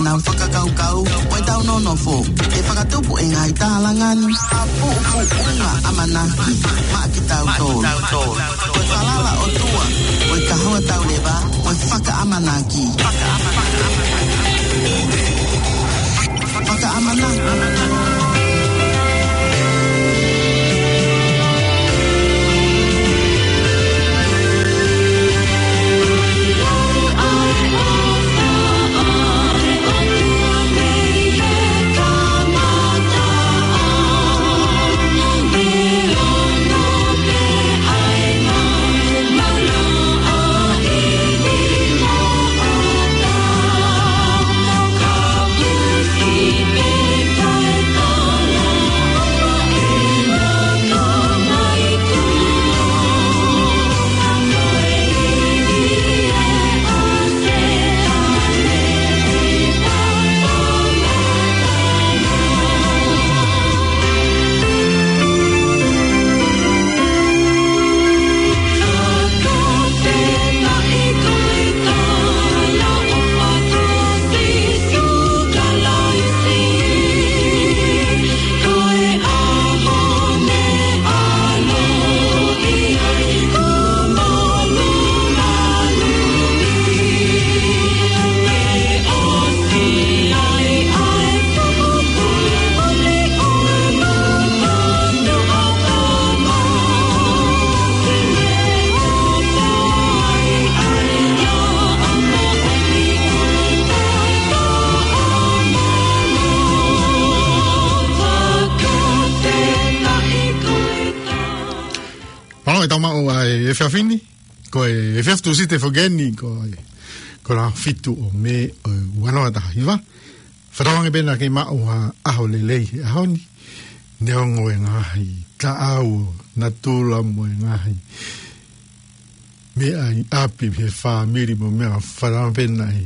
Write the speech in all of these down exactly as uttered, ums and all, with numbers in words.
Ngaahi fakakaukau, ʻo ʻetau nonofo, ʻe fakatupu ʻe he ngaahi tālanga ni ha puʻupuʻunga ʻamanaki maʻa kitautolu. Ko e falala ʻOtua, ko e kahoa tauleva, ko e fakaʻamanaki. Fakaʻamanaki. Mālō e tau maʻu ʻa e efiafi ni, ko e efiafi Tūsite foki eni, ko e, ko e ʻaho fitu ʻo Mē ʻo e ua noa taha hiva. Fakatauange pē naʻa ke maʻu ha ʻaho lelei he ʻaho ni, neongo e ngaahi taʻau ʻo natula mo e ngaahi meʻa ʻi ʻapi he fāmili mo e meʻa, fakatauange pē naʻe,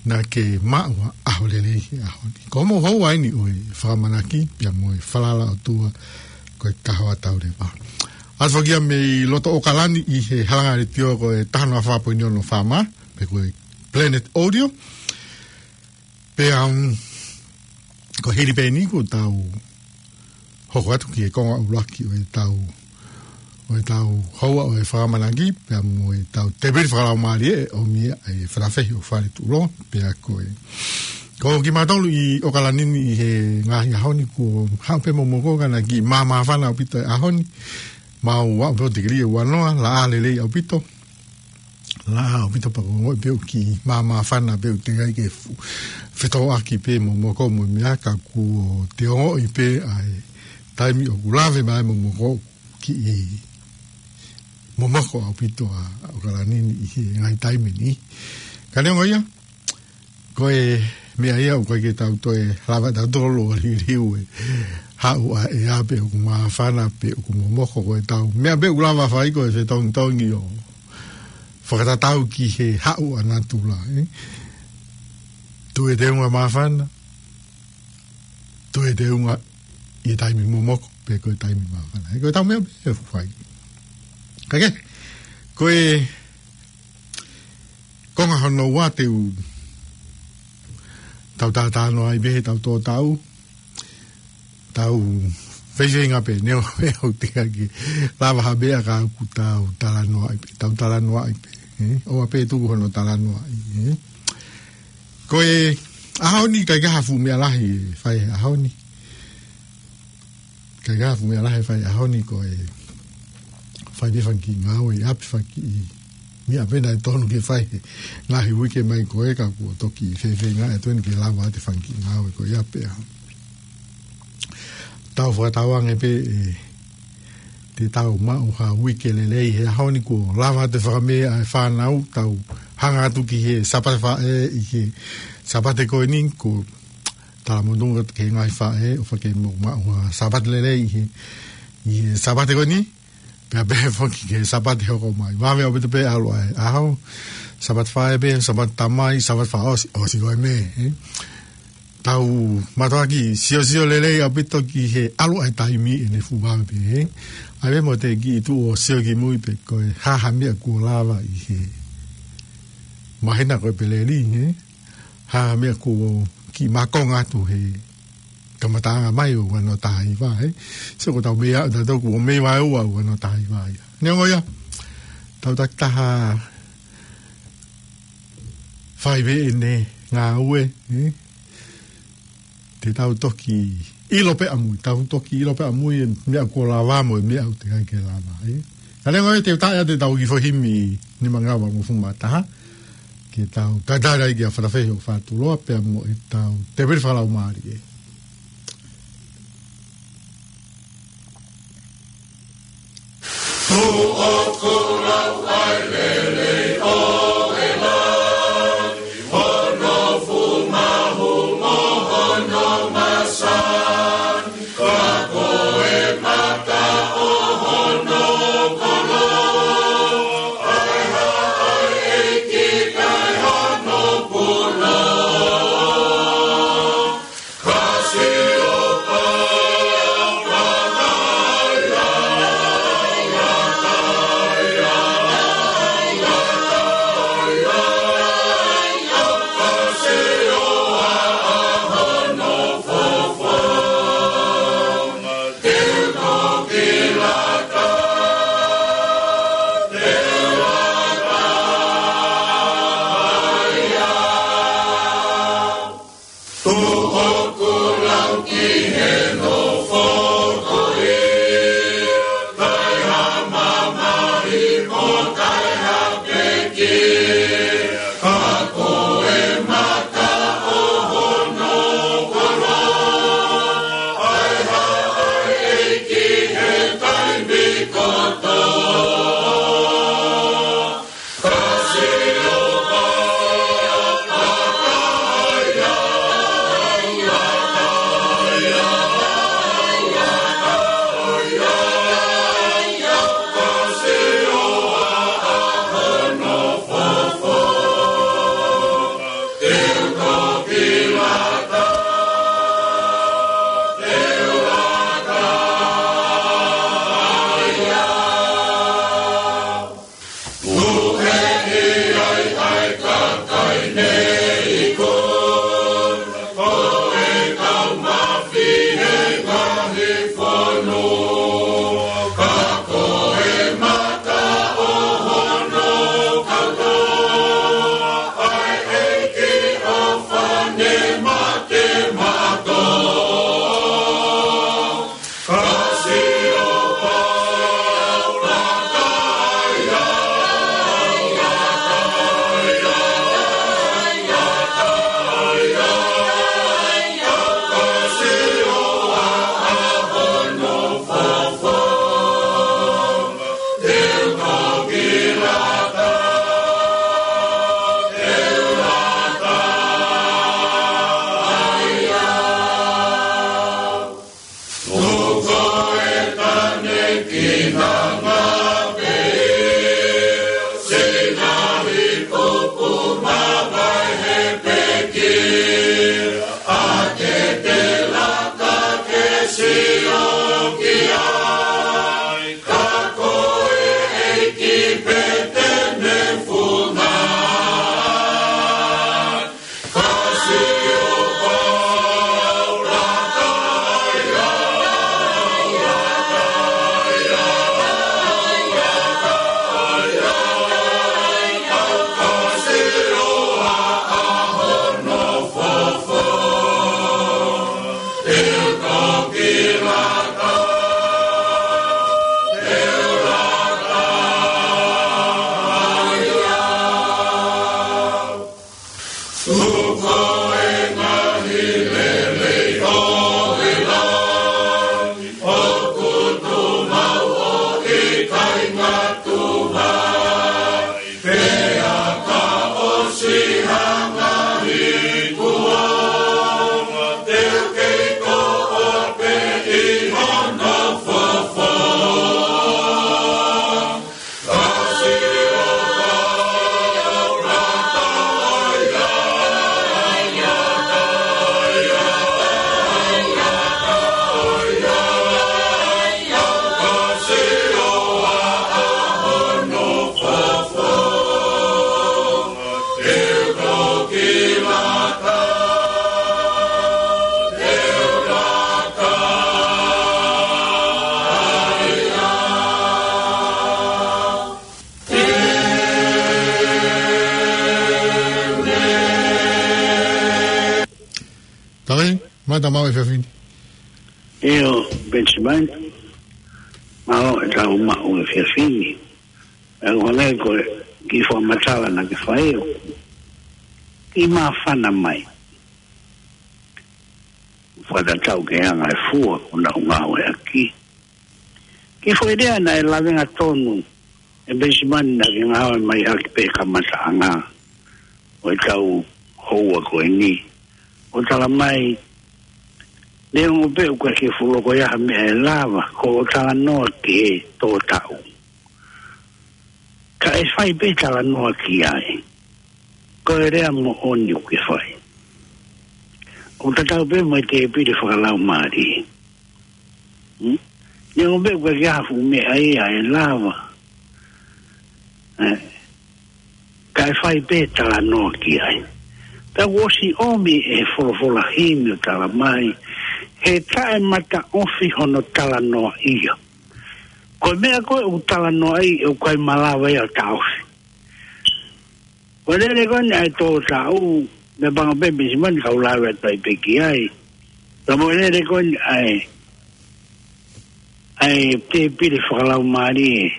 naʻa ke maʻu ha ʻaho lelei he ʻaho ni. Ko hoʻomou houa eni ʻo e fakaʻamanaki, pea mo e falala ʻOtua, ko e kahoa tauleva. ʻAlu foki ia mei loto ʻAokalani ʻi he halanga letiō ko e taha noa fā poini ono FM, pe ko e Planet Audio. Pea, um, ko e hili pē eni kuo tau hoko atu ki he konga ʻuluaki ʻo e tau, ʻo e tau houa ʻo e fakaʻamanaki, pea mo e tau tēpile fakalaumālie ʻoku ʻomi ʻe he Falafehi ʻo Fale Tuʻuloa, pea ko e, ko kimautolu ʻi ʻAokalani ni ʻi he ngaahi ʻaho ni kuo haʻu pē momoko ka naʻe kiʻi māmāfana ʻaupito e ʻaho ni, mau aʻu pē ʻo tikilī ʻe ua noa, laʻā lelei ʻaupito. Laʻā ʻaupito pea ʻoku ongoʻi pē ʻoku kiʻi māmāfana pē ʻoku teʻeki ai ke fu-, fetōʻaki pē momoko mo e meʻa ka kuo te ongoʻi pē ʻa e taimi ʻoku lave mai momoko kiʻi momoko ʻaupito ʻa ʻAokalani ni ʻi he ngaahi taimi ni. Ka neongo ia, ko e meʻa ia ʻoku ʻikai ke tau toe lava tautolu ʻo liliu e haʻu ʻa e ʻea pe ʻoku māfana pe ʻoku momoko ko e tau. Meʻa pē ʻoku lava fai ko e fetongitongi ʻo fakatatau ki he haʻu ʻa natula, ē. Tuʻu e teunga māfana, tuʻu e teunga ʻi he taimi momoko, pe ko e taimi māfana. Ē, ko e tau meʻa pē ʻe fai. Ka ke, ko e konga hono ua te u tau talanoa ai pē he tau tō tau. Tau feifeinga pē, neongo pē ʻoku teʻeki ke lava ha meʻa ka ʻoku tau talanoa ai pē, tau talanoa ai pē, ē? ʻOua pē tuku hono talanoa ai, ē? Ko e ʻaho ni ʻikai ke ha fuʻu meʻa lahi ʻe fai he ʻaho ni. ʻIkai ke ha fuʻu meʻa lahi ʻe fai he ʻaho ni ko e fai pē fanga kiʻi ngāue ʻi ʻapi, fanga kiʻi meʻa pē naʻe totonu ke fai he ngaahi uike mai ko ē ka kuo toki feifeinga atu eni ke lava atu e fanga kiʻi ngāue ko ia pea tau fakatauange pē ʻe te tau maʻu ha uike lelei he ʻaho ni kuo lava atu e fakamē ʻa e fānau, tau hanga atu ki he Sāpate Faʻē ʻi he Sāpate ko eni, ko e talamonū atu ki he ngaahi faʻē ʻofa ke mou maʻu ha Sāpate lelei ʻi he, ʻi he Sāpate ko eni. Pea pehē foki ki he Sāpate hoko mai. Vave ʻaupito pē ʻalu ʻa e ʻaho. Sāpate Faʻē pē, Sāpate Tamai, Sāpate Fakaʻosi, ʻosi ko e meʻa, ē. Tau mātuʻaki siosio lelei ʻaupito ki he ʻalu ʻa e taimi ʻene fuʻu vave pē, ē. ʻAi pē mo te kiʻi tuʻu ʻo sio ki mui pe ko e hā ha meʻa kuo lava ʻi he māhina ko ē pē lelei, ē. ha meʻa kuo kiʻi mākonga atu he kamataʻanga mai ʻo ua noa taha hiva, ē. So ko ʻetau meʻa, ʻa tautolu kuo mei vaeua ua noa taha hiva ia. Neongo ia, tau takitaha fai pē ʻene ngāue, ē. Te tau toki ʻilo pē ʻamui, tau toki ʻilo pē ʻamui e meʻa kuo lava mo e meʻa ʻoku teʻeki ai ke lava, ē. Ka neongo ia te u taʻe atu ʻetau kiʻi foʻi himi nima ngaahi valungofulu mā taha, ke tau tatala ai kia Fatafehi ʻo Fatuloa pea mo ʻetau tēvili fakalaumālie. Tata mau e fiafini. ʻIo, Benjamin, mau e tau mau e fiafini. E ʻoku hangē ko e kiʻi fakamatala naʻa ke fai ʻo kiʻi māfana mai. Fakatatau ki he anga e fua ʻoku nau ngāueʻaki. Kiʻi foʻi lea naʻe lavenga tonu ʻe Benjamin naʻa ke ngāue mai ʻaki pē kamataʻanga ʻo e tau houa ko eni. ʻO tala mai, neongo pē ʻoku ʻikai ke fuʻu loko ia ha meʻa ʻe lava, ko hoʻo talanoa ki he tō taʻu. Ka ʻe fai pē talanoa ki ai. Ko e lea moʻoni ʻoku ke fai. ʻOku tatau pē mo e tēpile fakalaumālie. Hmm? Neongo pē ʻoku ʻikai ke ʻi ai ha fuʻu meʻa ia ʻe lava. Eh, ka ʻe fai pē talanoa ki ai. Pea kuo ʻosi ʻomi ʻe he folofola himi ʻo tala mai, he taʻemataʻofi hono talanoaʻia. Ko e meʻa ko ē ʻoku talanoaʻi ʻoku ʻikai malava ia ʻo taʻofi. Ko e lele ko eni ʻa e tō taʻu, meʻapango pē Benjamin kau lave atu ai pē ki ai. Ka mo e lele ko eni ʻa e, ʻa e tēpile fakalaumālie,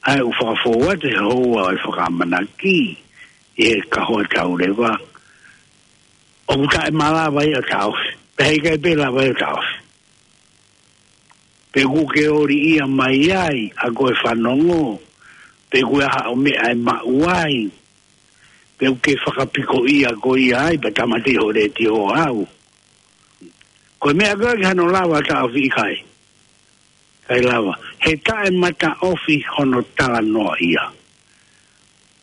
ʻa e ʻoku fakafou atu he houa ʻo e fakaʻamanaki, ʻi he kahoa tauleva. ʻOku taʻemalava ia ʻo taʻofi. Pea heʻikai pē lava ia ʻo taʻofi. Pe ʻoku ke ʻoli ia mai ai, ʻa ko e fanongo, pe ʻoku ʻi ai haʻo meʻa ʻe maʻu ai, pe ʻoku ke fakapiko ia ko ia ai, pea tāmateʻi ho letiō ʻo ʻalu. Ko e meʻa ko ē ʻikai hano lava taʻofi, ʻikai. ʻIkai lava. He taʻemataʻofi hono talanoaʻia.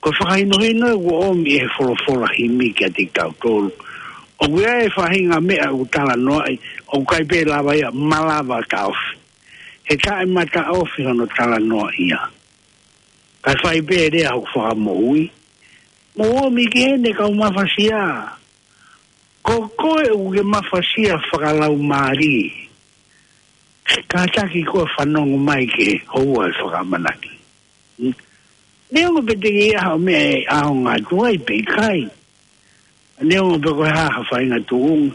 Ko e fakahinohino ē kuo ʻomi ʻe he folofola himi kiate kitautolu. ʻOku ʻi ai e faʻahinga meʻa ʻoku talanoaʻi, ʻoku ʻikai pē lava ia, malava taʻofi. He taʻemataʻofi hono talanoaʻia. Kae fai pē lea hoku fakamoʻui. Mou ōmi ki heni kau mafasia. Ko koe ʻoku ke mafasia fakalaumālie. Kātaki koe ʻo fanongo mai ki he houa ʻo e fakaʻamanaki. Hmm? Neongo pē te ke ʻi ai haʻo meʻa ʻe ʻaonga atu ai pe ʻikai. Neongo pē ko e hā ha faʻahinga tuʻunga.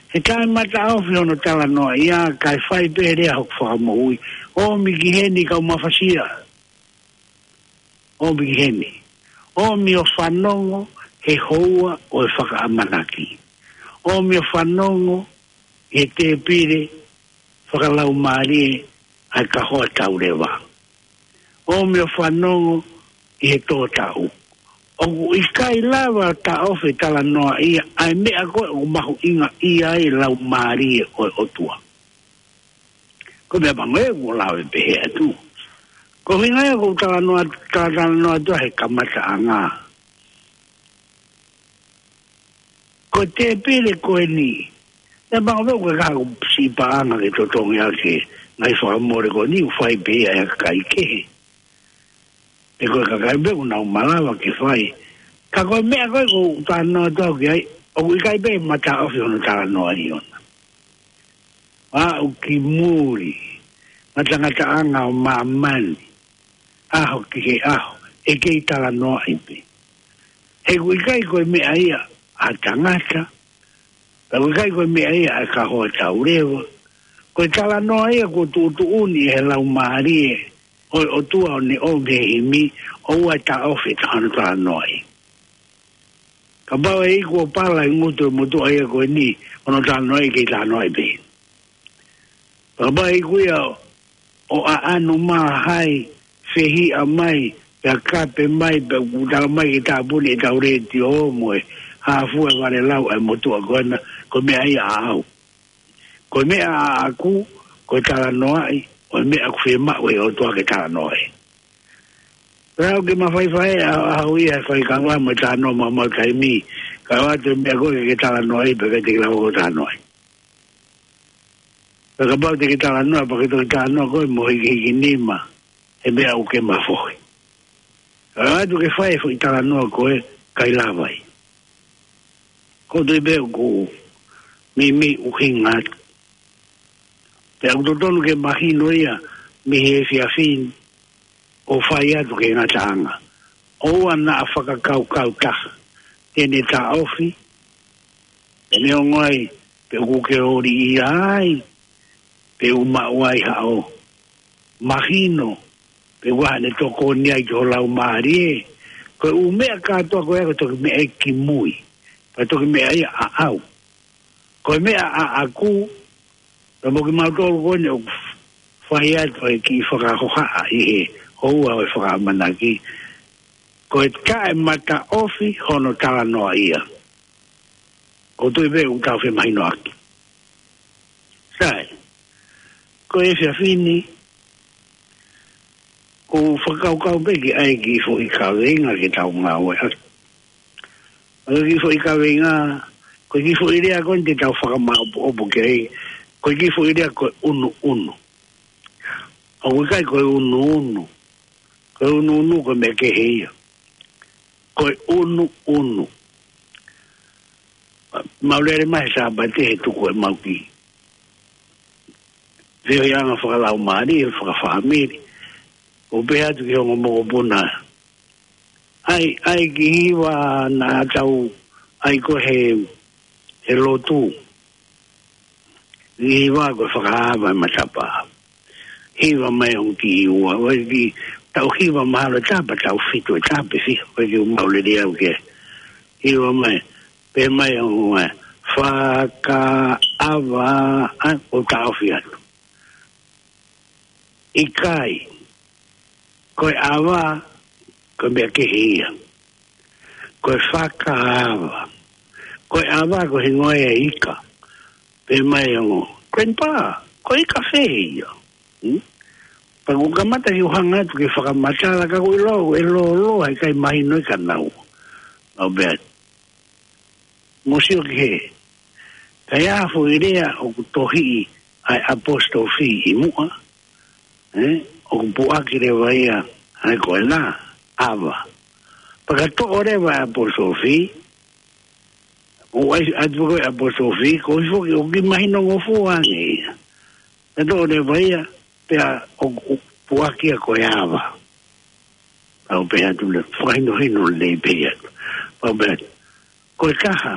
He taʻemataʻofi hono talanoaʻia, kae fai pē lea hoku fakamoʻui. ʻOmi ki heni kau mafasia. ʻOmi ki heni. ʻOmi ʻo fanongo he houa ʻo e fakaʻamanaki. ʻOmi ʻo fanongo he tēpile fakalaumālie ʻa e kahoa tauleva. ʻOmi ʻo fanongo ʻi he tō taʻu. ʻOku ʻikai lava taʻofi e talanoaʻia ʻa e meʻa ko ē ʻoku mahuʻingaʻia ai e laumālie ʻo e ʻOtua. Ko e meʻapango ē kuo lave pehē atu. Ko e ʻuhinga ia ʻoku ou talanoa, talatalanoa atu he kamataʻanga. Ko e tēpile ko eni. Meʻapango pē ʻoku ʻikai ko e siʻi paʻanga ke totongi ʻaki e ngaahi fakamole ko eni, ʻoku fai pē ia ʻe he kakai kehe. Pe ko e kakai pē ʻoku nau malava ke fai. Ka ko e meʻa ko ē ʻoku ou talanoa atu au ki ai, ʻoku ʻikai pē mataʻofi hono talanoaʻi ʻona. Aʻu ki muli, ngatangataʻanga ʻo māmani, ʻaho ki he ʻaho, ʻe kei talanoaʻi pē. He ʻoku ʻikai ko e meʻa ia ʻa e tangata, pea ʻoku ʻikai ko e meʻa ia ʻa e kahoa tauleva. Ko e talanoa ia kuo tuʻutuʻuni ʻe he laumālie ʻo e ʻOtua ʻo ne ʻomi he himi, ʻoua ʻe taʻofi ʻe taha hono talanoaʻi. Kapau ʻe iku ʻo pala e ngutu ʻo e motuʻa ia ko eni, hono talanoaʻi, kei talanoaʻi pē. Kapau ʻe iku ia ʻo ʻaʻanu mai, fehiʻa mai, pea kape mai, pea ʻoku tala mai ke tāpuni ʻetau letiō mo e hā fua e valelau ʻa e motuʻa ko ena, ko e meʻa ia ʻaʻau. Ko e meʻa ʻaʻaku, ko e talanoaʻi, ko e meʻa ʻoku fiemaʻu ʻe he ʻOtua ke talanoaʻi. Pea ʻoku ke mafaifai ʻa, ʻaʻau ia he fai kangua mo e talanoa maumau taimi, ka ʻoatu e meʻa ko ē ke ke talanoaʻi, pea ʻikai te ke lava koe ʻo talanoaʻi. Pea kapau te ke talanoa, pea ke toki talanoa koe mo hikihiki nima, he meʻa ʻoku ke mafohi. Ka ʻoatu ke fai e foʻi talanoa ko ē, ʻikai lava ia. Ko e tui pē ʻoku meimei ʻuhinga atu. Pea ʻoku totonu ke mahino ia mei he efiafi ni ʻo fai atu ki he ngataʻanga. ʻOua naʻa fakakaukau taha te ne taʻofi, te ne ongo ai pe ʻoku ke ʻoliʻia ai, pe ʻoku maʻu ai haʻo mahino, pe ʻoku ʻi ai haʻane tokoni ai ki ho laumālie. Ko e ʻū meʻa kātoa ko ia ko e toki meʻa ia kimui, pe toki meʻa ia ʻaʻau. Ko e meʻa ʻaʻaku, pea mo kimautolu ko eni ʻoku fai atu e kiʻi fakahohaʻa ʻi he houa ʻo e fakaʻamanaki, ko e taʻemataʻofi hono talanoaʻia. ʻOku ou tui pē ʻoku tau femahinoʻaki. Sai, ko e efiafi ni, ʻoku ou fakakaukau pē ke ʻai e kiʻi foʻi kaveinga ke tau ngāueʻaki. ʻA e kiʻi foʻi kaveinga, ko e kiʻi foʻi lea ko eni te tau fakamaʻopoʻopo ki ai, ko e kiʻi foʻi lea ko e ʻunuʻunu. ʻOku ʻikai ko e ʻunuʻunu. Ko e ʻunuʻunu ko e meʻa kehe ia. Ko e ʻunuʻunu. Mau lele mai he Sāpate he tuku ʻemau kiʻi feohiʻanga fakalaumālie, fakafāmili. ʻO pehē atu ki he ongo mokopuna, ʻai, ʻai e kiʻi hiva naʻa tau ʻai ko ē he, he lotu. Hiva ko e fakaava e matapā. Hiva mai ʻo kiʻi ua. ʻOku ʻikai ke tau hiva mahalo ʻe taha pē, tau fitu ʻe taha pē, fiha. ʻOku ʻikai ke u maʻu lelei au ki ai. Hiva mai. Pehē mai ʻo ua. Fakaava, ʻa, ʻo taʻofi atu. ʻIkai. Ko e ava, ko e meʻa kehe ia. Ko e fakaava. Ko e ava, ko e hingoa ia ʻo e ika. Pehē mai ʻo, Grandpa, ko e ika fē ia? Hmm? Pea ʻoku ou kamata ke u hanga atu ke fakamatala, ka ʻoku ou ʻilo ʻe lōloa, ʻikai mahino ia kia naua. Mau pehē atu. Mou sio ki hē. Ka ʻi ai ha foʻi lea ʻoku tohiʻi ʻa e apostrophe ʻi muʻa, ē? ʻOku puʻaki leva ia, ʻa e ko e la, ava. Pea ka toʻo leva e apostrophe, ʻo ʻai atu ko e apostrophe, ko e foʻi, ʻoku kiʻi mahinongofua ange ia. Ka toʻo leva ia, pea ʻoku, ʻoku puʻaki ia ko e ava. Pea u pehē atu leva, fakahinohino lelei pē ia. Pea u pehē atu. Ko e taha,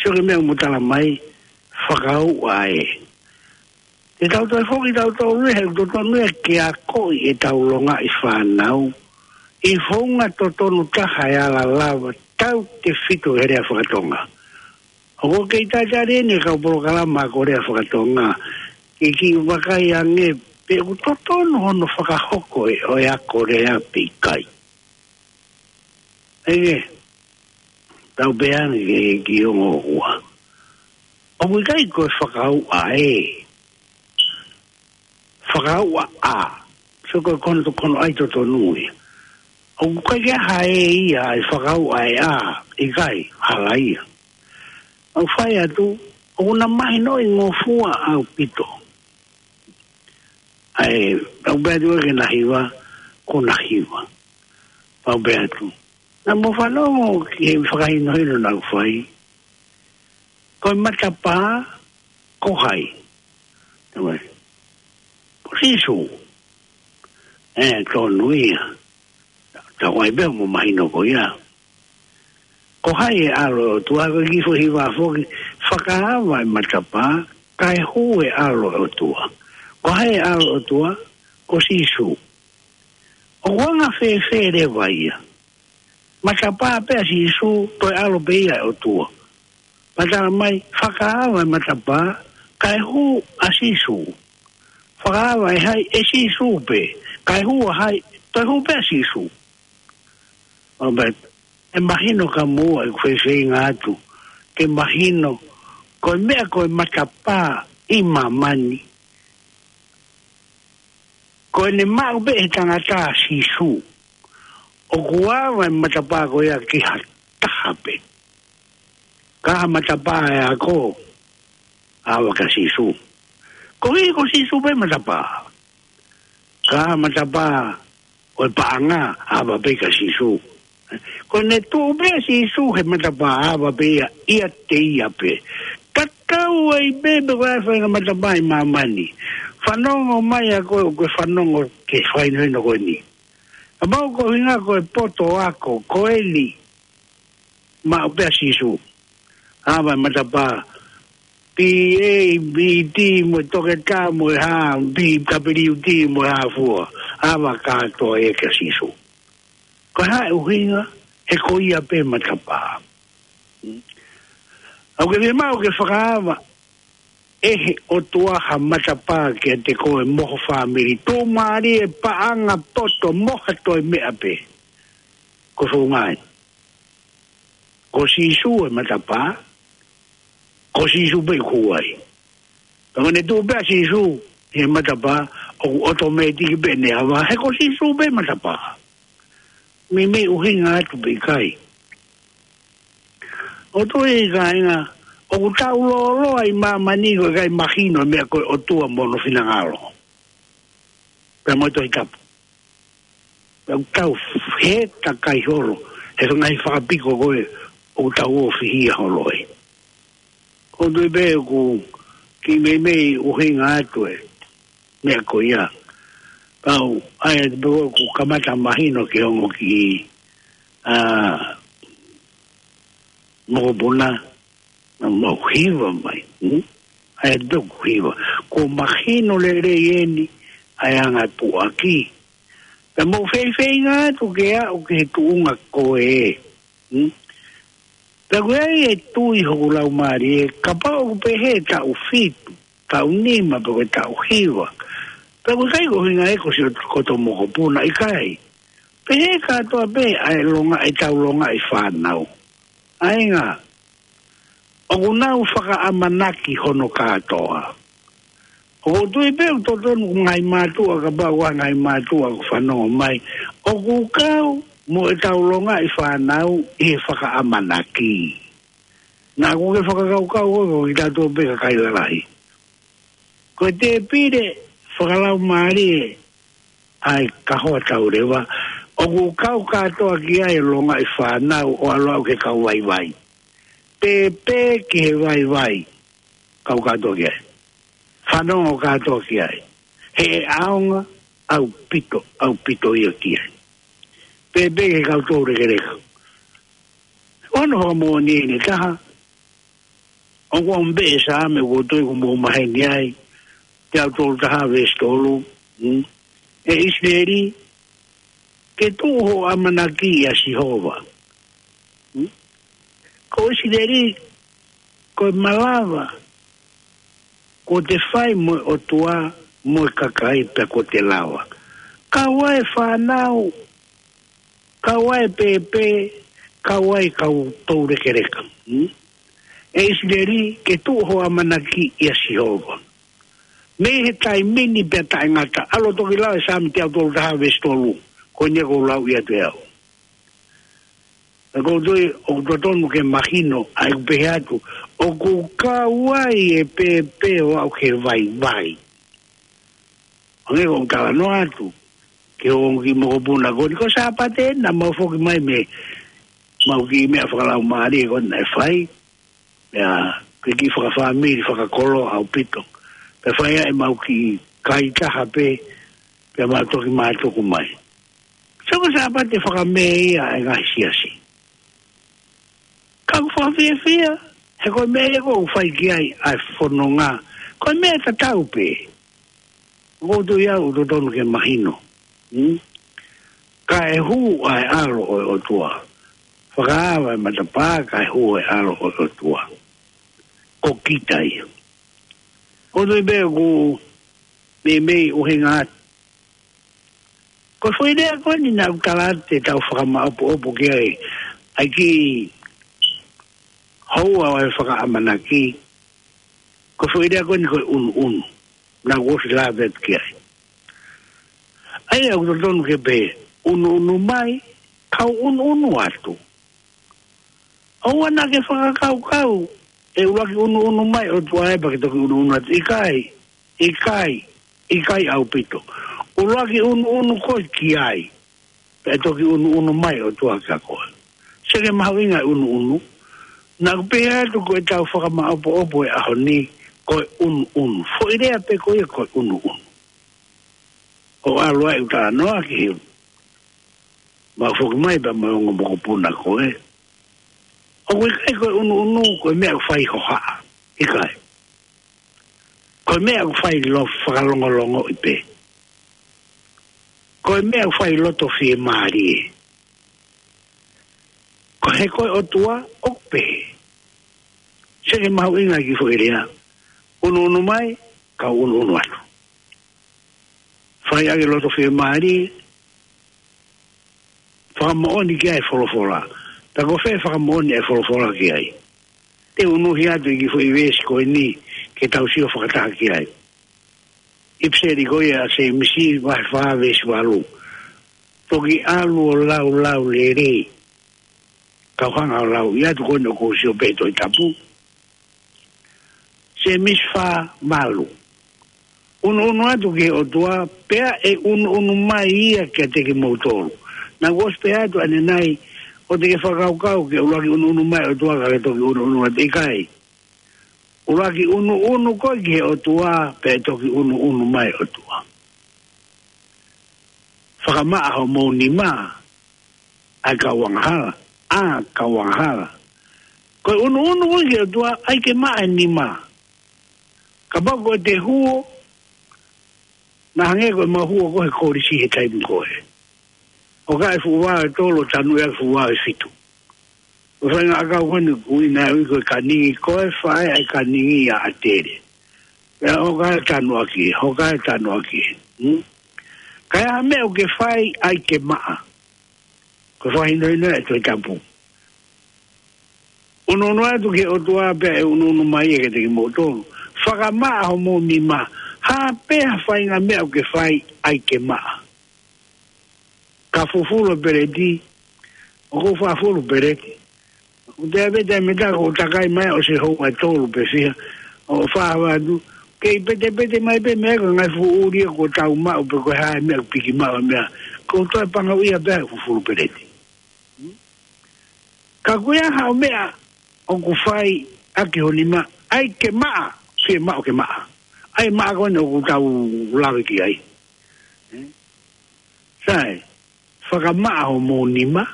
sio ki he meʻa ʻoku mo tala mai, fakauʻa ē. Te tau toe foki tautolu ia, he ʻoku totonu ia ke akoʻi ʻetau longaʻi fānau ʻi he founga totonu taha ʻe ala lava tautefito he lea faka-Tonga. ʻOku kei talitali eni e kau polokalama ako lea faka-Tonga ke kiʻi vakai ange pe ʻoku totonu hono fakahoko ʻe, ʻo e ako lea pe ʻikai. ʻE, tau pehē ange ki he ongo ua. ʻOku ʻikai ko e fakauʻa ē. Fakauʻa ʻa. So ko e kono to kono ʻai totonu ia. ʻOku ʻikai ke ʻi ai ha ē ia ʻi he fakauʻa ē ʻa. ʻIkai, hala ia. ʻOku fai atu, ʻoku na mahinoʻi ngofua ʻaupito. ʻAi, ʻoku pehē atu ke na hiva, ko na hiva. Pea u pehē atu. Naʻa mo fanongo ki he fakahinohino naʻa ku fai. Ko e matapā, ko hai? Tama. Ko Sīsū. ʻE, tonu ia. Tau ʻai pē mo mahino ko ia. Ko hai e ʻAlo ʻo e ʻOtua, ko e kiʻi foʻi hiva foki, fakaava e matapā, kae hū e ʻAlo ʻo e ʻOtua. Ko hai e ʻAlo ʻo e ʻOtua, ko Sīsū. ʻOku anga fēfē leva ia? Matapā pē ʻa Sīsū, toe ʻAlo pē ia ʻo e ʻOtua. Pea tala mai, fakaava e matapā, kae hū ʻa Sīsū. Fakaava ʻe hai? ʻE Sīsū pē. Kae hū ʻa hai? Toe hū pē ʻa Sīsū. ʻO pehē, ʻe mahino kia moua ʻeku fefeinga atu ke mahino, ko e meʻa ko e matapā ʻi māmani, ko ʻene maʻu pē ʻe he tangata ʻa Sīsū. ʻOku ava e matapā ko ia ki ha taha pē. Ka ha matapā ʻe ako, ava kia Sīsū. Koeʻuhi ko Sīsū pē matapā. Ka ha matapā ʻo e paʻanga, ava pē kia Sīsū. Ko ʻene tuʻu pē ʻa Sīsū he matapā, ava pē ia, ʻiate ia pē. Tatau ai pē pe ko e hā e faʻahinga matapā ʻi māmani. Fanongo mai ʻa koe, ʻoku ke fanongo ki he fakahinohino ko eni. Kapau ko e ʻuhinga ko e poto ako ko eni, maʻu pē ʻa Sīsū. Ava e matapā, P A, B T, mo e toketā, mo e hā, B W T, mo e hā fua. ʻAva kātoa ē kia Sīsū. Ko e hā e ʻuhinga? He ko ia pē matapā. ʻOku ke fiemaʻu ke fakaava ʻe he ʻOtua ha matapā kiate koe mo ho fāmili. Tuʻumālie, paʻanga, poto, mo ha toe meʻa pē. Ko e founga ē. Ko Sīsū e matapā. Ko Sīsū pē ʻoku ai. Ka ko ʻene tuʻu pē ʻa Sīsū he matapā, ʻoku ʻotomētiki pē ʻene ava, he ko Sīsū pē matapā. Meimei ʻuhinga atu pē ʻikai. ʻOku ou tui, kāinga, ʻoku tau lōloa ʻi māmani ko e ʻikai mahino e meʻa ko e ʻOtua mo hono finangalo. Pea mo e Tohi Tapu. Pea ʻoku tau hē takai holo he ngaahi fakapiko ko ē ʻoku tau ō fihia holo ai. ʻOku ou tui pē ʻoku kiʻi meimei ʻuhinga atu e meʻa ko ia. Kau, ʻa ia te pē ʻoku kamata mahino ki he ongo kiʻi, ʻa, mokopuna, naʻa mau hiva mai, hmm? ʻA ia te pē ʻoku hiva. Kuo mahino lelei eni ʻa e anga e puʻaki. Pea mou feifeinga atu ke aʻu ki he tuʻunga ko ē, hmm? Pea ʻoku ʻi ai e tui hoku laumālie, kapau ʻoku pehē taʻu fitu, taʻu nima, pe ko e taʻu hiva. Pea ʻoku ʻikai ko e ʻuhinga ē ko siʻo koto mokopuna, ʻikai. Pehē kātoa pē ʻa e longa, ʻetau longaʻi fānau. ʻA ia, ʻoku nau fakaʻamanaki hono kātoa. ʻOku ou tui pē ʻoku totonu ko e ngaahi mātuʻa, kapau ʻoku ʻi ai ha ngaahi mātuʻa ʻoku fanongo mai, ʻoku kau mo ʻetau longaʻi fānau ʻi he fakaʻamanaki. Naʻa ʻoku ke fakakaukau ʻoku ʻikai ko kitautolu pē kakai lalahi. Ko e tēpile fakalaumālie ʻa e kahoa tauleva, ʻoku kau kātoa ki ai e longaʻi fānau ʻo ʻalu ʻo aʻu ki he kau vaivai. Pēpē ki he vaivai, kau kātoa ki ai. Fanongo kātoa ki ai. He ʻaonga ʻaupito, ʻaupito ia ki ai. Pēpē ki he kau toulekeleka. Ono hoʻo moʻoni ʻe taha, ʻoku ʻomi pē ʻe Saame, ʻoku ou tui ʻoku mou maheni ai, teau tolu taha veesi tolu, hmm? ʻE ʻIsileli, ke tuʻu hoʻo ʻamanaki ʻia Sihova. Hmm? Ko ʻIsileli, ko e malava, kuo te fai mo e ʻOtua, mo e kakai pea kuo te lava. Kau ai e fānau, kau ai e pēpē, kau ai e kau toulekeleka. Hmm? ʻE ʻIsileli, ke tuʻu hoʻo ʻamanaki ʻia Sihova. Mei he taimi ni pea taʻengata, ʻalu ʻo toki lau e Saame teau tolu taha veesi tolu, ko eni ʻoku ou lau ia ʻe au. ʻOku ou tui, ʻoku totonu ke mahino, ʻa ia ʻoku pehē atu, ʻoku kau ai e pēpē ʻo aʻu ki he vaivai. ʻOku ou talanoa atu, ki he ongo kiʻi mokopuna ko eni, ko Sāpate naʻa mau foki mai mei heʻemau kiʻi meʻa fakalaumālie ko ē naʻe fai, ʻa e kiʻi fakafāmili fakakoloa ʻaupito. Pea fai ai ʻemau kiʻi kai taha pē, pea mau toki mātuku mai. So ko Sāpate fakamē ia ʻa e ngaahi siasi. Ka ʻoku fakafiefia, he ko e meʻa ia ʻoku fai ki ai ʻa e fononga. Ko e meʻa tatau pē. ʻOku ou tui au ʻoku totonu ke mahino. Hmm? Kae hū ʻa e ʻAlo ʻo e ʻOtua. Fakaava e matapā, kae hū e ʻAlo ʻo e ʻOtua. Ko kita ia. ʻOku ou tui pē ʻoku meimei ʻuhinga atu. Ko e foʻi lea ko eni naʻa ku tala atu te tau fakamaʻopoʻopo ki ai, ʻa e kiʻi houa ʻo e fakaʻamanaki. Ko e foʻi lea ko eni ko e ʻunuʻunu. Naʻa ku ʻosi lave atu ki ai. ʻA ia ʻoku totonu ke pehē, ʻunuʻunu mai, kau ʻunuʻunu atu. ʻOua naʻa ke fakakaukau, ʻe ʻuluaki ʻunuʻunu mai ʻOtua ē pea ke toki ʻunuʻunu atu. ʻIkai, ʻikai, ʻikai ʻaupito. ʻUluaki ʻunuʻunu koe ki ai, pea toki ʻunuʻunu mai ʻOtua kia koe. Sio ki he mahuʻinga e ʻunuʻunu, naʻa ku pehē atu ko ʻetau fakamaʻopoʻopo e ʻaho ni, ko e ʻunuʻunu. Foʻi lea pē ko ia ko e ʻunuʻunu. ʻO ʻalu ai ʻo talanoa ki he, mau foki mai pea mo e ongo mokopuna ko ē. ʻOku ʻikai ko e ʻunuʻunu, ko e meʻa ʻoku fai hohaʻa. ʻIkai. Ko e meʻa ʻoku fai lo fakalongolongoʻi pē. Ko e meʻa ʻoku fai loto fiemālie. Ko e, ko e ʻOtua ʻoku pehē. Seke mahuʻinga ki foʻi lea. Unuunu mai, kau unuunu atu. Fai ʻaki loto fiemālie, fakamoʻoni ki ai e folofola. Pea ko fē fakamoʻoni e folofola ki ai. Te u unuhi atu ʻi he foʻi veesi ko eni ke tau sio fakataha ki ai. ʻIpiseli ko ia ʻa Sēmisi vahe fā veesi valu. Toki ʻalu ʻo laulau lelei. Kau hanga ʻo lau ʻi atu ko eni ʻoku ou sio pē he Tohi Tapu. Sēmisi fā valu. Unuunu atu ki he ʻOtua, pea ʻe unuunu mai ia kiate kimoutolu. Naʻa ku ʻosi pehē atu ʻanenai, ʻoua te ke fakakaukau ke ʻuluaki unuunu mai ʻOtua kae toki unuunu atu, ʻikai. ʻUluaki unuunu koe ki he ʻOtua, pea toki unuunu mai ʻOtua. Fakamaʻa homou nima, ʻa e kau angahala, ʻa e kau angahala. Ko e unuunu koe ki he ʻOtua, ʻai ke maʻa e nima. Kapau ko e te huo, naʻa hangē ko e mau huo ko ē he kolisi he taimi ko ē. ʻO ka e fuʻu vao ʻe tolu, tanu ia fuʻu vao ʻe fitu. Ko e faʻahinga ʻakau ko eni ʻoku ui naʻe ui ko e kaningi, ko e faʻē ʻa e kaningi ʻa ʻAtele. Pea ʻoka e tanu ʻaki, ʻoka e tanu ʻaki. Hmm? Ka ʻi ai ha meʻa ʻoku ke fai ʻai ke maʻa. Ko e fakahinohino ia ʻa e Tohi Tapu. Unuunu atu ki he ʻOtua pea ʻe unuunu mai ia kiate kimoutolu. Fakamaʻa homou nima. Ha pē ha faʻahinga meʻa ʻoku ke fai ʻai ke maʻa. Ka fufulu peleti, ʻoku ou fufulu peleti. ʻOku te ʻave te meta ko takai mai ʻo se hou ʻa e tolu pe fiha, ʻo fā vatu. Kei petepete mai pē meʻa ko e ngaahi fuʻu ʻuli ko tau maʻu pe ko e hā e meʻa piki maʻu e meʻa. Ko e toe pangauʻia pē ʻa e fufulu peleti. Ka ko e hā ha meʻa ʻoku fai ʻaki ho nima, ʻai ke maʻa, fiemaʻu ke maʻa. ʻAi maʻa ko eni ʻoku tau lave ki ai. Sai, fakamaʻa homou nima,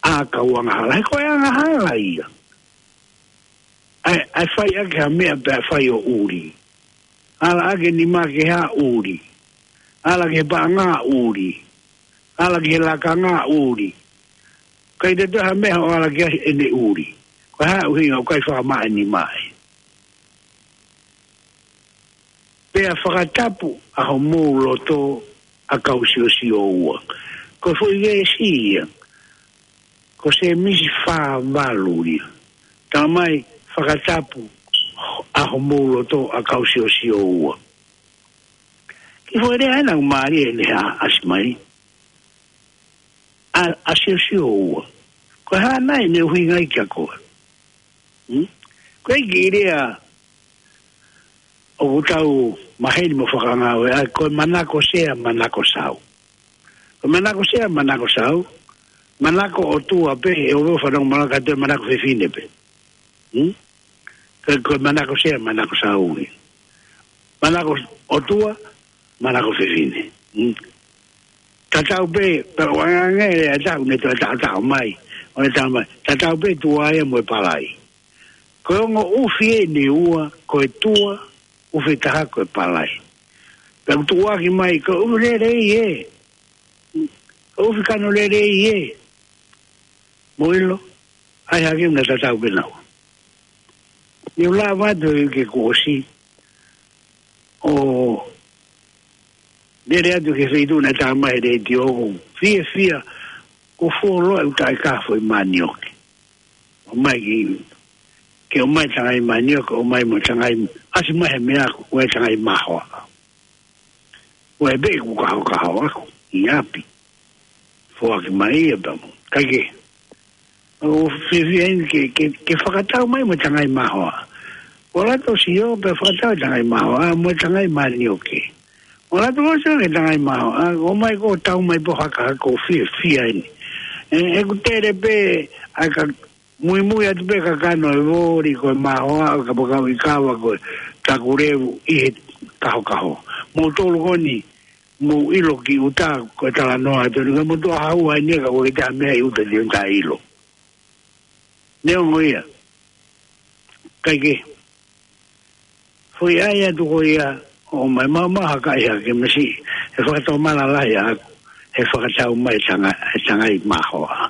ʻa e kau angahala. He ko e angahala ia. ʻAi, ʻai fai ʻaki ha meʻa pea fai ʻo ʻuli. Ala ʻaki e nima ke hā ʻuli. Ala ki he paʻanga ʻuli. Ala ki he lakanga ʻuli. ʻIkai te toe ha meʻa ʻo ala ki ai ʻene ʻuli. Ko e hā e ʻuhinga ʻoku ʻikai fakamaʻa e nima ē. Pea fakatapu ʻa homou loto ʻa e kau siosio ua. Ko e foʻi veesi ia. Ko Sēmisi fā valu ia. Talamai fakatapu ʻa homou loto ʻa e kau siosio ua. Kiʻi foʻi lea ʻena ʻoku mālie ʻene hā ʻasi mai. ʻA, ʻa e siosio ua. Ko e hā nai ʻene ʻuhinga ia kia koe. Hmm? Ko e kiʻi lea ʻoku tau maheni mo fakangāue ai, ko e manako sea, manako sau. Ko e manako sea, manako sau, manako ʻOtua pē, ʻe ʻoua ʻe fanongo manako kātoa, manako fefine pē. Hmm? Ko, ko e manako sea, manako sau ia. Manako ʻOtua, manako fefine. Hmm? Tatau pē, pea ʻoange e lea ʻe taha, ne toe taʻotaʻo mai, ʻo ne talamai. Tatau pē tuʻa ia mo e palai. Ko e ongo ʻufi ʻeni ʻe ua, ko e tuʻa, ʻufi ʻe taha ko e palai. Pea ʻoku tuʻuaki mai, ko e ʻufi lelei ē. Ko e ʻufi kano lelei ē. Mou ʻilo, ʻai hake naʻa tatau pē naua. Ne u lava atu he uike kuo ʻosi, ʻo lele atu ki he feituʻu naʻe talamai he letiō, ʻoku ou fiefia, ʻoku fuoloa e ʻū taʻekafo ʻi Manioke. ʻOmai ki, ke ʻomai Tangai Manioke, ʻomai mo Tangai, ʻasi mai he meʻa ko e Tangai Mahoa. ʻOku ʻi ai pē ʻeku kahokaho ʻaʻaku ʻi ʻapi. Foaki mai ia pea mo. Kae kehe, ʻoku ou fiefia eni ke, ke, ke fakatau mai mo Tangai Mahoa. ʻOku ou ʻalu atu ʻo sio pea fakatau Tangai Mahoa, mo Tangai Manioke. ʻOku ou ʻalu atu ʻo sio ki he Tangai Mahoa, ʻomai ko e tau mai pē ʻo hakahaka, ʻoku ou fiefia eni. ʻE, ʻeku tele pē, ʻa e ka, muimui atu pē kakano e voli ko e mahoa, ʻo kapakau ʻi kava ko e takulevu ʻi he kahokaho. Moutolu ko eni, mou ʻilo ki ʻuta ko e talanoa atu, ni ka motu a hau ai nia ka ko e taha meʻa ʻi ʻuta te un ta ʻilo. Neongo ia. Kae kehe, Foʻi ʻai atu ko ia, ʻomai maumau ha kakai ha kemisi, he fakatomala lahi ʻaʻaku, he fakatau mai e tanga, e tangai mahoa.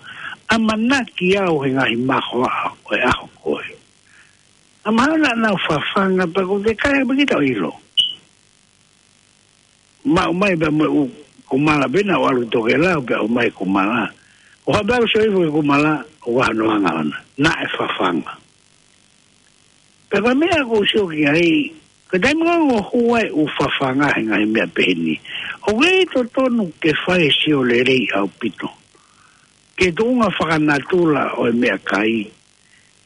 ʻAmanaki au he ngaahi mahoa ʻo e ʻaho ko ē. ʻA mahalo naʻa nau fafanga pea ko e kai pē kita ʻilo. Maʻu mai pea mo e ʻū kumala pē naʻa ʻalu tokelau pea ʻomai kumala. ʻO hape au sio ifo ki he kumala, ʻoku ʻi ai hono anga ʻona. Naʻe fafanga. Pea ko e meʻa ʻoku ou sio ki ai, ko e taimi ko ē ʻoku hū ai e ʻū fafanga he ngaahi meʻa pehē ni, ʻoku ʻi ai e totonu ke fai e sio lelei ʻaupito ki he tuʻunga fakanatula ʻo e meʻakai,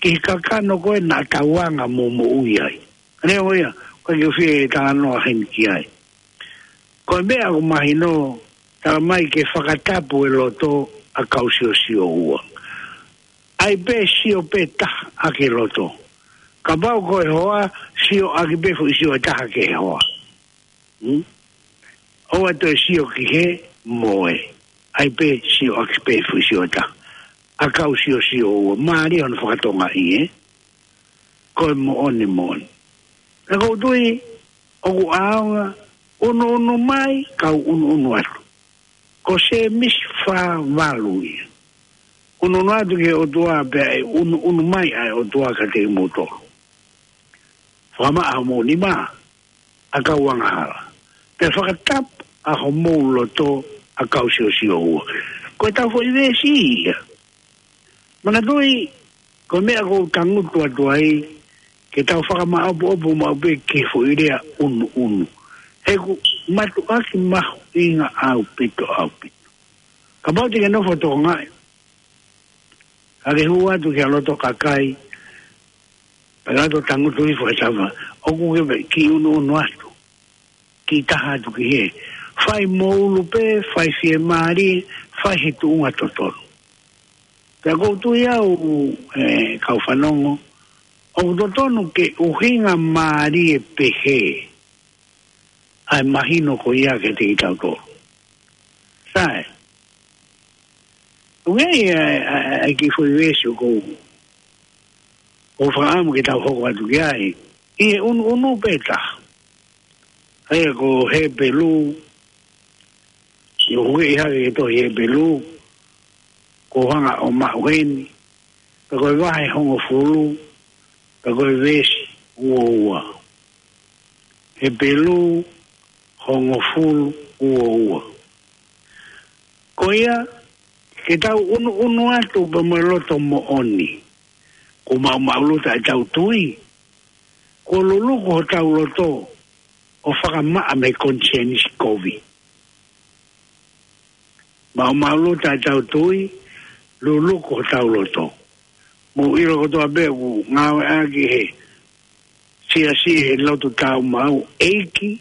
ki he kakano ko ē naʻa tau anga mo moʻui ai. Neongo ia, ʻoku ʻikai ke u fie talanoa heni ki ai. Ko e meʻa ʻoku mahino, tala mai ke fakatapu e loto ʻa Kausiosio ua. ʻAi pē sio pē taha ʻaki e loto. Kapau ko e hoa, sio ʻaki pē foʻi sio ʻe taha ki he hoa. Hmm? ʻOua toe sio ki he moe. ʻAi pē sio ʻaki pē foʻi sio ʻe taha. ʻA Kausiosio ua. Mālie hono fakatongaʻi, ē? Ko e moʻoni moʻoni. Pea ʻoku ou tui, ʻoku ʻaonga, ʻunuʻunu mai, kau ʻunuʻunu atu. Ko Sēmisi fā valu ia. ʻUnuʻunu atu ki he ʻOtua pea ʻe ʻunuʻunu mai ʻa e ʻOtua kiate kimoutolu. Fakamaʻa homou nima, ʻa kau angahala. Pea fakatapu ʻa homou loto, ʻa Kausiosio ua. Ko e tau foʻi veesi ia. Manatuʻi, ko e meʻa ʻoku ou tangutu atu ai, ke tau fakamaʻopoʻopo maʻu pē ki he foʻi lea ʻunuʻunu. He ʻoku mātuʻaki mahuʻinga ʻaupito, ʻaupito. Kapau te ke nofo ʻo tokangaʻi, ka ke hū atu ki ha loto kakai, pea ke ʻalu ʻo tangutu hifo he tava, ʻoku ke kiʻi ʻunuʻunu atu. Kiʻi taha atu ki hē. Fai mo ʻulu pē, fai fiemālie, fai he tuʻunga totonu. Pea ʻoku ou tui au, ē, kau fanongo, ʻoku totonu ke ʻuhinga mālie pehē ʻa e mahino ko ia kiate kitautolu. Sai. ʻOku ʻi ai e, e, e, e kiʻi foʻi veesi ʻoku ou, ʻoku ou fakaʻamu ke tau hoko atu ki ai. ʻI he ʻunuʻunu pē taha. ʻA ia ko Hepelū, ʻi he ʻoku ʻi hake he tohi Hepelū, ʻoku ou hanga ʻo maʻu heni, pea ko e vahe hongofulu, pea ko e veesi uo ua. Hepelū hongofulu uo ua. Ko ia, ke tau ʻunuʻunu atu pea mo e loto moʻoni. Kuo maʻumaʻuluta ʻetau tui. Kuo luluku hotau loto ʻo fakamaʻa mei he konisēnisi kovi. Maʻumaʻuluta ʻetau tui, luluku hotau loto. Mou ʻilo kotoa pē ʻoku ngāueʻaki he siasi he lotu tāumaʻu, ʻEiki,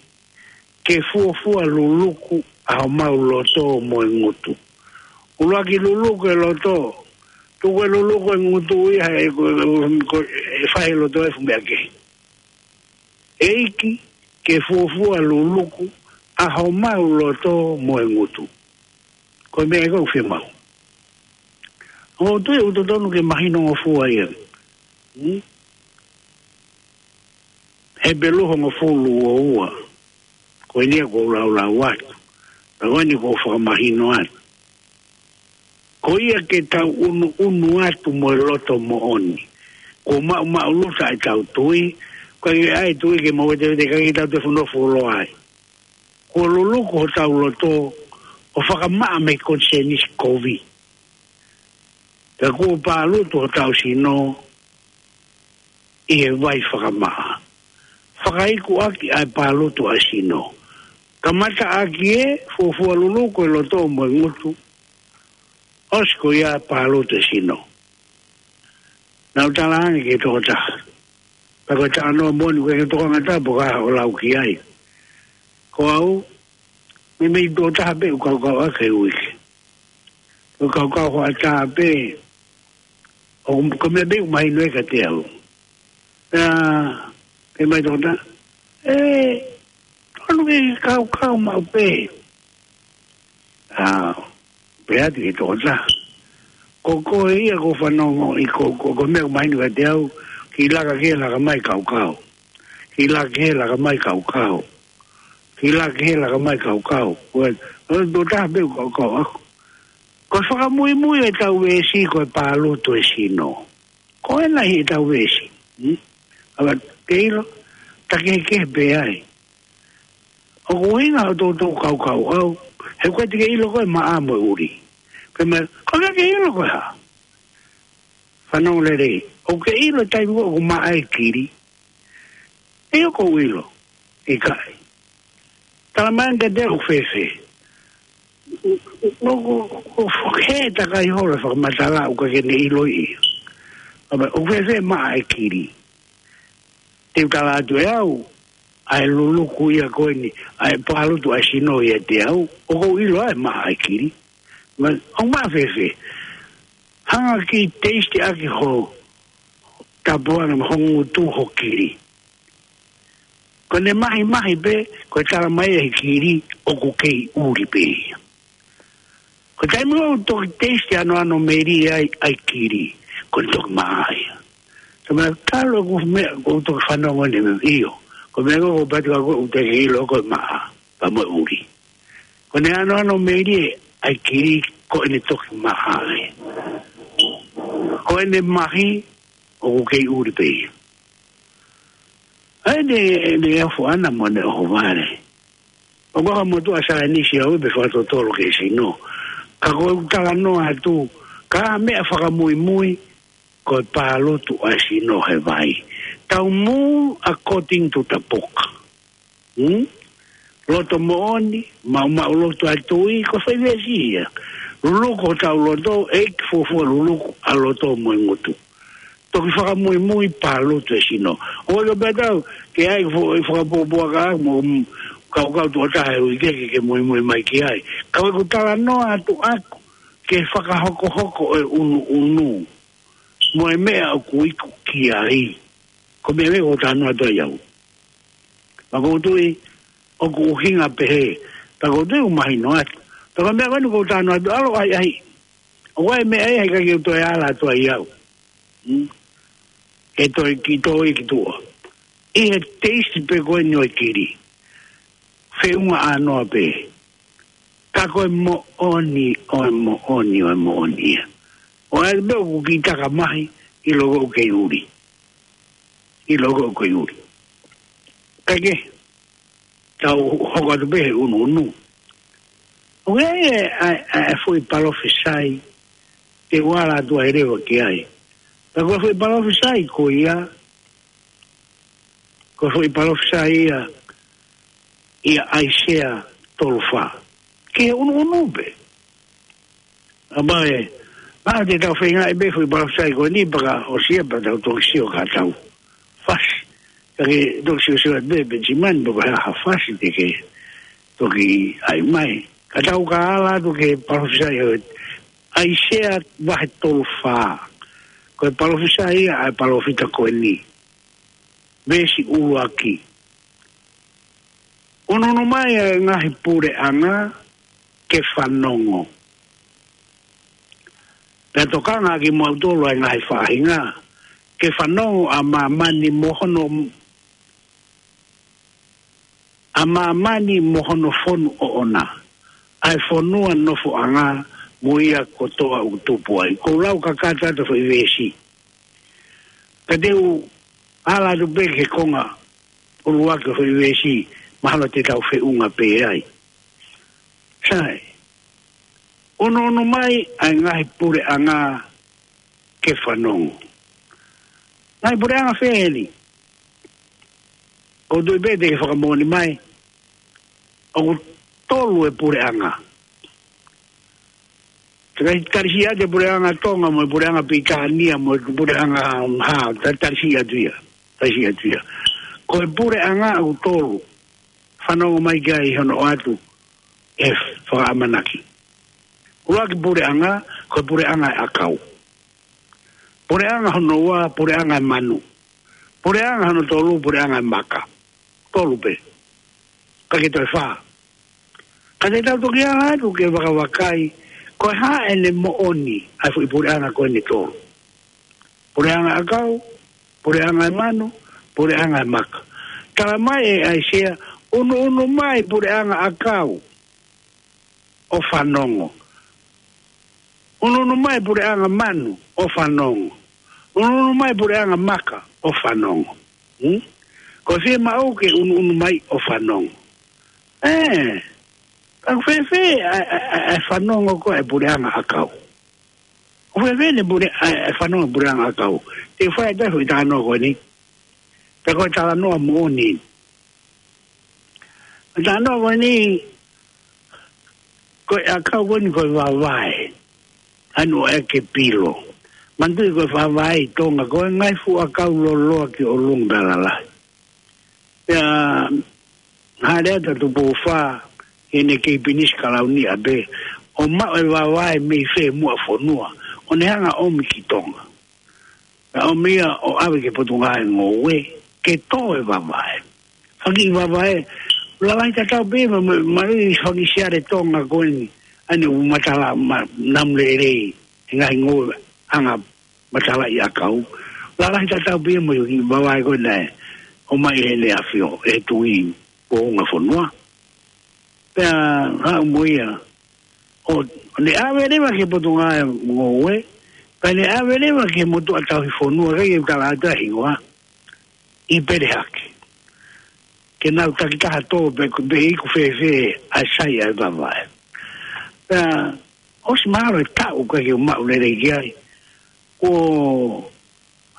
ke fuofua luluku ʻa homau loto mo e ngutu. ʻUluaki luluku e loto, tuku e luluku e ngutu ia he ko, ko, ko e fai e loto e fuʻu meʻa kehe. ʻEiki, ke fuofua luluku ʻa homau loto mo e ngutu. Ko e meʻa ia ʻoku fiemaʻu. ʻOku ou tui ʻoku totonu ke mahino ngofua ia. Hmm? Hepelū hongofulu uo ua. Ko eni ia ʻoku ou laulau atu. Pea ko eni ʻoku ou fakamahino atu. Ko ia ke tau ʻunuʻunu atu mo e loto moʻoni. Kuo maʻumaʻuluta ʻetau tui, ʻoku ʻikai ke ʻi ai tui ke mou vetevete, ʻikai ke tau toe fuʻu nofo fuoloa ai. Kuo luluku hotau loto ʻo fakamaʻa mei he konisēnisi kovi. Pea kuo pālutu hotau sino ʻi he vai fakamaʻa. Fakaiku ʻaki ʻa e pālutu ʻa e sino. Kamata ʻaki e fuofua luluku e loto mo e ngutu. ʻOsi ko ia pālutu e sino. Naʻa ku talaange ki he tokotaha. Pea ko e talanoa moʻoni, ʻoku ʻikai ke u tokanga tapu ka ʻo lau ki ai. Ko au, meimei tuʻo taha pē ʻeku kaukau ʻaki he uike. Ko e kaukau hoʻatā pē, ʻoku, ko e meʻa pē ʻoku mahino ai kiate au. Pea, pehē mai e tokotaha, ē, tonu ke kaukau maʻu pē. ʻA, pehē atu ki he tokotaha. Ko koe ia ʻoku fanongo ʻi ko, ko, ko e meʻa ʻoku mahino kiate au, kiʻi laka ki he laka mai kaukau. Hila ke hela ka mai kaukau. Hila ke hela ka mai kaukau. Ko e, ko e tō taha pē ʻoku kaukau ʻaku. Ko e fakamuimui ʻetau veesi ko e pālutu e sino. Ko ena ʻi heʻetau veesi. Hmm? ʻAva, ke ʻilo, takehekehe pē ai. ʻOku ʻuhinga ʻo toutou kaukau ʻau. He ko e te ke ʻilo ko e maʻa mo e ʻuli. Pea mai, ko e ke ʻilo ko e hā. Fanongo lelei. ʻOku ke ʻilo taimi ʻoku maʻa e kili. ʻIo ʻoku ou ʻilo. ʻIkai. Tala mai ange te ʻoku fēfē. ʻOku, ʻoku, ʻoku he takai holo fakamatala ʻoku ke ne ʻilo ia. ʻAva, ʻoku fēfē maʻa e kili. Te u tala atu ʻe au, ʻa e luluku ia ko eni, ʻa e pālutu ʻa e sino ia te au, ʻoku ou ʻilo ʻa e maʻa e kili. Ma, ʻoku maʻa fēfē. Hanga ki taste ʻaki ho tapuana mo ho ngutu ho kili. Ko ʻene mahimahi pē, ko e tala mai ʻe he kili, ʻoku kei ʻuli pē ia. Ko e taimi ʻoku toki taste ano ano meli ai, ʻa e kili, ko e toki maʻa ia. Ka mea kalo ʻoku meʻa, ʻoku toki fanongo ni me ʻio. Ko e meʻa ko ʻoku pati ka ʻoku te ke ʻilo ko e maʻa, pea mo e ʻuli. Ko ʻene ano ano meli ʻa e kili, ko ʻene toki maʻa ia. Ko ʻene mahi, ʻoku kei ʻuli pē ia. ʻA ʻene, ʻene ʻohovale mo ʻene ʻohovale. ʻOku ʻikai ko ha motuʻa saienisi au pē fakatotolo ki he sino. Ka ko e talanoa atu, ka meʻa fakamuimui, ko e pālutu ʻa e sino he vai. Tau move according to the book. Hmm? Loto moʻoni, maʻumaʻu loto ʻa e tui, ko e fai veesi ia. Luluku hotau loto, ʻEiki fuofua luluku ʻa e loto mo e ngutu. Toki fakamuimui pālutu e sino. ʻOku ʻikai pē tau, ke ʻai fo-, ʻai fakapuapuaka mo, mm, kaukau tuʻo taha e uike ke, ke muimui mai ki ai. Ka ʻoku talanoa atu ʻaku, ke fakahokohoko e ʻunuʻunu. Mo e meʻa ʻoku iku ki ai. Ko e meʻa ʻoku ou talanoa atu ai au. Pea ʻoku ou tui, ʻoku ʻuhinga pehē. Pea ʻoku ou tui ʻoku mahino atu. Pea ko e meʻa ko eni ʻoku ou talanoa atu, ʻalu ʻahiʻahi. ʻOku ʻi ai e meʻa ia he ʻikai ke u toe ala atu ai au. Hmm? Ke toe ki toe ki tuʻa. ʻI he taste pē ko eni ʻo e kili. Feʻunga ʻanoa pē. Ka ko e moʻoni, ʻo e moʻoni, ʻo e moʻoni ia. ʻO ʻai pē ʻoku kiʻi taka mahi, ʻilo ko ʻoku kei ʻuli. ʻIlo ko ʻoku kei ʻuli. Kae kehe, tau hoko atu pē he ʻunuʻunu. ʻOku ʻi ai e, ʻa e, ʻa e foʻi palofisai, te u ala atu ai leva ki ai. Ka ko e foʻi palofisai ko ia, ko e foʻi palofisai ia, ʻia ʻAisea tolu fā. Ki he ʻunuʻunu pē. ʻA mai, ʻa te tau feingaʻi pē foʻi palofisai ko eni pea ka ʻosi ia pea tau toki sio ka tau fasi. Ka ke toki siosio atu pē, Penisimani, pe ko e hā ha fasi te ke toki ʻai mai. Ka tau ka ala atu ki he palofisai ʻo ʻAisea vahe tolu fā. Ko e palofisai ia ʻa e palōfita ko eni. Veesi ʻuluaki. ʻUnuʻunu mai ʻa e ngaahi puleʻanga ke fanongo. Pea tokanga kimoutolu ʻa e ngaahi faʻahinga, ke fanongo ʻa māmani mo hono, ʻa māmani mo hono fonu ʻoʻona, ʻa e fonua nofoʻanga mo ia kotoa ʻoku tupu ai. Ko e lau kakato atu foʻi veesi. Ka te u ala atu pē ki he konga ʻuluaki ʻo e foʻi veesi, mahalo te tau feʻunga pē ai. Sai. ʻUnuʻunu mai ʻa e ngaahi puleʻanga ke fanongo. Ngaahi puleʻanga fē eni? ʻOku ou tui pē te ke fakamoʻoni mai. ʻOku tolu e puleʻanga. Te ke tali siʻi atu e puleʻanga Tonga mo e puleʻanga Pilitānia mo e puleʻanga hā, ta-, tali siʻi atu ia. Tali siʻi atu ia. Ko e puleʻanga ʻoku tolu. Fanongo mai ki ai hono ʻoatu e fakaʻamanaki. ʻUluaki puleʻanga, ko e puleʻanga e ʻakau. Puleʻanga hono ua, puleʻanga e manu. Puleʻanga hono tolu, puleʻanga e maka. Tolu pē. Ka ke toe fā. Ka te tau toki ala atu ke vakavakai, ko e hā ʻene moʻoni, ʻa e foʻi puleʻanga ko eni tolu. Puleʻanga ʻakau, puleʻanga e manu, puleʻanga e maka. Tala mai ʻe ʻAisea, unuunu mai puleʻanga ʻakau ʻo fanongo. Unuunu mai puleʻanga manu ʻo fanongo. Unuunu mai puleʻanga maka ʻo fanongo. Hmm? Ko e fiemaʻu ke unuunu mai ʻo fanongo. ʻE, ka ʻoku fēfē ʻa, ʻa, ʻa, ʻa e fanongo ko ē puleʻanga ʻakau? ʻOku fēfē ʻene pule, ʻa, ʻa e fanongo puleʻanga ʻakau? Te u fai atu ʻa e talanoa ko eni. Pea ko e talanoa moʻoni. Talanoa ko eni, ko e ʻakau ko eni ko e vavae. Anu ʻe ke pilo. Manatuʻi ko e vavae ʻi Tonga, ko e ngaahi fuʻu ʻakau loloa ki ʻolunga pea lalahi. Pea, hāʻele atu ʻa Tupou Fā, ʻene kei pinisi kalauni ʻa pē, ʻo maʻu e vavae mei fē muʻa fonua, ʻo ne hanga ʻomi ki Tonga. Pea ʻomi ia ʻo ʻave ki he Potungāue Ngoue, ke tō e vavae. Faki vavae, lalahi tatau pē, ma, ma, ma, faki siale Tonga ko eni, ʻa eni ʻoku matala, ma, namu lelei, he ngaahi ngoue, anga matala ʻi ʻakau. Lalahi tatau pē mo e vavae ko ē naʻe ʻomai ʻe heʻene ʻAfio, ʻe Tuʻi Pounga Fonua. Pea haʻu mo ia, ʻo, ʻo ne ʻave leva ki he Potungāue Ngoue, pea ne ʻave leva ki he motuʻa tauhi fonua, ʻikai ke u tala atu ʻa e hingoa, ʻi Pelehake. Ke nau takitaha tō pe, pe ʻoku fēfē ʻa e sai ʻa e vavae. Pea, ʻosi mahalo e taʻu ʻikai ke u maʻu lelei ki ai. Ko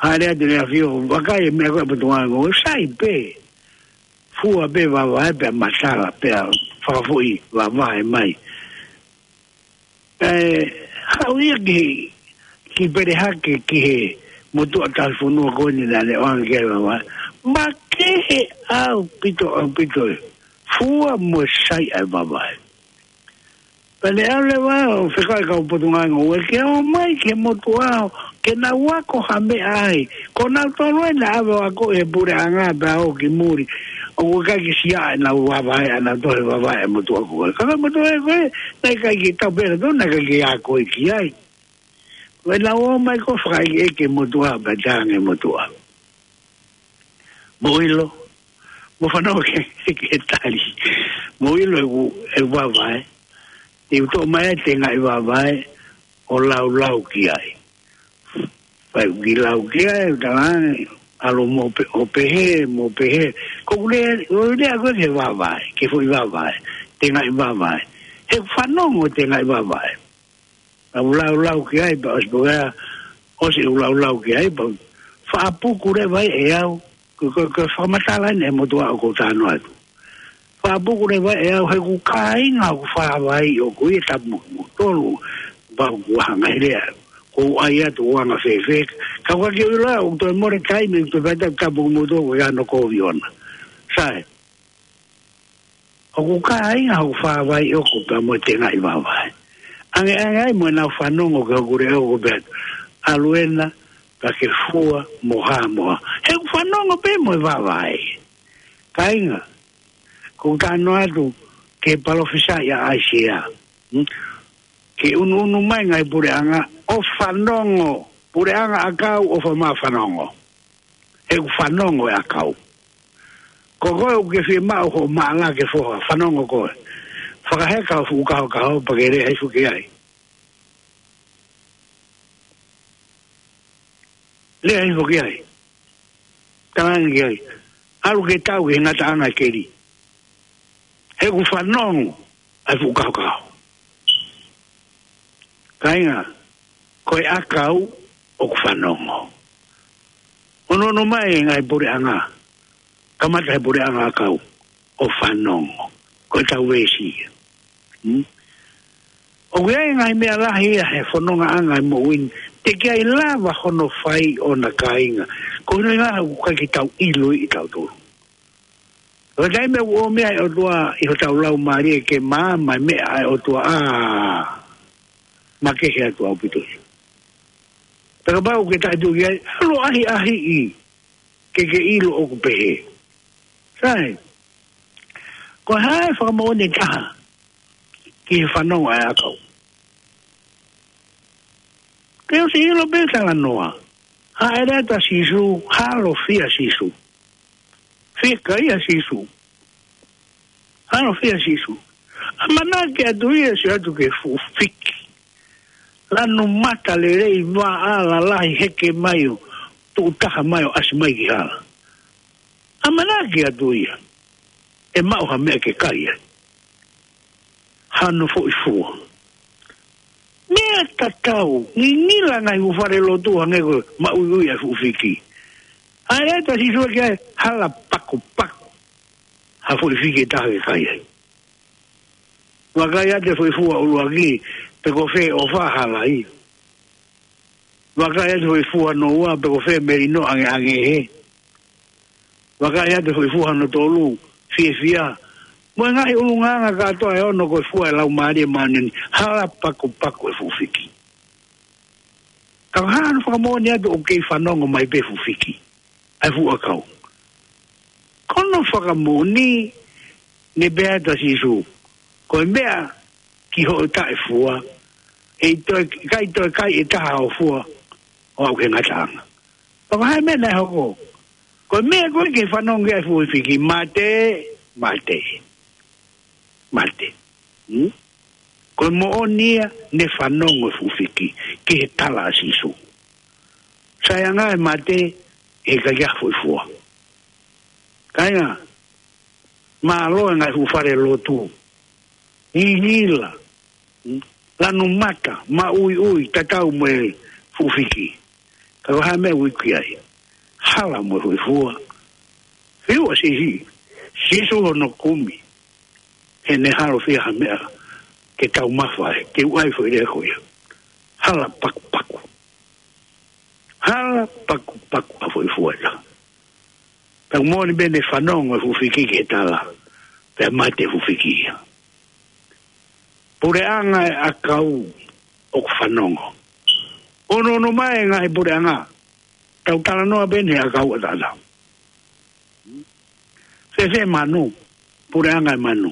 hāʻele atu ʻEne ʻAfio, vakai e meʻa ko ē ʻa e Potungāue Ngoue, sai pē. Fua pē vavae pea matala, pea fakafoʻi vavae mai. Pea haʻu ia ki, ki Pelehake ki he motuʻa tauhi fonua ko eni naʻa ne ʻoange ki ai e vavae. Makehe ʻaupito, ʻaupito e fua mo e sai ʻa e vavae. Pea ne ʻalu leva ʻo fekau e kau Potungāue Ngoue ke ō mai ki he motuʻa ke nau ako ha meʻa ai. Ko nautolu ē naʻe ʻave ʻo ako ʻi he puleʻanga pea ō ki muli. ʻOku ʻikai ke siʻi ʻenau vavae, ʻa nautolu he vavae ʻa e motuʻa ko ē. Ka ko e motuʻa ko ē, naʻe ʻikai ke tau pē nautolu, naʻe ʻikai ke ako ia ki ai. Ko ʻenau ō mai ko e fakaʻekeʻeke e motuʻa, pea talaange ʻe he motuʻa, mou ʻilo, mou fanongo ki he, ki he tali. Mou ʻilo ʻeku, ʻeku vavae. Te u toʻo mai e tengaʻi vavae ʻo laulau ki ai. Pea u kiʻi lau ki ai, ʻo talaange, ʻalu mo pe-, ʻo pehē, mo pehē. Ko ʻeku lea, ʻoku ou lea ko ē ki he vavae, ki he foʻi vavae, tengaʻi vavae. He ʻoku fanongo e tengaʻi vavae. Pea u laulau ki ai, pea ʻosi pē ko ia, ʻosi ʻeku laulau ki ai, pea faʻa puku leva ia ʻe au, ko, ko, ko e fakamatala eni ʻa e motuʻa ʻoku ou talanoa atu. Faʻa puku leva ia ʻe au, he ʻoku kāinga hoku fāvai ʻoʻoku ia, tapu mo kimoutolu, pea ʻoku ʻi ai ha ngaahi lea ʻoku ou ʻai atu ʻoku anga fēfē, ka ʻoku ʻikai ke u ʻilo, ʻoku toe mole taimi, ʻoku toe fai atu, tapu mo kimoutolu, ʻoku ʻi ai hano kovi ʻona. Sai. ʻOku kāinga hoku fāvai ʻoʻoku pea mo e tengaʻi vavae. ʻAngeʻange ai mo ʻenau fanongo ki hoku leʻo ʻoku ou pehē atu, ʻalu ena, pea ke fua mo hā mo hā. He ʻoku fanongo pē mo e vavae. Kāinga, ʻoku ou talanoa atu ki he palōfisai ʻa ʻAisea. Hmm? Ke unuunu mai e ngaahi puleʻanga ʻo fanongo, puleʻanga ʻakau ʻo fa-, mā fanongo. He ʻoku fanongo e ʻakau. Ko koe ʻoku ke fiemaʻu hoʻo maʻala ke foha, fanongo koe. Fakaheka hoʻo fuʻu kahokaho pea ke lea hifo ki ai. Lea hifo ki ai. Talaange ki ai, ʻalu ke tau ki he ngataʻanga keli. He ʻoku fanongo ʻa e fuʻu kahokaho. Kāinga, ko e ʻakau ʻoku fanongo. Unuunu mai e ngaahi puleʻanga. Kamata he puleʻanga ʻakau ʻo fanongo. Ko ʻetau veesi ia. Hmm? ʻOku ʻi ai e ngaahi meʻa lahi ia he fonongaʻanga ʻo e moʻui ni, teʻeki ai lava hono fai ʻona, kāinga, ko hono ʻuhinga ʻoku ʻikai ke tau ʻiloʻi ʻe tautolu. Ko e taimi ʻoku ʻomi ai e ʻOtua ʻi hotau laumālie ke maama e meʻa ʻa e ʻOtua, ʻa, makehe atu ʻaupito ia. Pea kapau ʻoku ke taʻetuʻu ki ai, ʻalu ʻo ʻahiʻahiʻi ke ke ʻilo ʻoku pehē. Sai. Ko e hā e fakamoʻoni ʻe taha ki he fanongo ʻa e ʻakau? Ke ʻosi ʻilo pē talanoa. Hāʻele atu ʻa Sīsū, halofia ʻa Sīsū. Fiekaia Sīsū. Hano fia Sīsū. ʻAmanaki atu ia, sio atu ki he fuʻu fiki. Lanu mata lelei, vaʻa lalahi, heke mai ʻo tuʻu taha mai ʻo ʻasi mai ki hala. ʻAmanaki atu ia ʻe maʻu ha meʻa ke kai ai. Hano foʻi fua. Meʻa tatau, ngingila ngaahi fuʻu fale lotu hangē ko e maʻuiʻui ʻa e fuʻu fiki. ʻAi atu ʻa Sīsū ki ai, hala pakupaku ha foʻi fiki ʻe taha ke kai ai. Vakai atu e foʻi fua ʻuluaki, pe ko fē ʻofa, hala ia. Vakai atu e foʻi fua hono ua, pe ko fē melino ʻangeʻange hē. Vakai atu e foʻi fua hono tolu, fiefia. Mo e ngaahi ʻulungaanga kātoa ʻe ono ko e fua ʻa e Laumālie Māʻoniʻoni, hala pakupaku e fuʻu fiki. Ka ko e hā hono fakamoʻoni atu ʻoku kei fanongo mai pē fuʻu fiki ʻa e fuʻu ʻakau? Ko hono fakamoʻoni, ne pehē atu ʻa Sīsū, ko e meʻa ki hoʻo taʻefua, ʻe ʻikai toe, ʻikai toe kai ʻe taha ho fua ʻo aʻu ki he ngataʻanga. Ka ko e hā e meʻa naʻe hoko? Ko e meʻa ko ē ke fanongo ai e fuʻu fiki, mate, mate, mate. Hmm? Ko e moʻoni ia, ne fanongo e fuʻu fiki ki he tala ʻa Sīsū. Sai ange e mate, ʻe ʻikai ha foʻi fua. Kāinga, mālō e ngaahi fuʻu fale lotu. Ngingila. Lanu mata, maʻuiʻui, tatau mo e fuʻu fiki. Ka ko e hā e meʻa ʻoku iku ai? Hala mo e foʻi fua. Fiu ʻa Sīsū, Sīsū hono kumi. He ne halo fia ha meʻa ke taumafa ai, ke u ʻai foʻi lea ko ia. Hala pakupaku. Hala pakupaku ha foʻi fua ia. Pea moʻoni pē ne fanongo e fuʻu fiki ki he tala, pea mate e fuʻu fiki ia. Puleʻanga e ʻakau ʻoku fanongo. Onoono mai e ngaahi puleʻanga, tau talanoa pē eni he ʻakau ʻataʻatā. Fēfē manu, puleʻanga e manu?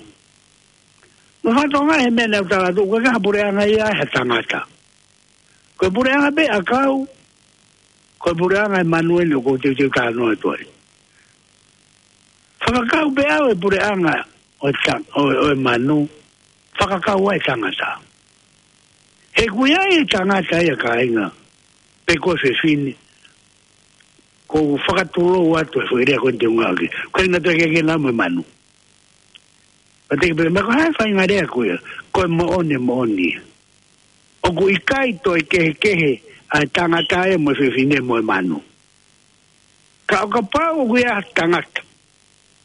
Mo fatonga he meʻa naʻa ku tala atu, ko e ngaahi puleʻanga ia ʻa e tangata. Ko e puleʻanga pē ʻakau, ko e puleʻanga e manu eni ʻoku ou teuteu talanoa atu ai. Fakakau pē ʻe au e puleʻanga ʻo e ta-, ʻo, ʻo e manu, fakakau ai e tangata. He ʻoku ʻi ai e tangata ia kāinga, pe ko e fefine, ʻoku ou fakatulou atu e foʻi lea ko eni te u ngāueʻaki. Ko e ngata ke ke na mo e manu. Pea te ke pehē, ko e hā e faʻahinga lea ko ia? Ko e moʻoni, moʻoni. ʻOku ʻikai toe kehekehe ʻa e tangata ia mo e fefine mo e manu. Ka ʻo kapau ʻoku ʻi ai ha tangata,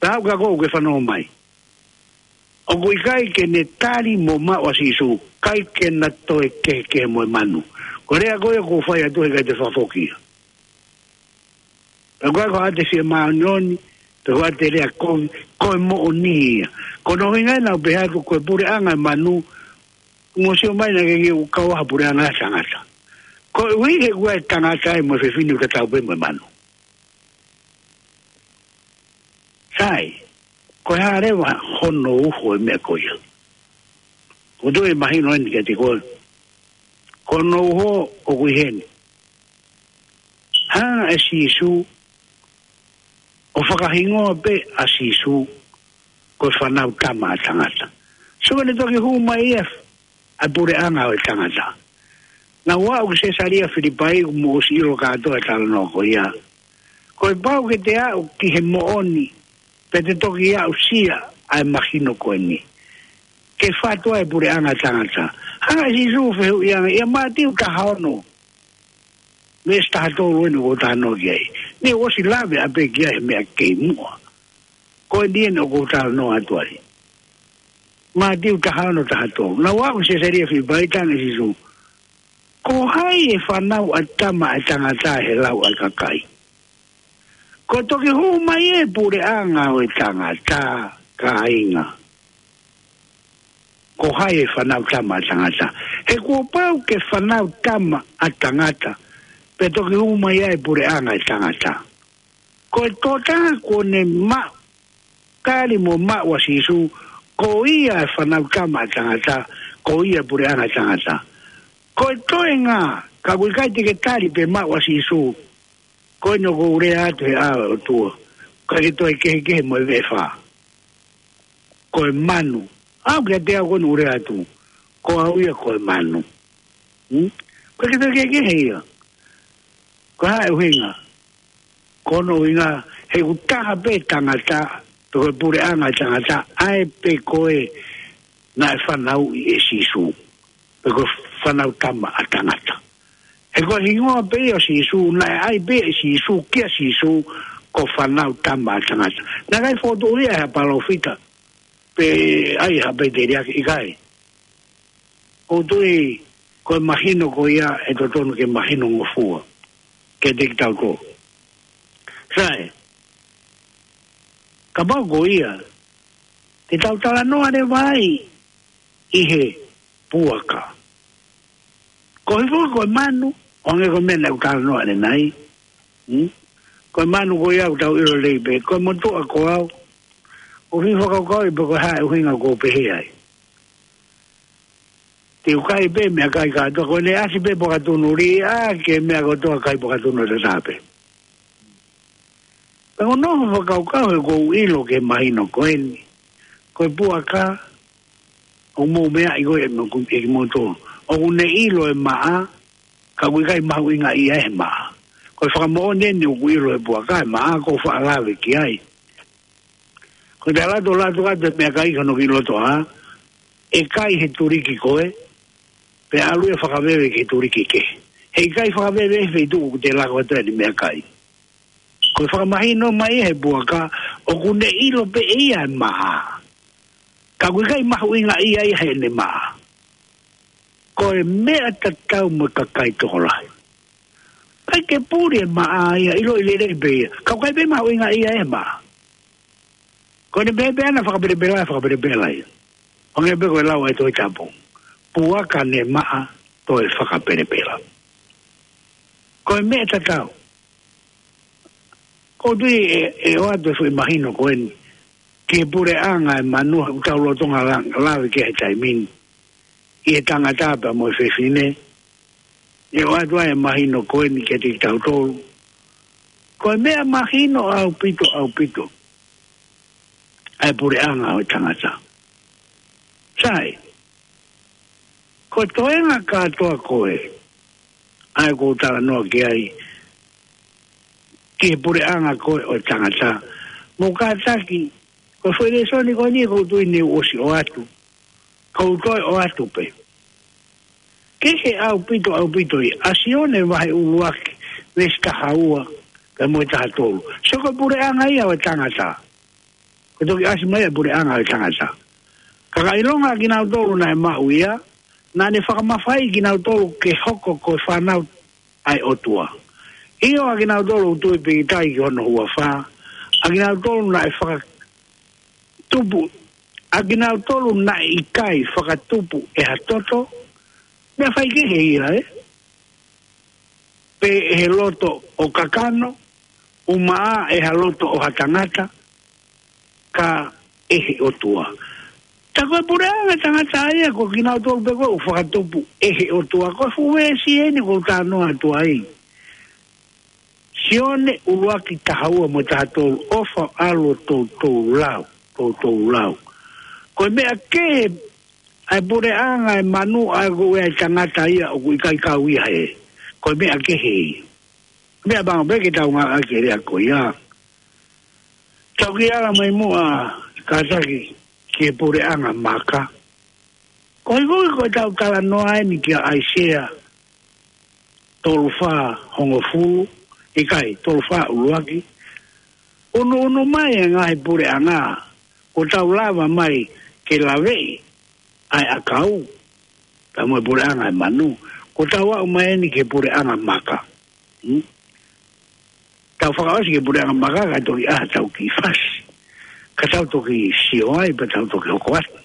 pea haʻu kia koe ke fanongo mai, ʻoku ʻikai ke ne tali mo maʻu ʻa Sīsū, ʻikai ke na toe kehekehe mo e manu. Ko e lea ko ia ʻoku ou fai atu he ʻikai te fakafoki ia. Pea ko e ko ʻete fie māʻoniʻoni, pe ko ʻete lea kovi, ko e moʻoni ia. Ko hono ʻuhinga ia naʻa ku pehē atu ko e puleʻanga e manu, mo sio mai naʻa ke ke u kau ha puleʻanga e tangata. Koeʻuhi he ʻoku ʻi ai e tangata ia mo e fefine ʻoku tatau pē mo e manu. Sai, ko e hā leva hono uho e meʻa ko ia? ʻOku ou tui ʻe mahino eni kiate koe. Ko hono uho ʻoku ʻi heni. Hanga ʻe Sīsū ʻo fakahingoa pē ʻa Sīsū ko e Fānautama ʻa Tangata. So, ne toki hū mai ia ʻa e puleʻanga ʻo e tangata. Naʻa ku aʻu ki Sesalia Filipai, kuo mou ʻosi ʻilo kātoa e talanoa ko ia. Kuo pau ke te aʻu ki he moʻoni, pea te toki aʻusia ʻa e mahino ko eni. Ke fatu ai e puleʻanga ʻo e tangata. Hanga ʻe Sīsū ʻo fehuʻi ange, ʻia Mātiu taha ono, veesi taha tolu eni ʻoku ou talanoa ki ai. Ne u ʻosi lave ʻapē ki ai he meʻa ki muʻa. Ko eni eni ʻoku ou talanoa atu ai. Mātiu taha ono taha tolu. Naʻa ku aʻu ki Sesalia Filipai, talaange ʻe Sīsū, ko hai ʻe fānau ʻa e Tama ʻa Tangata he lau ʻa e kakai? Kuo toki hū mai e puleʻanga ʻo e tangata, kāinga. Ko hai ʻe fānau Tama ʻa Tangata? He kuo pau ke fānau Tama ʻa Tangata, pea toki hū mai ai e puleʻanga ʻo e tangata. Ko e tokotaha kuo ne maʻu, tali mo maʻu ʻa Sīsū, ko ia e Fānautama ʻa Tangata, ko ia e puleʻanga ʻo e tangata. Ko e toenga, ka ʻoku ʻikai te ke tali pe maʻu ʻa Sīsū, ko eni ʻoku ou lea atu he ʻao ʻo e ʻOtua. Ko e ke toe kehekehe mo e veʻe fā. Ko e manu. Au kiate au ko eni ʻoku lea atu. Ko au ia ko e manu. Hmm? Ko e ke toe kehekehe ia. Ko e hā e ʻuhinga? Ko hono ʻuhinga, he ʻoku taha pē tangata, pe ko e puleʻanga e tangata, ʻa ē pē ko ē naʻe fanauʻi ʻe Sīsū. Pe ko e Fanautama ʻa Tangata. He ko e hingoa pē ia ʻo Sīsū, naʻe ʻai pē ʻe Sīsū, kia Sīsū, ko Fanautama ʻa Tangata. Naʻe ʻikai fokotuʻu ia ʻe ha palōfita, pe ʻai ha peteriaki, ʻikai. ʻOku ou tui, ko e mahino ko ia ʻe totonu ke mahino ngofua. Kiate kitautolu. Sai, kapau ko ia, te tau talanoa leva ai ʻi he puaka. Ko hifo ko e manu, ʻo hangē ko e meʻa naʻe ʻoku talanoa ʻanenai. Hmm? Ko e manu ko ia ʻoku tau ʻilo lelei pē. Ko e motuʻa ko au. ʻOku ou fakakaukau pe ko e hā e ʻuhinga ʻoku ou pehē ai. Te u kai pē meʻakai kātoa. Ko ʻene ʻasi pē Puakatunu Lī, ʻa e meʻa kotoa kai Puakatunu Lī tape. Pea ʻoku ou fakakaukau he ʻoku ou ʻilo ke mahino ko eni. Ko e puaka, ʻoku mou meaʻi ko ē mo ku-, ʻe kimoutolu. ʻOku ne ʻilo e maʻa, ka ʻoku ʻikai mahuʻingaʻia he maʻa. Ko e fakamoʻoni eni ʻoku ʻilo e puaka e maʻa, ʻoku ou faʻa lave ki ai. Ko e te lato lato atu e meʻakai ki hono kiʻi loto ʻā, ʻe kai he tuliki ko ē, pea ʻalu ia fakaveve ki he tuliki kehe. Heʻikai fakaveve he feituʻu ʻoku te lako atu ai e meʻakai. Ko e fakamahino mai he puaka, ʻoku ne ʻilo pē ʻe ia e maʻa. Ka ʻoku ʻikai mahuʻingaʻia ia heʻene maʻa. Ko e meʻa tatau mo e kakai tokolahi. ʻIkai ke puli e maʻa ia, ʻiloʻi lelei pē ia. Ka ʻoku ʻikai pē mahuʻingaʻia e maʻa. Ko ʻene pehē pē ʻana fakapelepela, fakapelepela ia. ʻO hangē pē ko e lau ʻa e Tohi Tapu. Puaka ne maʻa toe fakapelepela. Ko e meʻa tatau. ʻOku ou tui ʻe, ʻe ʻoatu e foʻi mahino ko eni. Ki he puleʻanga e manu ʻoku tau lolotonga la-, lave ki ai he taimi ni. ʻI he tangata pea mo e fefine. ʻE ʻoatu ai e mahino ko eni kiate kitautolu. Ko e meʻa mahino ʻaupito, ʻaupito. ʻA e puleʻanga ʻo e tangata. Sai. Ko e toenga kātoa ko ē. ʻA ē ʻoku ou talanoa ki ai. Ki he puleʻanga ko ē ʻo e tangata. Mou kātaki. Ko e foʻi lēsoni ko eni ʻoku ou tui ne u ʻosi ʻoatu. Ka u toe ʻoatu pē. Kehe ʻaupito, ʻaupito ia. ʻA Sione vahe ʻuluaki, veesi taha ua, pea mo e taha tolu. Sio ko e puleʻanga ia ʻo e tangata. Ko e toki ʻasi mai e puleʻanga ʻo e tangata. Ka ka ʻilonga kinautolu naʻe maʻu ia, naʻa ne fakamafaiʻi kinautolu ke hoko ko e fānau ʻa e ʻOtua. ʻIo ʻa kinautolu ʻoku tui pīkitai ki hono huafa. ʻA kinautolu naʻe faka-, tupu, ʻa kinautolu naʻe ʻikai fakatupu ʻe ha toto, meʻa faikehe ia, ē? Pe ʻe he loto ʻo kakano, ʻumaʻā ʻe ha loto ʻo ha tangata, ka ʻe he ʻOtua. Tā ko e puleʻanga tangata ia, ko kinautolu pē ko ē ʻoku fakatupu ʻe he ʻOtua, ko e fuʻu veesi eni ʻoku ou talanoa atu ai. Sione ʻuluaki taha ua mo e taha tolu, ʻofa ʻalu ʻo toutou lau, toutou lau. Ko e meʻa kehe ʻa e puleʻanga e manu ʻa ē ko ē ʻa e tangata ia ʻoku ʻikai kau ia he. Ko e meʻa kehe ia. Meʻa pango pē ke tau ngāueʻaki e lea ko ia. Tau kiʻi ala mai muʻa kātaki ki he puleʻanga maka. Ko e koe ko e tau talanoa eni kia ʻAisea tolu fā hongofulu, ʻikai, tolu fā ʻuluaki. Unuunu mai e ngaahi puleʻanga, ʻoku tau lava mai ke laveʻi ʻa e ʻakau, pea mo e puleʻanga e manu, ʻoku tau aʻu mai eni ki he puleʻanga maka. Hmm? Tau fakaʻosi ki he puleʻanga maka, ka toki ʻā tau kiʻi fasi. Ka tau toki sio ai, pea tau toki hoko atu.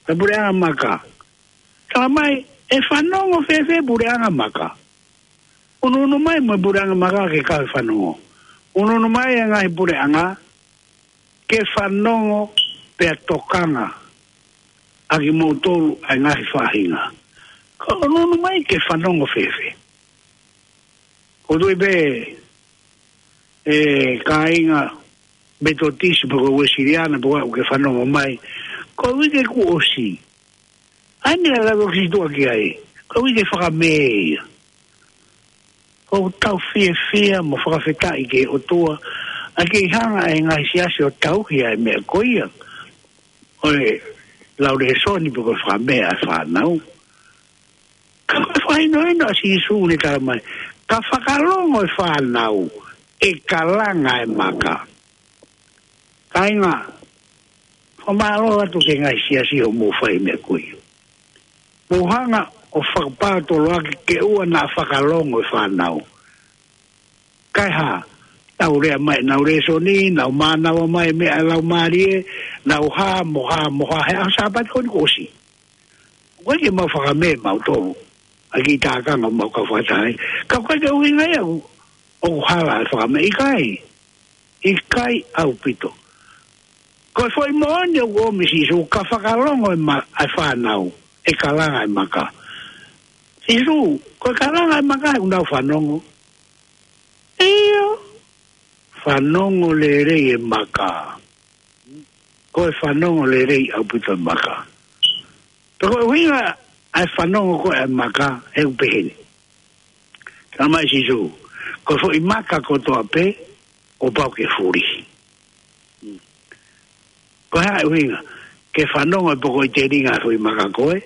Ka puleʻanga maka. Tala mai, ʻe fanongo fēfē puleʻanga maka. Unuunu mai mo e puleʻanga maka ke kau he fanongo. Unuunu mai e ngaahi puleʻanga, ke fanongo pea tokanga ʻa kimoutolu ʻa e ngaahi faʻahinga. Ka unuunu mai ke fanongo fēfē. ʻOku ou tui pē, ē, kāinga, Metotisi pe ko e Uesiliana pe ko e hā ʻoku ke fanongo mai. Ko e uike kuo ʻosi. ʻA e meʻa ʻoku ke tuʻu ki ai. Ko e uike fakamē ia. ʻOku tau fiefia mo fakafetaʻi ki he ʻOtua. ʻA e kei hanga ʻe he ngaahi siasi ʻo tauhi ʻa e meʻa ko ia. ʻO e lau lēsoni pe ko e fakamē ʻa e fānau. Ka ko e fakahinohino ʻa Sīsū ʻoku ne tala mai. Ka fakalongo e fānau, ʻe kalanga e maka. Kāinga, fakamālō atu ki he ngaahi siasi ʻoku mou fai e meʻa ko ia. Mou hanga ʻo fakapātoloaki ke ʻoua naʻa fakalongo e fānau. Kae hā, nau lea mai, nau lēsoni, nau mānava mai meʻa ʻa e Laumālie, nau hā mo hā mo hā, he ʻaho Sāpate ko eni kuo ʻosi. ʻOku ʻikai ke mau fakamē mautolu, ʻa e kiʻi tākanga mau kau fakataha ai. Ka ʻoku ʻikai ke ʻuhinga ia ʻoku, ʻoku hala e fakamē, ʻikai, ʻikai ʻaupito. Ko e foʻi moʻoni ʻoku ʻomi Sīsū, ka fakalongo e ma-, e fānau, ʻe kalanga e maka. Sīsū, ko e kalanga e maka, ʻoku nau fanongo. ʻIo, fanongo lelei e maka. Ko e fanongo lelei ʻaupito e maka. Pea ko e ʻuhinga ʻa e fanongo ko ē ʻa e maka, ʻoku pehē ni. Tala mai Sīsū, ko e foʻi maka kotoa pē, ʻoku pau ke fuli. Ko e hā e ʻuhinga, ke fanongo e poko ʻi telinga e foʻi maka ko ē,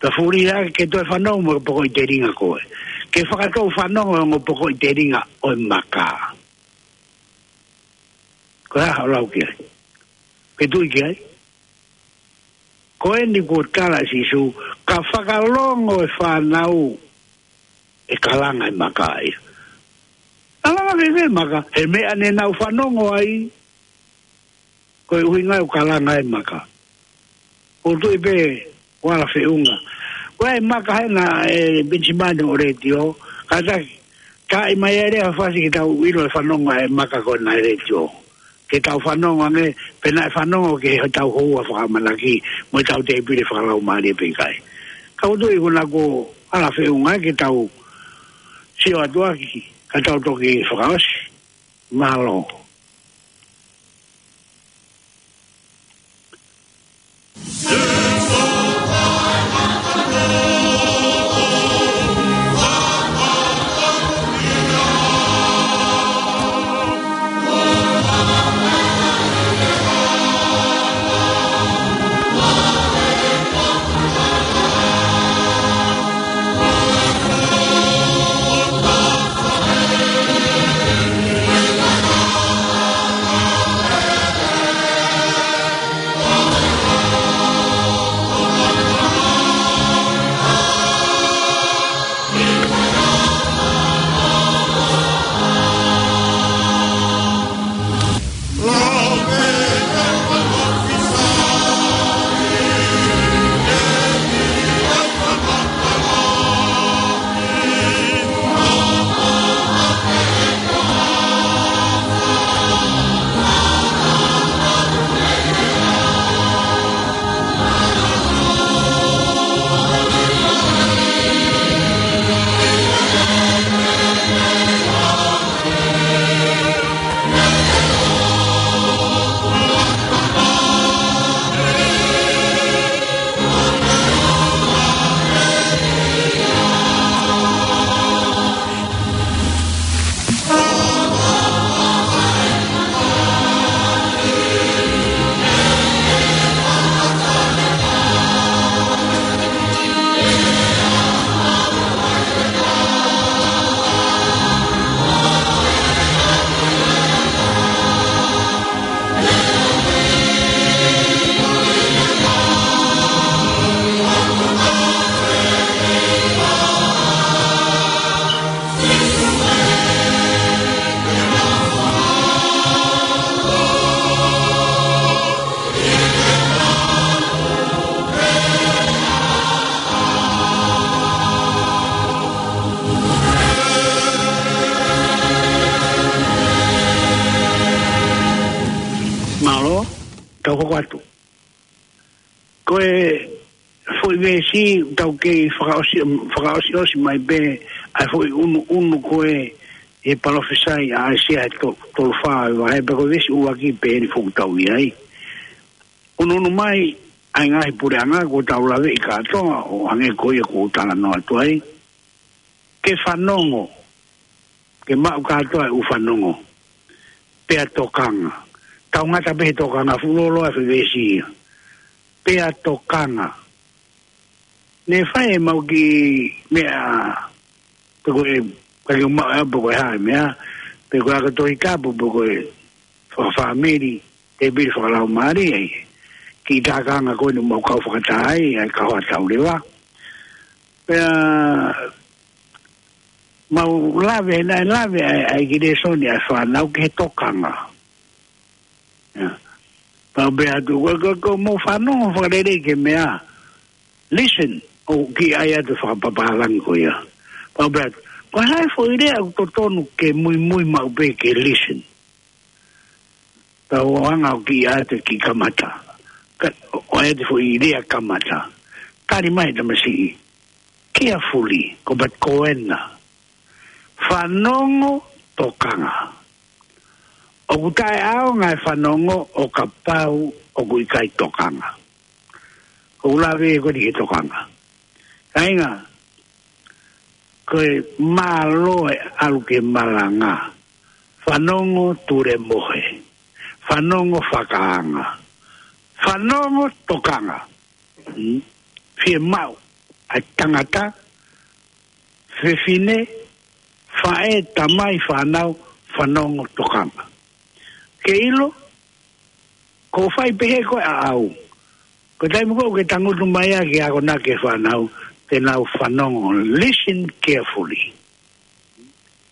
pea fuli hake ke toe fanongo mo e poko ʻi telinga ko ē. Ke fakatou fanongo e ongo poko ʻi telinga ʻo e maka. Ko e hā hoʻo lau ki ai? Ke tui ki ai? Ko eni kuo tala ʻe Sīsū, ka fakalongo e fānau, ʻe kalanga e maka ia. Kalanga fēfē e maka, he meʻa ne nau fanongo ai, ko e ʻuhinga ʻoku kalanga e maka. ʻOku ou tui pē, ʻoku ala feʻunga. Ko e maka hena e Penisimani ʻo e letiō, kātaki, ka ʻi mai e lea fasi ke tau ʻilo e fanongo e maka ko ena e letiō. Ke tau fanongo ange, pe naʻe fanongo ki heʻetau houa fakaʻamanaki, mo ʻetau tēpile fakalaumālie pe ʻikai. Ka ʻoku ou tui ko ena kuo ala feʻunga ke tau sio atu ʻaki, ka tau toki fakaʻosi. Mālō. Mālō, tau hoko atu. Ko e foʻi veesi, tau kei fakaʻosi, fakaʻosiʻosi mai pē, ʻa e foʻi ʻunuʻunu ko ē, ʻi he palōfisai ʻa ʻAisea he to-, tolu fā ʻo e vahe, pea ko e veesi ʻuluaki pē eni ʻoku tau ʻi ai. ʻUnuʻunu mai ʻa e ngaahi puleʻanga, kuo tau laveʻi kātoa, ʻo hangē ko ia kuo u talanoa atu ai. Ke fanongo, ke maʻu kātoa e ʻū fanongo, pea tokanga. Tau ngata pē he tokanga, fuʻu lōloa e foʻi veesi ia. Pea tokanga. Ne fai ʻemau kiʻi meʻa, pe ko e, ka ke maʻu ʻe au pe ko e hā e meʻa, pe ko e ako Tohi Tapu, pe ko e fakafāmili, tēpile fakalaumālie, ʻa e kiʻi tākanga ko eni ʻoku mau kau fakataha ai, ʻa e kahoa tau leva. Pea mau lave, naʻe lave ʻa e, ʻa e kiʻi lēsoni ʻa e fānau ki he tokanga. ʻIa. Pau pē atu, ko, ko, ko mau fanongo fakalelei ki he meʻa. Listen, ʻoku kiʻi ʻai atu e fakapapālangi ko ia. Pau pē atu, ko e hā e foʻi lea ʻoku totonu ke muimui maʻu pē ke listen. Tau anga ʻo kiʻi ʻai atu e kiʻi kamata. Ka, ʻo ʻai atu e foʻi lea kamata. Tali mai e tamasiʻi. Carefully, ko e pat ko ena. Fanongo, tokanga. ʻOku taʻeʻaonga e fanongo ʻo kapau ʻoku ʻikai tokanga. ʻOku lave ko eni ki he tokanga. Kāinga, ko e mālō e ʻalu ki he malanga. Fanongo tulemohe. Fanongo fakaanga. Fanongo tokanga. Mm. Fiemaʻu ʻa e tangata, fefine, faʻē, tamai, fānau, fanongo tokanga. Ke ʻilo, ko e fai pehē ko ē ʻaʻau. Ko e taimi ko ē ʻoku ke tangutu mai ai ke akonaki ki he fānau, te nau fanongo, listen carefully.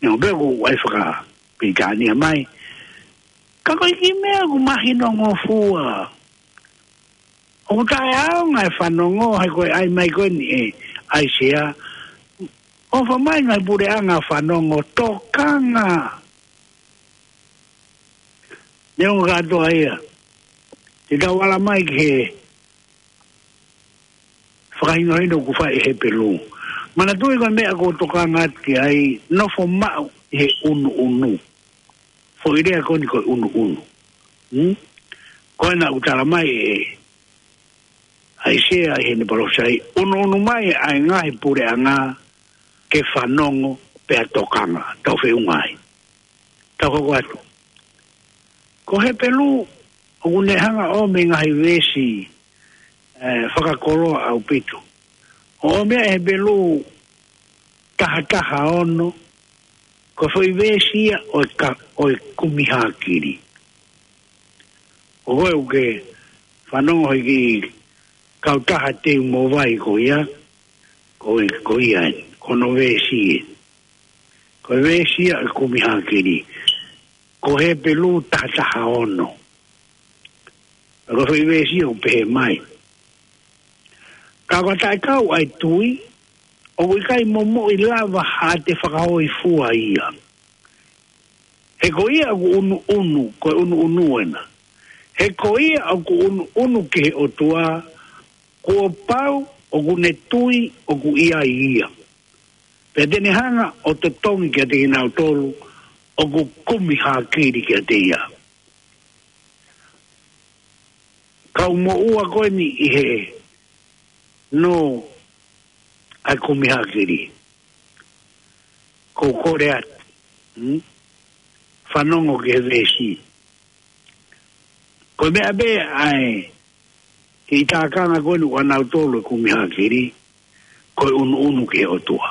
Neongo pē ʻoku ʻai fakapilitānia mai. Ka ko e kiʻi meʻa ʻoku mahino ngofua. ʻOku taʻeʻaonga e fanongo, he ko e ʻai mai ko eni ʻe ʻAisea. ʻOfa mai ngaahi puleʻanga fanongo tokanga. Neongo kātoa ia. Te tau ala mai ki he fakahinohino ʻoku fai ʻe Hepelū. Manatuʻi ko e meʻa ʻoku ou tokanga atu ki ai, nofo maʻu ʻi he ʻunuʻunu. Foʻi lea ko eni ko e ʻunuʻunu. Hmm? Ko ena ʻoku tala mai ʻe ʻAisea ʻi heʻene palōfisai, ʻunuʻunu mai ʻa e ngaahi puleʻanga ke fanongo pea tokanga. Tau feʻunga ai. Tau hoko atu. Ko Hepelū, ʻoku ne hanga ʻo ʻomai e ngaahi veesi, eh, fakakoloa ʻaupito. ʻO ʻomai ʻe Hepelū taha taha ono, ko e foʻi veesi ia ʻo e ka-, ʻo e kumi hākili. ʻO koe ʻoku ke fanongo he kiʻi kautaha teu mo vai ko ia, ko e, ko ia eni, ko hono veesi ē. Ko e veesi ia ʻo e kumi hākili. Ko Hepelū taha taha ono. Ko e foʻi veesi ia ʻoku pehē mai. Ka ʻoka taʻekau ʻa e tui, ʻoku ʻikai momoʻi lava haʻate fakahōifua ia. He ko ia ʻoku ʻunuʻunu, ko e ʻunuʻunu ena. He ko ia ʻoku ʻunuʻunu ki he ʻOtua, kuo pau ʻoku ne tui ʻoku ʻi ai ia. Pea te ne hanga ʻo totongi kiate kinautolu ʻoku kumi hākili kiate ia. Kau moʻua ko eni ʻi he nō ʻa e kumi hākili. Ko u kole atu. Hmm? Fanongo ki he veesi. Ko e meʻa pē ʻa e kiʻi tākanga ko eni ʻa nautolu e kumi hākili, ko e ʻunuʻunu ki he ʻOtua.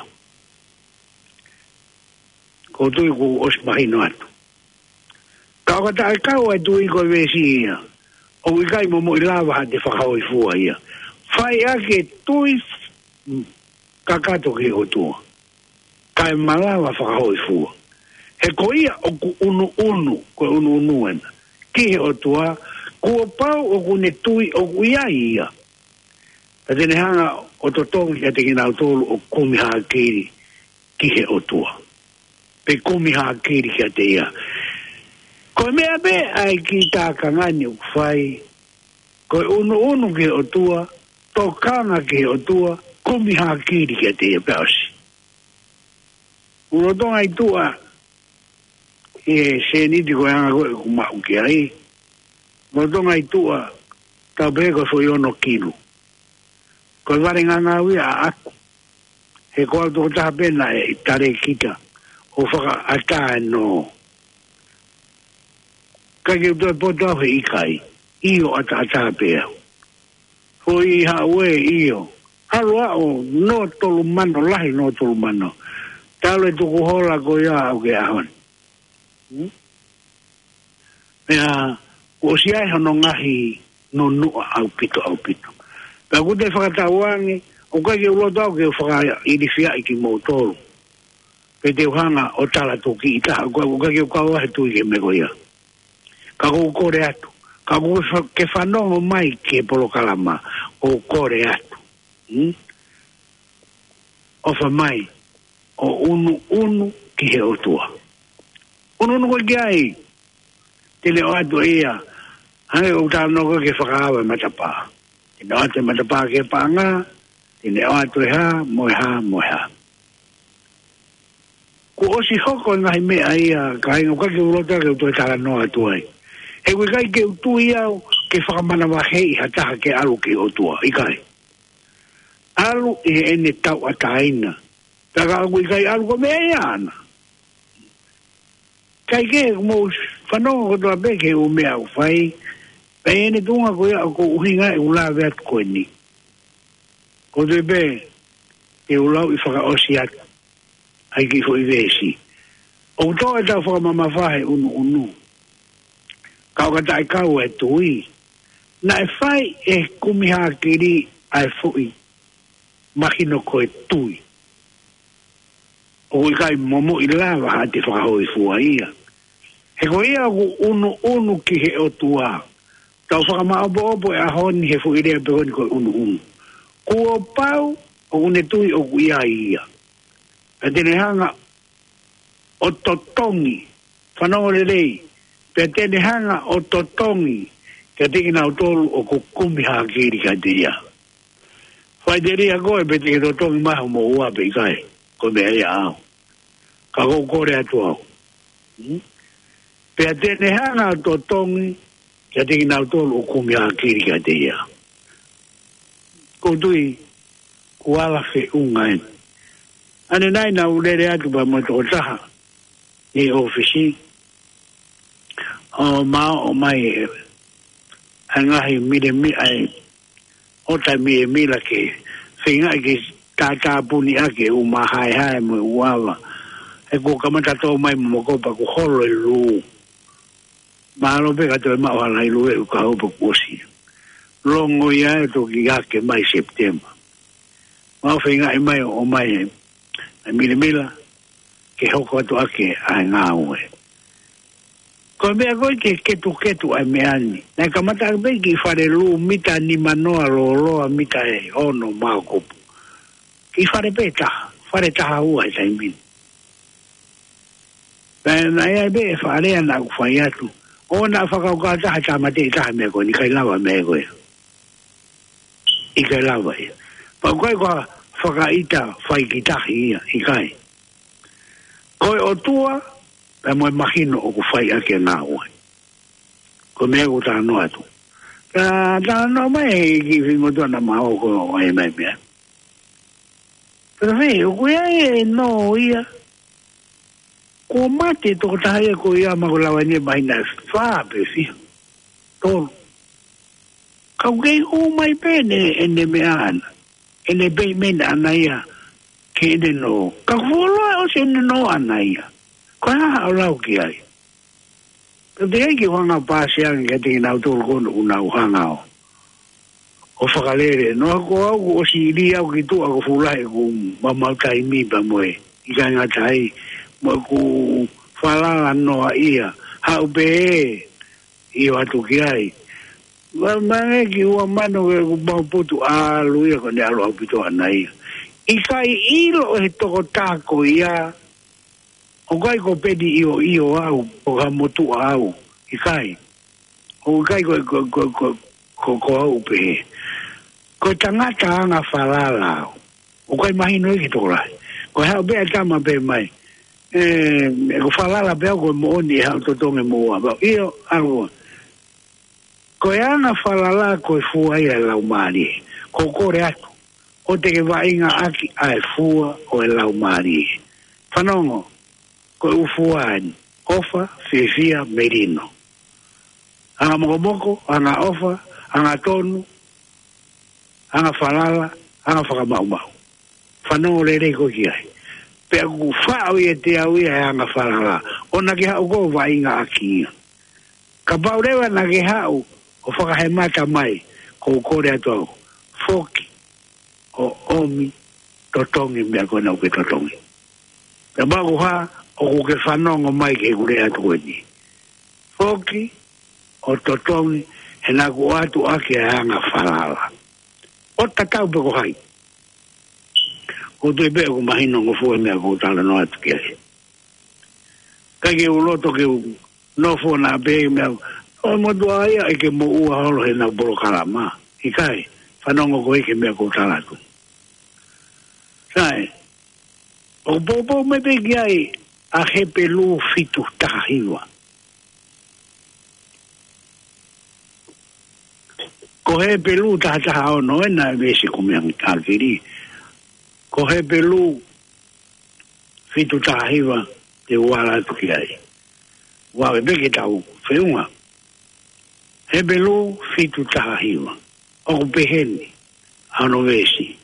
Ko u tui kuo ʻosi mahino atu. Ka ʻoka taʻekau ʻa e tui ko e veesi ia, ʻoku ʻikai momoʻi lava haʻate fakahōifua ia. Fai ʻaki e tui, mm, kakato ki he ʻOtua. Kae malava fakahōifua. He ko ia ʻoku ʻunuʻunu, ko e ʻunuʻunu ena. Ki he ʻOtua, kuo pau ʻoku ne tui ʻoku ʻi ai ia. Pea te ne hanga ʻo totongi kiate kinautolu ʻoku kumi hākili ki he ʻOtua. Pe kumi hākili kiate ia. Ko e meʻa pē ʻa e kiʻi tākanga ni ʻoku fai. Ko e ʻunuʻunu ki he ʻOtua, tokanga ki he ʻOtua, kumi hākili kiate ia pea ʻosi. ʻUlotonga ʻi tuʻa, ʻi he sēniti ko e anga ko ē ʻoku maʻu ki ai. Lolotonga ʻi tuʻa, tau pehē ko e foʻi ono kilu. Ko e vale ngangau ia ʻaʻaku. He ko au tokotaha pē naʻe talēkita ʻo fakaʻatā ʻa e nō. ʻIkai ke u toe poto au he ʻikai. ʻIo, ʻataʻatā pē au. Foʻi haʻu ē, ʻio. ʻAlu ʻo nō tolu mano, lahi nō tolu mano. Talu e tukuhola ko ia ʻaʻaku ki he ʻaho ni. Hmm? Pea, kuo ʻosi ʻi ai hono ngaahi nunuʻa ʻaupito, ʻaupito. Pea ʻoku te fakatauange, ʻoku ʻikai ke u loto au ke u fakaʻilifiaʻi kimoutolu. Pe te u hanga ʻo tala tuki ʻi taha, ʻoku ʻikai ke u kau he tui ki he meʻa ko ia. Ka ʻoku ou kole atu. Ka ʻoku ke fa-, ke fanongo mai ki he polokalama, ʻoku ou kole atu. Hmm? ʻOfa mai, ʻo ʻunuʻunu ki he ʻOtua. ʻUnuʻunu koe ki ai, te ne ʻoatu ʻe ia, hangē ko e talanoa ko ē ki he fakaava e matapā. Te ne ʻoatu e matapā ki he paʻanga, te ne ʻoatu e hā, mo e hā, mo e hā. Kuo ʻosi hoko e ngaahi meʻa ia, kāinga, ʻoku ʻikai ke u loto ke u toe talanoa atu ai. He ʻoku ʻikai ke u tui au ke fakamanavahē ʻi ha taha ke ʻalu ki he ʻOtua, ʻikai. ʻAlu ʻi heʻene tauʻatāina. Pea ka ʻoku ʻikai ʻalu ko e meʻa ia ʻaʻana. Kae kehe, mou fanongo kotoa pē ki he ʻū meʻa ʻoku fai. Pea ʻi heʻene tuʻunga ko ia ʻoku ou ʻuhinga ʻeku lave atu ko eni. Ko e toe pē, te u lau ʻi fakaʻosi atu. ʻAi ki foʻi veesi. ʻOku tō ʻetau fakamamafa he ʻunuʻunu. Ka ʻoka taʻekau e tui. Naʻe fai ʻe he kumi hākili ʻa e foʻi mahino ko e tui. ʻOku ʻikai momoʻi lava ha te fakahōifua ia. He ko ia ʻoku ʻunuʻunu ki he ʻOtua. Tau fakamaʻopoʻopo e ʻaho ni he foʻi lea pē ko eni ko e ʻunuʻunu. Kuo pau ʻoku ne tui ʻoku ʻi ai ia. Pea te ne hanga ʻo totongi, fanongo lelei, pea te ne hanga ʻo totongi, kiate kinautolu ʻoku kumi hākili kiate ia. Faʻiteliha koe pe te ke totongi mai hoʻo moʻua pe ʻikai, ko e meʻa ia ʻaʻau. Ka ʻoku ou kole atu au. Hmm? Pea te ne hanga ʻo totongi, kiate kinautolu ʻoku kumi hākili kiate ia. ʻOku ou tui, kuo ala feʻunga eni. ʻAnenai naʻa ku lele atu pea mo e tokotaha ʻi he ʻōfisi. ʻO maʻu mai e, ʻa e ngaahi milemila, ʻa e ʻota milemila ke feingaʻi ke tātāpuni ʻaki e ʻū māhaehae mo e ʻū ava. He kuo kamata tō mai mo mokopa kuo holo e lū. Mālō pē ka toe maʻu ha lahi lue ʻoku ka hopo kuo ʻosi. Longo ia ʻe toki hake mai September. Mau feingaʻi mai ʻo ʻomai e, e milemila ke hoko atu ʻaki ʻa e ngāue. Ko e meʻa ko ē ke ketuketu ʻa e meʻa ni. Naʻe kamata ʻaki pē ki fale lū mita nimanoa lōloa mita ʻe ono maokopu. Ki fale pē taha, fale taha ua he taimi ni. Pea naʻe ʻi ai pē e fakalea naʻa ku fai atu. ʻO naʻa fakakaukau taha tāmateʻi taha meʻa ko eni ʻikai lava meʻa ko ē. ʻIkai lava ia. Pea ʻoku ʻikai ko ha fakaʻita fai ki tahi ia, ʻikai. Ko e ʻOtua, pea mo e mahino ʻoku fai ʻaki e ngāue. Ko e meʻa ʻoku ou talanoa atu. Ka talanoa mai he kiʻi feingotuana ma o ko e mai meʻa. Pea fē, ʻoku ʻi ai e nō ia. Kuo mate tokotaha ia ko ia ma ko lava ni e māhina ʻe fā pe fiha. Tolu. Ka ʻoku kei hū mai pē ʻene, ʻene meʻa ʻana. ʻEne payment ʻana ia. Ke ʻene nō. Ka kuo fuoloa ʻosi ʻene nō ʻana ia. Ko e hā haʻo lau ki ai. Pea te ai ke u hanga ʻo pāsi ange kiate kinautolu ko ena ʻoku nau hanga ʻo ʻo fakalele. Noa ko au kuo ʻosi lī au ki tuʻa ko e fuʻu lahi ʻeku maumau taimi pea mo e ʻikai ngata ai mo ʻeku falala noa ia. Haʻu pē ē ʻio atu ki ai. Ma, ma nge ki ua mano ke ʻeku mau putu ʻalu ia ko ʻene ʻalu ʻaupito ʻana ia. ʻIkai ʻilo ʻe he tokotaha ko ia ʻoku ʻikai ko Peni ʻIoʻio au, ko ha motuʻa au, ʻikai. ʻOku ʻikai ko, ko, ko, ko, ko, ko au pē. Ko e tangata anga falala au. ʻOku ʻikai mahino ia ki he tokolahi. Ko e haʻu pē ʻa e tama pē mai. ʻE, ʻoku falala pē au ko e moʻoni ʻe haʻu totongi moʻua. Pea ʻio, ʻalu. Ko e anga falala ko e fua ia ʻo e laumālie. ʻOku ou kole atu, ʻoua te ke vaʻingaʻaki ʻa e fua ʻo e laumālie. Fanongo, ko e ʻū fua eni: ʻofa, fiefia, melino. Anga mokomoko, anga ʻofa, anga tonu, anga falala, anga fakamaʻumaʻu. Fanongo lelei koe ki ai. Pea ʻoku faʻo ia ʻe au ia ʻa e anga falala. ʻOua naʻa ke haʻu koe ʻo vaʻingaʻaki ia. Kapau leva naʻa ke haʻu ʻo fakahemata mai, ʻoku ou kole atu au, foki ʻo ʻomi totongi meʻa ko ena ʻoku ke totongi. Pea kapau ko e hā, ʻoku ke fanongo mai ki heʻeku lea atu ko eni. Foki ʻo totongi, he naʻa ku ʻoatu ʻaki ʻa e anga falala. ʻO tatau pē ko hai. ʻOku ou tui pē ʻoku mahinongofua e meʻa ʻoku ou talanoa atu ki ai. ʻIkai ke u loto ke u nofo ʻo pehē meʻa, ʻo motuʻa ia ʻe ke moʻua holo he ʻenau polokalama. ʻIkai, fanongo koe ki he meʻa ʻoku ou tala atu. Sai, ʻoku poupou mai pē ki ai ʻa Hepelū fitu taha hiva. Ko Hepelū taha taha ono ena ʻa e veesi ʻoku meʻa angi takili. Ko Hepelū fitu taha hiva te u ala atu ki ai. Ua e peke tau feʻunga. Hepelū fitu taha hiva. ʻOku pehē ni ʻa hono veesi: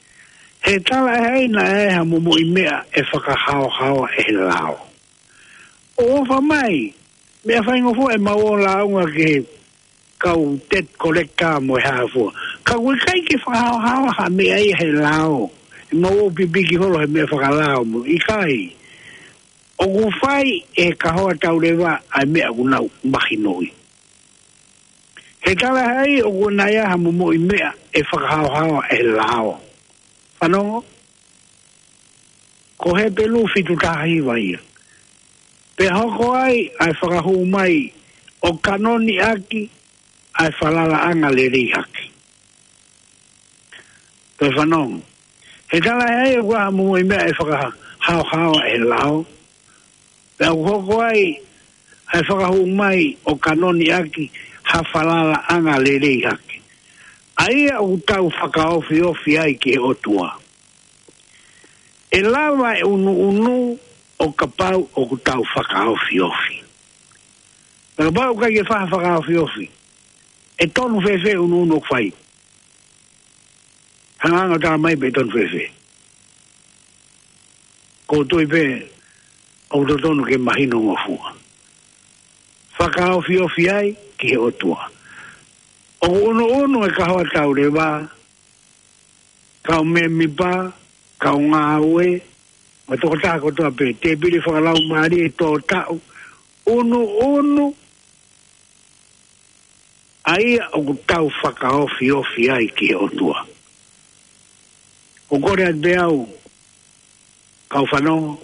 He talaʻehai naʻe ʻi ai ha momoʻi meʻa ʻe fakahaohaoa ʻe he lao. ʻOfa mai, meʻa faingofua ʻemau ō lāunga ki he kau debt collector mo e hā fua. Ka ʻoku ʻikai ke fakahaohaoa ha meʻa ia ʻe he lao. ʻEmau ō pipiki holo he meʻa fakalao mo ʻikai. ʻOku fai ʻe he kahoa tauleva ʻa e meʻa ʻoku nau mahinoʻi. He talaʻehai ʻoku ʻi ai ha momoʻi meʻa ʻe fakahaohaoa ʻe he lao. Fanongo, ko Hepelū fitu taha hiva ia. Pea hoko ai ʻa e fakahū mai ʻo kanoniʻaki ʻa e falalaʻanga lelei hake. Toe fanongo. He talaʻehai ʻoku ʻi ai ha momoʻi meʻa ʻe fakahaohaoa ʻe he lao. Pea ʻoku hoko ai ʻa e fakahū mai ʻo kanoniʻaki ha falalaʻanga lelei hake, ʻa ia ʻoku tau fakaofiofi ai ki he ʻOtua. ʻE lava e ʻunuʻunu ʻo kapau ʻoku tau fakaofiofi. Pea kapau ʻoku ʻikai ke fai ha fakaofiofi, ʻe tonu fēfē ʻunuʻunu ʻoku fai? Hanga ange ʻo tala mai pe ʻe tonu fēfē. ʻOku ou tui pē ʻoku totonu ke mahinongofua. Fakaofiofi ai ki he ʻOtua. ʻOku ʻunuʻunu e kahoa tauleva, kau mēmipa, kau ngāue, mo e tokotaha kotoa pē, tēpile fakalaumālie, tō taʻu, ʻunuʻunu ʻa ia ʻoku tau fakaofiofi ai ki he ʻOtua. ʻOku ou kole atu pē au, kau fanongo,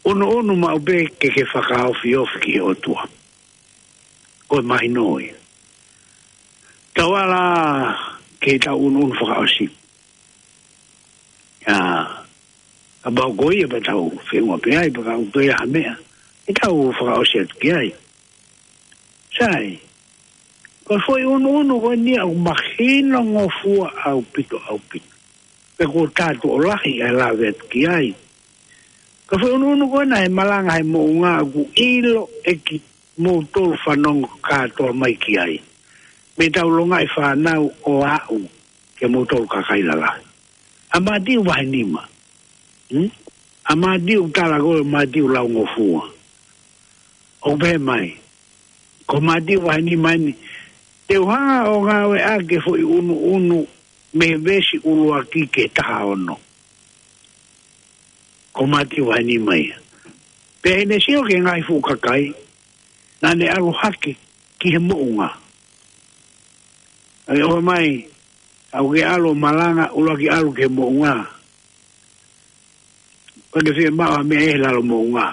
ʻunuʻunu maʻu pē ke ke fakaofiofi ki he ʻOtua. Ko e mahino ia. Tau ala ki heʻetau ʻunuʻunu fakaʻosi. ʻIa, kapau ko ia pea tau feʻunga pē ai, pea kapau ko ia ha meʻa, ʻe tau fakaʻosi atu ki ai. Sai, ko e foʻi ʻunuʻunu ko eni ʻoku mahinongofua ʻaupito, ʻaupito. Pea ʻoku ou tui ʻoku lahi ʻa e lave atu ki ai. Ko e foʻi ʻunuʻunu ko ena he malanga he moʻunga ʻoku ʻilo ʻe kimoutolu fanongo kātoa mai ki ai. Mei heʻetau longaʻi fānau ʻo aʻu kia moutolu kakai lalahi. ʻA Mātiu vahe nima. Hmm? ʻA Mātiu, tala ko ē Mātiu laungofua. ʻOku pehē mai, ko Mātiu vahe nima eni, te u hanga ʻo ngāueʻaki e foʻi ʻunuʻunu mei he veesi ʻuluaki ki he taha ono. Ko Mātiu vahe nima ia. Pea ʻi heʻene sio ki he ngaahi fuʻu kakai, naʻa ne ʻalu hake ki he moʻunga. ʻA ia ʻofa mai, ʻoua ke ʻalu ʻo malanga, ʻuluaki ʻalu ki he moʻunga. Ko ʻene fiemaʻu ha meʻa ʻi he lalo moʻunga,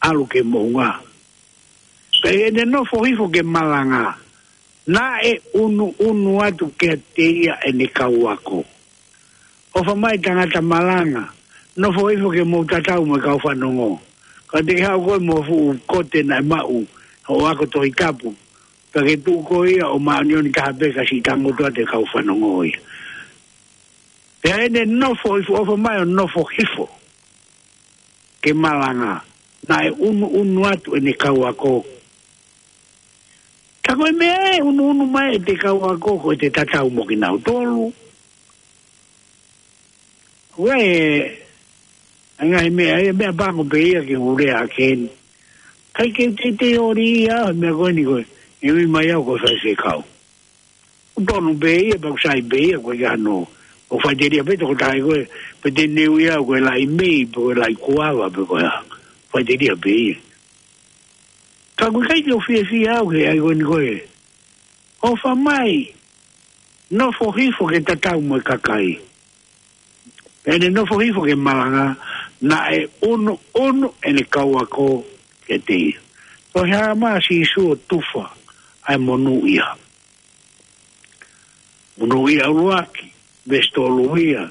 ʻalu ki he moʻunga. Pea ʻi heʻene nofo hifo ke malanga, naʻe ʻunuʻunu atu kiate ia ʻene kau ako. ʻOfa mai tangata malanga, nofo hifo ke mou tatau mo e kau fanongo. Ka te ke haʻu koe mo e fuʻu kote naʻe maʻu ʻe hoʻo ako Tohi Tapu, ka ke tuʻu koe ia ʻo māʻoniʻoni taha pē ka siʻi tangutu atu e kau fanongo ia. Pea ʻene nofo hifo, ʻofa mai ʻo nofo hifo ke malanga, naʻe ʻunuʻunu atu ʻene kau ako. Ka ko e meʻa ʻe ʻunuʻunu mai ʻe te kau ako ko ʻete tatau mo kinautolu. Ko e, ʻa e ngaahi meʻa, ʻa e meʻapango pē ia ke u lea ʻaki eni. ʻIkai ke u teitei ʻoli ia, meʻa ko eni ko e, ʻe ui mai au ko e faifekau. ʻOku tonu pē ia, pea ʻoku sai pē ia, ko e ʻikai hano. ʻOku faʻiteliha pē tokotaha ko ē, pe te ne ui au ko e laʻi mei, pe ko e laʻi kuava, pe ko e hā. Faʻiteliha pē ia. Ka ʻoku ʻikai ke u fiefia au he ʻai ko eni ko e. ʻOfa mai, nofo hifo ke tatau mo e kakai. Pea ʻene nofo hifo ke malanga, naʻe ʻunuʻunu ʻene kau ako kiate ia. Ko e hā mai ʻa Sīsū ʻo tufa ʻa e monūʻia. Monūʻia ʻuluaki, veesi tolu ia.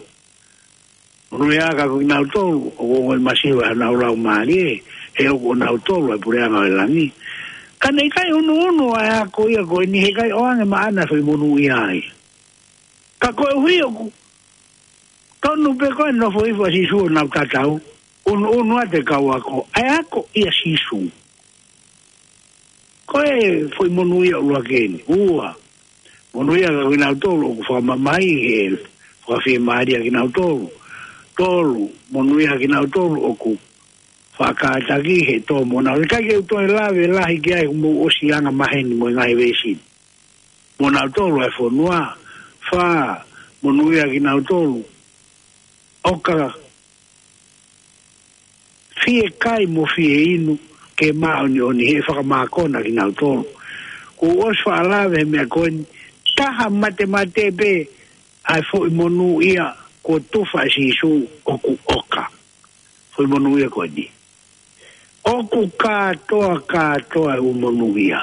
Monūʻia ʻa e kau kinautolu ʻoku ongoʻi masiva ʻenau laumālie, he ʻoku ʻonautolu ʻa e puleʻanga ʻo e langi. Ka naʻe ʻikai ʻunuʻunu ʻa e ako ia ko eni he ʻikai ʻoange maʻana e foʻi monūʻia ia. Ka koeʻuhi ʻoku tonu pē ko e nofo hifo ʻa Sīsū ʻo nau tatau, ʻunuʻunu atu e kau ako, ʻa e ako ʻia Sīsū. Ko e foʻi monūʻia ʻuluaki eni. Ua, monūʻia ʻa kinautolu ʻoku fakamamahi he fakafiemālie ʻa kinautolu. Tolu, monūʻia ʻa kinautolu ʻoku fakakātaki he tō mo nau. ʻIkai ke u toe lave lahi ki ai, mou ʻosi anga maheni mo e ngaahi veesi. Mo nautolu ʻa e fonua. Fā, monūʻia ʻa kinautolu ʻoka fiekai mo fieinu ke māʻoniʻoni, he ʻe fakamākona kinautolu. Kuo u ʻosi faʻa lave he meʻa ko eni, taha matemate pē ʻa e foʻi monūʻia kuo tufa ʻe Sīsū ʻoku ʻoka. Foʻi monūʻia ko eni. ʻOku kātoa, kātoa e ʻū monūʻia.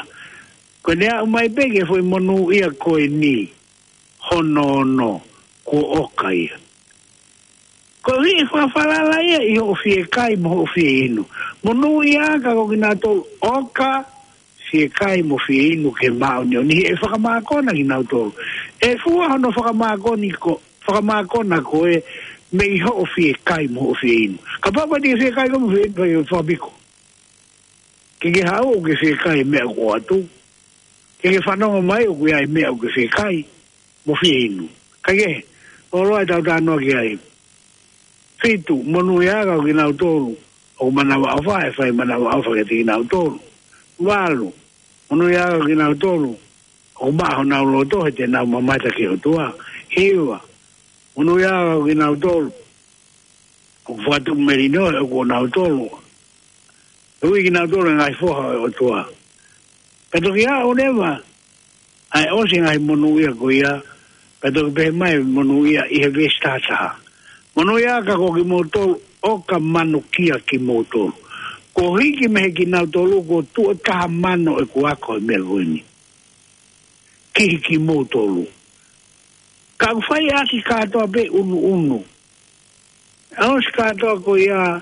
Ko ʻene aʻu mai pē ki he foʻi monūʻia ko eni, hono ono, kuo ʻoka ia. Koeʻuhi ʻe fakafalala ia ʻi hoʻo fiekai mo hoʻo fieinu. Monūʻia ʻa e kau kinautolu ʻoka fiekai mo fieinu ke māʻoniʻoni, he ʻe fakamākona kinautolu. ʻE fua hono fakamākoni ko, fakamākona koe mei hoʻo fiekai mo hoʻo fieinu. Kapau ko e te ke fiekai koe mo fieinu, pea ke fakapiko. Ke ke haʻu ʻo ke fiekai e meʻa ʻoku ʻoatu. Ke ke fanongo mai ʻoku ʻi ai e meʻa ʻoku ke fiekai mo fieinu. Ka ke, ʻoua ʻe tau talanoa ki ai. Fitu, monūʻia ʻa kinautolu ʻoku manavaʻofa, ʻe fai manavaʻofa kiate kinautolu. Valu, monūʻia ʻa kinautolu ʻoku maʻa honau loto, he te nau mamata ki he ʻOtua. Hiva, monūʻia ʻa kinautolu ʻoku fakatupu melino, he ʻoku ʻonautolu. ʻE ui kinautolu ʻe ngaahi foha ʻo e ʻOtua. Ka toki aʻu leva ʻa e ʻosi ngaahi monūʻia ko ia, ka toki pehē mai monūʻia ʻi he veesi taha taha. Monūʻia ʻa kimoutolu ʻoka manukia kimoutolu. Kuo hiki mei he kinautolu kuo tuʻo taha mano ʻeku ako he meʻa ko eni. Ki he kimoutolu. Ka ʻoku fai ʻaki kātoa pē ʻunuʻunu. ʻOsi kātoa ko ia,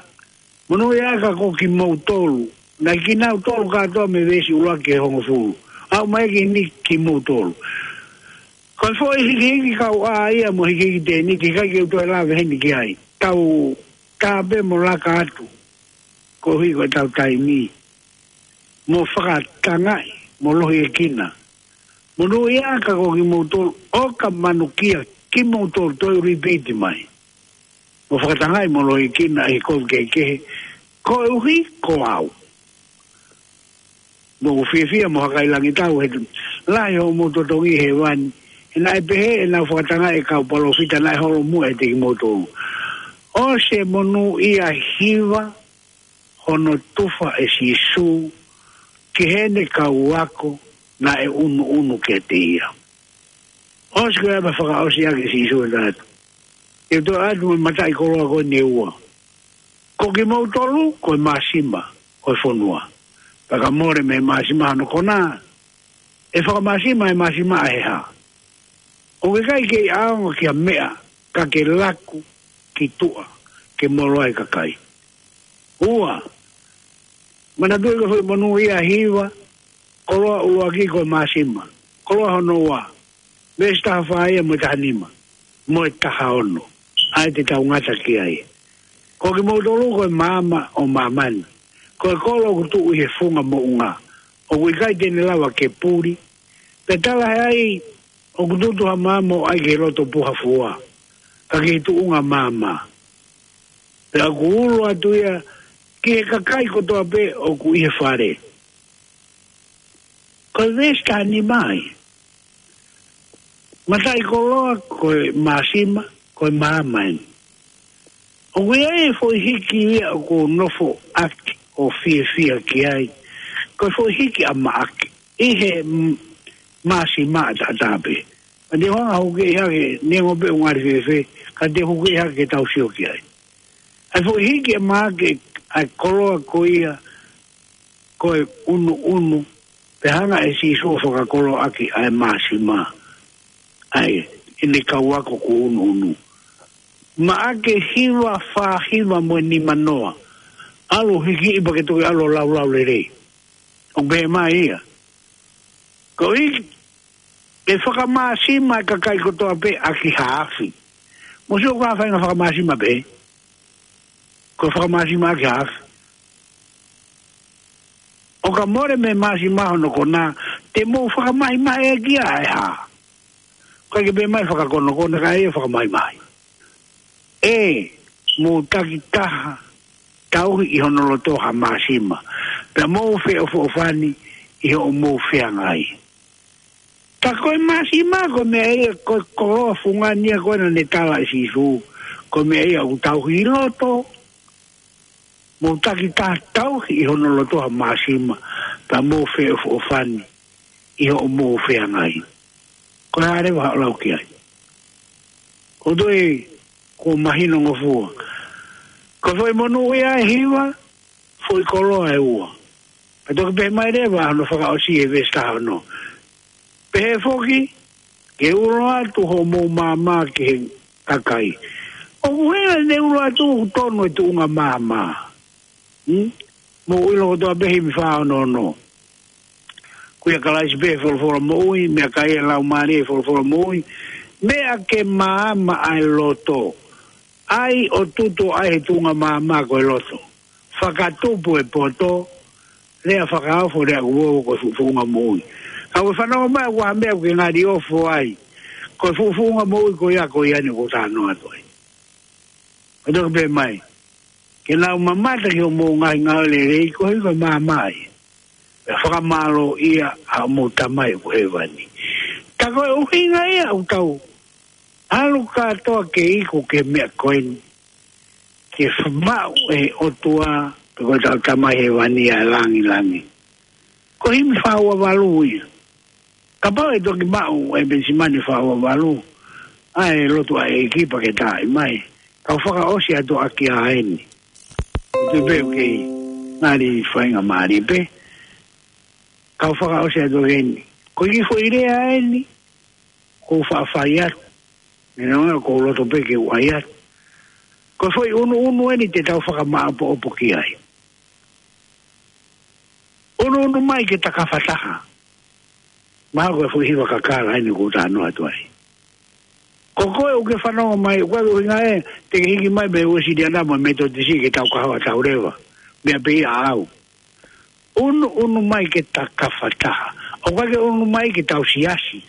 monūʻia ʻa kimoutolu. Naʻe kinautolu kātoa mei he veesi ʻuluaki ki he hongofulu. Aʻu mai ki ni kimoutolu. Ko e foʻi hikihiki kau ʻā ia mo e hikihiki tēniti, ʻikai ke u toe lave heni ki ai. Tau tā pē mo laka atu. Koeʻuhi ko e tau taimi. Mo fakatangaʻi, mo lohiekina. Monūʻia ʻa kimoutolu ʻoka manukia kimoutolu, toe repeat mai. Mo fakatangaʻi mo lohiekina ʻi he kovi kehekehe, koeʻuhi ko au. Mo fiefia mo hakailangitau he lahi hoʻomou totongi he vani. He naʻe pehē ʻenau fakatangaʻi e kau palōfita naʻe holomui ʻiate kimoutolu. ʻOsi e monūʻia. Hiva, hono tufa ʻe Sīsū ki heʻene kau ako naʻe ʻunuʻunu kiate ia. ʻOsi ko ia pea fakaʻosi ʻaki ʻe Sīsū ʻo talatala. ʻE toe ʻatu mo e mataʻikoloa ko eni ʻe ua. Ko kimoutolu ko e māsima ʻo e fonua. Pea ka mole mei he māsima hono konā, ʻe fakamāsima e māsima ʻa e hā? ʻOku ʻikai ke ʻaonga ki ha meʻa ka ke laku ki tuʻa ke molo ai e kakai. Ua, Manatuʻi ko e foʻi monū ia ʻe hiva, koloa ʻuluaki ko e māsima, koloa hono ua, veesi taha fā ia mo e taha nima, mo e taha ono. ʻA ia te tau ngata ki ai. Ko kimoutolu ko e maama ʻo māmani, ko e kolo ʻoku tuʻu ʻi he funga moʻunga, ʻoku ʻikai te ne lava ke puli, pea talaʻehai ʻoku tutu ha maama ʻo ʻai ki he loto puha fua, ka ki he tuʻunga maama. Pea ʻoku ulo atu ia ki he kakai kotoa pē ʻoku ʻi he fale. Ko e veesi taha nima ia. Mataʻikoloa ko e māsima, ko e maama eni. ʻOku ʻi ai e foʻi hiki ia ʻoku ou nofo ʻaki ʻo fiefia ki ai. Ko e foʻi hiki ʻa Maʻake ʻi he m-, māsima ʻataʻatā pē. Ka te u hanga ʻo hukeʻi hake, neongo pē ʻoku ngali fēfē, ka te u hukeʻi hake ke tau sio ki ai. ʻA e foʻi hiki ʻa Maʻake, ʻa e koloa ko ia, ko e ʻunuʻunu, pea hanga ʻe Sīsū ʻo fakakoloaʻaki ʻa e māsima, ʻa ē, ʻene kau ako kuo ʻunuʻunu. Maʻake hiva, fā hiva mo e nima noa. ʻAlu hikiʻi pea ke toki ʻalu ʻo laulau lelei. ʻOku pehē mai ia. Ko e hiki, ʻe fakamāsima e kakai kotoa pē ʻaki ha afi. Mou sio ko e hā e faʻahinga fakamāsima pē. Ko e fakamāsima ʻaki ha afi. ʻO ka mole mei he māsima hono kona, te mou fakamahimahi ʻaki ia ʻe hā? ʻIkai ke pehē mai fakakonokona, ka ʻe fakamahimahi. ʻE, mou takitaha tauhi ʻi hono loto ha māsima, pea mou feʻofoʻofani ʻi hoʻomou feangai. Ka ko e māsima, ko e meʻa ia, ko e koloa fungani ia ko ē naʻa ne tala ʻe Sīsū, ko e meʻa ia ʻoku tauhi ʻi loto, mou takitaha tauhi ʻi hono loto ha māsima, pea mou feʻofoʻofani ʻi hoʻomou feangai. Ko e hā leva haʻo lau ki ai? Ko e toe kuo mahino ngofua. Ko e foʻi monū ia ʻe hiva, foʻi koloa ʻe ua. Pea toki pehē mai leva hono fakaʻosi ʻi he veesi taha ono. Pehē foki, ke ulo atu hoʻomou maama ki he kakai. ʻOku hanga ʻe ne ulo atu ʻoku tonu e tuʻunga maama. Hmm? Mou ʻilo kotoa pē himi fā ono ono. Ko ia Kalaisi pē folofola moʻui, meʻakai e Laumālie folofola moʻui, meʻa ke maama ʻa e loto. ʻAi ʻo tutu ai he tuʻunga maama ko e loto. Fakatupu e poto, lea fakaofo, lea ʻoku ʻoʻo ko e fuʻu fuʻunga moʻui. Ka ʻoku fanongo mai ʻoku ʻi ai ha meʻa ʻoku ke ngali ofo ai. Ko e fuʻu fuʻunga moʻui ko ia ko ia eni ʻoku ou talanoa atu ai. Ko e toki pehē mai. Ke nau mamata ki hoʻomou ngaahi ngāue lelei koeʻuhi ko e maama ia. Pea fakamālōʻia ʻa hoʻomou Tamai ʻoku ʻi hēvani. Tā ko e ʻuhinga ia ʻoku tau ʻalu kātoa ke iku ki he meʻa ko eni. Ke f-, maʻu ʻe he ʻOtua, pe ko hotau Tamai Hēvani ʻa e langilangi. Ko e himi fā ua valu ia. Kapau ʻe toki maʻu ʻe Penisimani fā ua valu, ʻa e lotu ʻa e ʻEiki pea ke taaʻi mai. Kau fakaʻosi atu ʻaki ʻa eni. Te pehē ʻoku kei ngali faingamālie pē. Kau fakaʻosi atu ʻaki eni. Ko e kiʻi foʻi lea eni, ʻoku ou faʻa fai atu. Neongo ʻoku ou loto pē ke u ʻai atu. Ko e foʻi ʻunuʻunu eni te tau fakamāʻopoʻopo ki ai. ʻUnuʻunu mai ke ta kafataha. Mahalo ko e foʻi hiva kakala eni ʻoku ou talanoa atu ai. Ko koe ʻoku ke fanongo mai, ʻoku ʻikai ke ʻuhinga ē, te ke hiki mai mei he Uēsiliana mo e Metotisi ke tau kahoa tau leva. Meʻa pē ia ʻaʻau. ʻUnuʻunu mai ke ta kafataha. ʻOku ʻikai ke ʻunuʻunu mai ke tau siasi.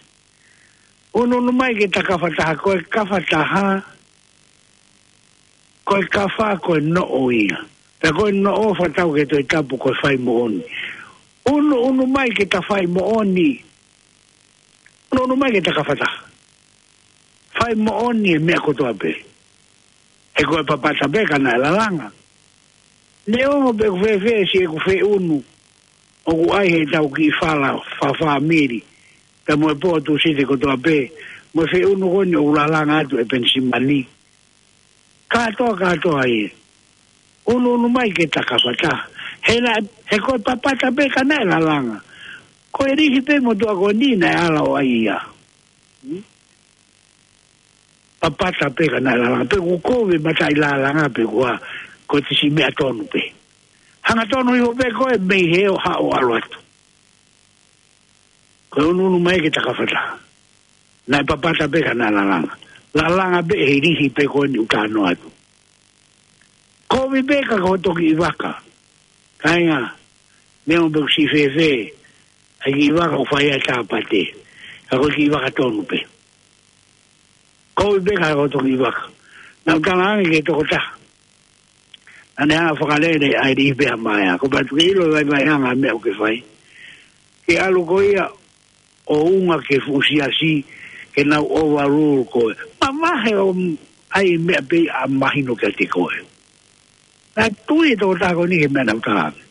ʻUnuʻunu mai ke ta kafataha, ko e kafataha, ko e kafa, ko e noʻo ia. Pea ko e noʻo fakatau ki he Tohi Tapu ko e fai moʻoni. ʻUnuʻunu mai ke ta fai moʻoni. ʻUnuʻunu mai ke ta kafataha. Fai moʻoni e meʻa kotoa pē. He ko e papata pē ka naʻe lalanga. Neongo pe ʻoku fēfē siʻeku feʻunu ʻoku ʻai heʻetau kiʻi fala fakafāmili, pea mo e pō Tūsite kotoa pē, mo e feʻunu ko eni ʻoku lalanga atu ʻe Penisimani. Kātoa, kātoa ia. ʻUnuʻunu mai ke ta kafataha. He naʻe, he ko e papata pē ka naʻe lalanga. Ko e lihi pē motuʻa ko eni naʻe ala ʻo ʻai ia. Hmm? Papata pē ka naʻe lalanga. Pe ʻoku kovi mataʻi lalanga pe ko e hā, ko e siʻi meʻa tonu pē. Hangatonu hifo pē koe mei hē ʻo haʻu ʻo ʻalu atu. Ko e ʻunuʻunu mai ke takafata. Naʻe papata pē ka naʻe lalanga. Lalanga pē he lihi pē ko eni ʻoku talanoa atu. Kovi pē ka ko e toki ʻi vaka. Kāinga, meʻa pē ʻoku siʻi fēfē, ʻa e kiʻi vaka ʻoku fai ai e tāpate. Ka ko e kiʻi vaka tonu pē. Kovi pē ka ko e toki ʻi vaka. Naʻa ku talaange ki he tokotaha. Naʻa ne hanga ʻo fakalele ʻa e lihi pē ha maea. Ko e patu ke ʻilo e vaivaiʻanga e meʻa ʻoku ke fai. Ke ʻalu ko ia ʻo unga ki he fuʻu siasi, ke nau overrule koe. Mavahe ʻo ʻai e meʻa pē ʻa mahino kiate koe. Naʻe tui e tokotaha ko eni ki he meʻa naʻa ku talaange.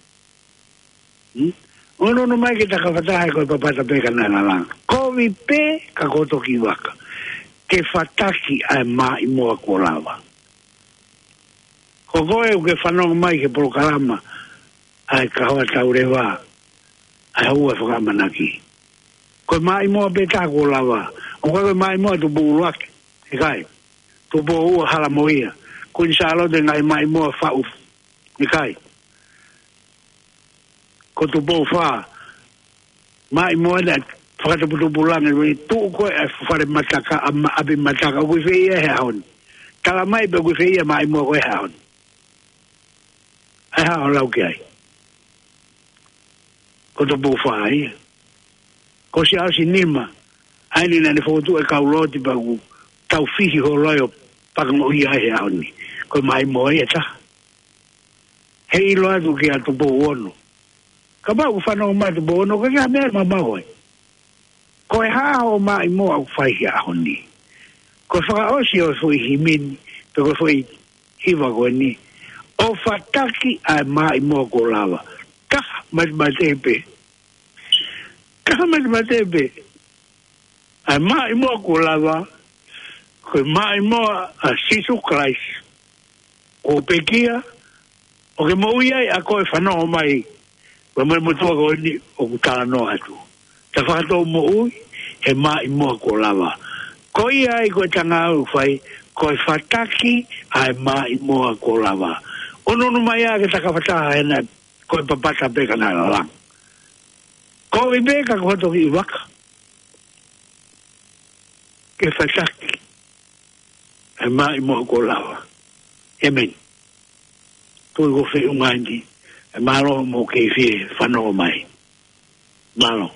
Hmm? ʻUnuʻunu mai ke takafata he ko e papata pē ka naʻe lalanga. Kovi pē ka ko e toki ʻi vaka. Ke fataki ʻa e maʻimoa kuo lava. Ko koe ʻoku ke fanongo mai ki he polokalama ʻa e Kahoa Tauleva, ʻa e Hau ʻa e Fakaʻamanaki. Ko e maʻimoa pē taha kuo lava. ʻOku ʻikai ko e maʻimoa Tupou ʻUluaki. ʻIkai. Tupou Ua, Halamoia. Kuini Sālote, ngaahi maʻimoa faʻu. ʻIkai. Ko Tupou Fā. Maʻimoa naʻe fakatuputupu langi, ʻi tuʻu ko ē ʻa e fale mataka, ʻa ma-, ʻapi mataka, ʻoku ʻi fē ia he ʻaho ni. Tala mai pe ʻoku ʻi fē ia maʻimoa ko ē he ʻaho ni. ʻAi haʻo lau ki ai. Ko Tupou Fā ia. Ko Siaosi Nima, ʻa eni naʻa ne fokotuʻu e kau looti pea ʻoku tau fihi holo ai ʻo pakangoʻia ai he ʻaho ni. Ko e maʻimoa ia taha. He ʻilo atu kia Tupou Ono. Kapau ʻoku fanongo mai Tupou Ono, ko e kiʻi meʻa mamau ai. Ko e hā hoʻo maʻimoa ʻoku fai he ʻaho ni? Ko e fakaʻosi ʻo e foʻi himi ni, pe ko e foʻi hiva ko eni. ʻO fataki ʻa e maʻimoa kuo lava. Taha matemate pē. Taha matemate pē. ʻA e maʻimoa kuo lava, ko e maʻimoa ʻa Sīsū Kalaisi. Kuo pekia, ʻoku ke moʻui ai ʻa koe fanongo mai, mo e motuʻa ko eni ʻoku talanoa atu. Ta fakatou moʻui, he maʻimoa kuo lava. Ko ia ai ko e tangata ʻoku fai, ko e fataki ʻa e maʻimoa kuo lava. ʻUnuʻunu mai ā ke takafata he naʻe ko e papata pē ka naʻe lalanga. Kovi pē ka ko e toki ʻi vaka. Ke fataki ʻa e maʻimoa kuo lava. ʻĒmeni. Tui ko e feʻunga eni. ʻE mālō mo e kei fie fanongo mai. Mālō.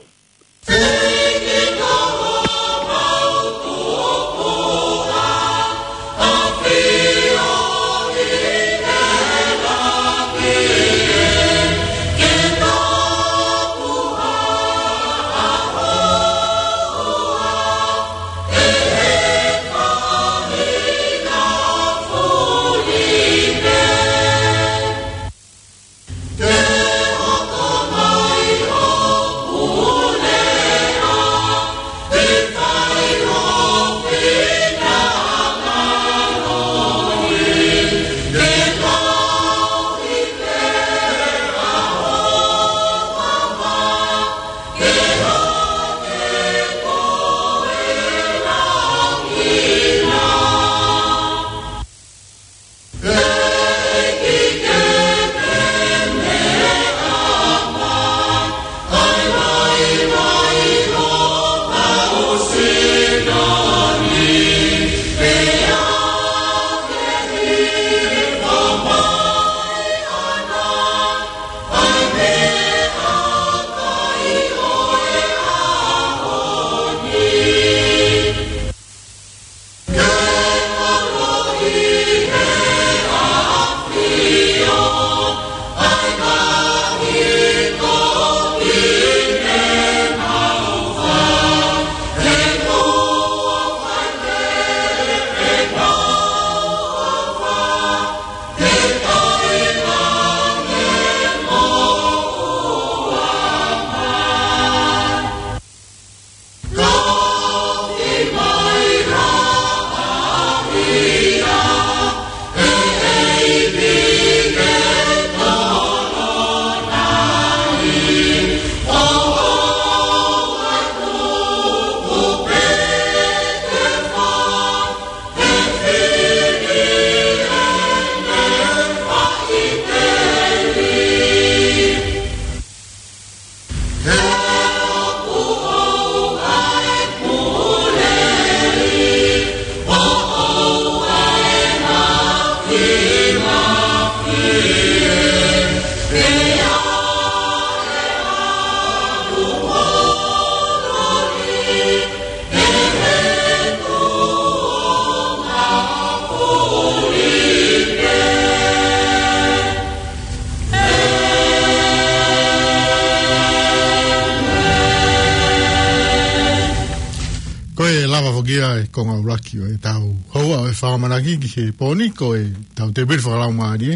Ko e lava foki ia e konga ʻuluaki ʻo ʻetau houa ʻo e fakaʻamanaki ki he pō ni, ko ʻetau tēpile fakalaumālie,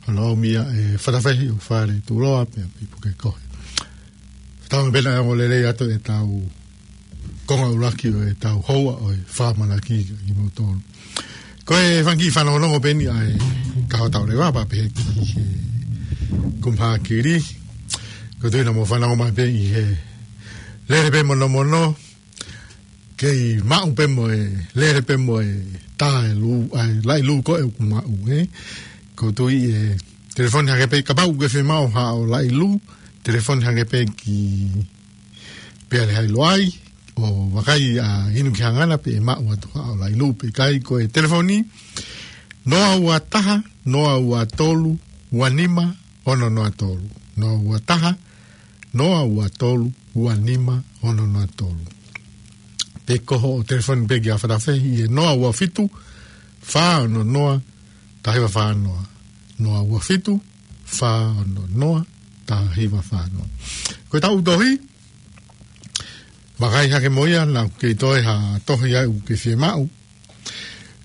ʻa ia ʻoku ʻomi ia ʻe Fatafehi ʻo Fale Tuloa pea mei Pukekohe. Tau pena e ongo lelei atu ʻetau konga ʻuluaki ʻo ʻetau houa ʻo e fakaʻamanaki kimoutolu. Ko e fanga kiʻi fanongonongo pē eni ʻa e kahaʻu tau leva pea pehē ki he kumhākili. Ko e tuʻu ina mo fanongo mai pē ʻi he lele pē monomono, kei maʻu pē mo e, lele pē mo e tā e lū, ʻa e laʻi lū ko ē ʻoku maʻu, ē. Ko e tuʻu ʻi he telefoni hake pē, kapau ʻoku ke fiemaʻu haʻo laʻi lū, telefoni hake pē ki Pea Lehailoa ai, ʻo vakai ʻa inu ki hangana pē ʻe maʻu atu haʻo laʻi lū pe ʻikai. Ko e telefoni, noa ua taha, noa ua tolu, ua nima, ono noa tolu. Noa ua taha, noa ua tolu, ua nima, ono noa tolu. Pe ko hoʻo telefoni pē kia Fatafehi ʻi he noa ua fitu, fā ono noa, taha hiva fā noa. Noa ua fitu, fā ono noa, taha hiva fā noa. Ko ʻetau tohi, vakai hake mo ia, naʻa ke toe ha tohi ʻa ē ʻoku ke fiemaʻu.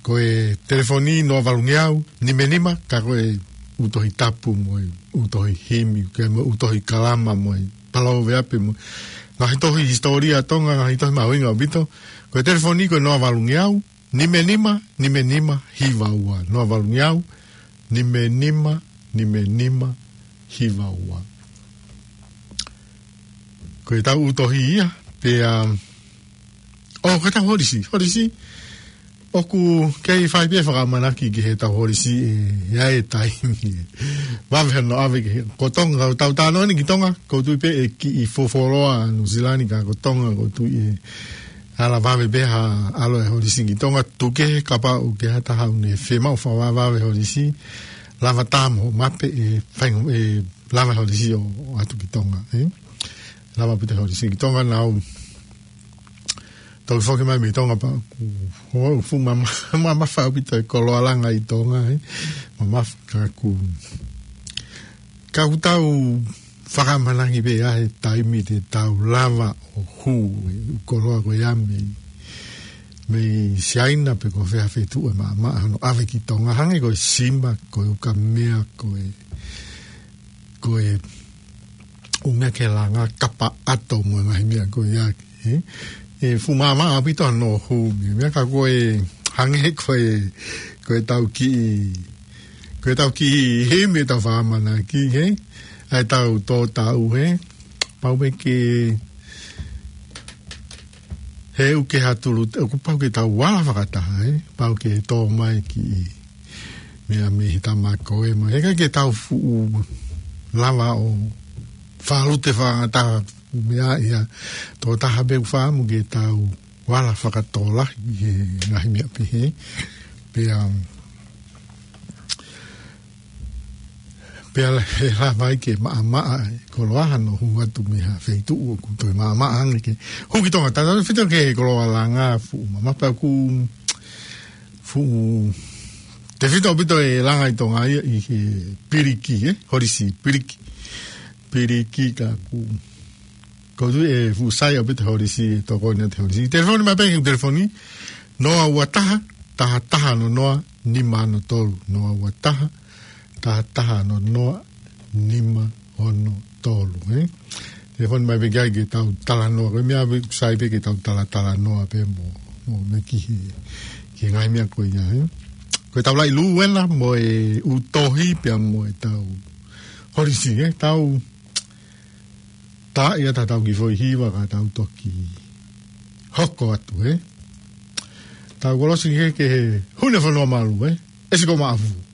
Ko e telefoni noa valungeau, nima nima, ka ko e ʻū tohi tapu mo e ʻū tohi himi, ke mo e ʻū tohi kalama mo e palōveape mo e ngaahi tohi hisitōlia Tonga, ngaahi tohi mahuʻinga ʻaupito. Ko e telefoni ko e noa valungeau, nima nima, nima nima, hiva ua. Noa valungeau, nima nima, nima nima, hiva ua. Ko ʻetau tohi ia, pea, ʻo, ko ʻetau holisi, holisi, ʻoku kei fai pē fakaʻamanaki ki heʻetau holisi ē, ʻi ai e taimi ē. Vave hano ʻave ki he, ko Tonga, ʻoku tau talanoa ni ki Tonga, ʻoku ou tui pē ʻe kiʻi fofoloa Nuʻusila ni ka ko Tonga, ʻoku ou tui ʻe ala vave pē ha ʻalu e holisi ki Tonga, tuku kehe kapau ʻoku ʻi ai ha taha ʻoku ne fiemaʻu fakavavevave holisi, lava tā mo mape ʻe fai, ʻe lava holisi ʻo ʻatu ki Tonga, ē? Lava ʻaupito holisi ki Tonga, naʻa ku toki foki mai mei Tonga pea ʻoku, ʻoku fuʻu mama-, mamafa ʻaupito e koloa langa ʻi Tonga, ē? Mamafa ka ʻoku, ka ʻoku tau fakaʻamanaki pē ʻa e taimi te tau lava ʻo hū e koloa ko ia mei, mei Siaina pe ko fē ha feituʻu ʻe maʻamaʻa hano ʻave ki Tonga, hangē ko e sima, ko e ukamea, ko e, ko e ʻū meʻa ke langa, kapa ʻato mo e ngaahi meʻa ko ia, ē? ʻE fuʻu maʻamaʻa ʻaupito hano hū mei he meʻa ka ko e hangē ko e, ko ʻetau kiʻi, ko ʻetau kiʻi himi ʻetau fakaʻamanaki, ē? ʻA ʻetau tō taʻu, ē? Pau pē ke, he ʻoku ke hatulu, ʻoku pau ke tau ala fakataha, ē? Pau ke tō mai kiʻi meʻa mei he tama ko ē mai. He ʻikai ke tau fuʻu lava ʻo fālute fakataha meʻa ia. Tō taha pē ʻoku fakaʻamu ke tau ala fakatōlahi he ngaahi meʻa pehē. Pea, um, pea la-, he lava ai ke maʻamaʻa e koloa hano hū atu mei ha feituʻu ʻoku toe maʻamaʻa ange ke hū ki Tonga. Tautautefito ki he koloa langa, fuʻu mamafa pea ʻoku fuʻu tefito ʻaupito e langa ʻi Tonga ia ʻi he piliki, ē? Holisi piliki. Piliki ka ʻoku, ʻoku ou tui ʻe fuʻu sai ʻaupito e holisi, ʻe tokoni atu e holisi. Telefoni mai pē ki he telefoni, noa ua taha, taha taha ono noa, nima ono tolu. Noa ua taha, taha taha ono noa, nima ono tolu, ē? Telefoni mai pē ki ai ke tau talanoa, ko e meʻa pē ʻoku sai pē ke tau talatalanoa pē mo, mo meʻa ki he, ki he ngaahi meʻa ko ia, ē? Ko ʻetau laʻi lū ena mo e ʻū tohi pea mo ʻetau holisi, ē? Tau tā ia ta tau kiʻi foʻi hiva ka tau toki hoko atu, ē? Tau kolosi ki he, ki he Hune Fonua Malu, ē? ʻEsi ko Maʻafu.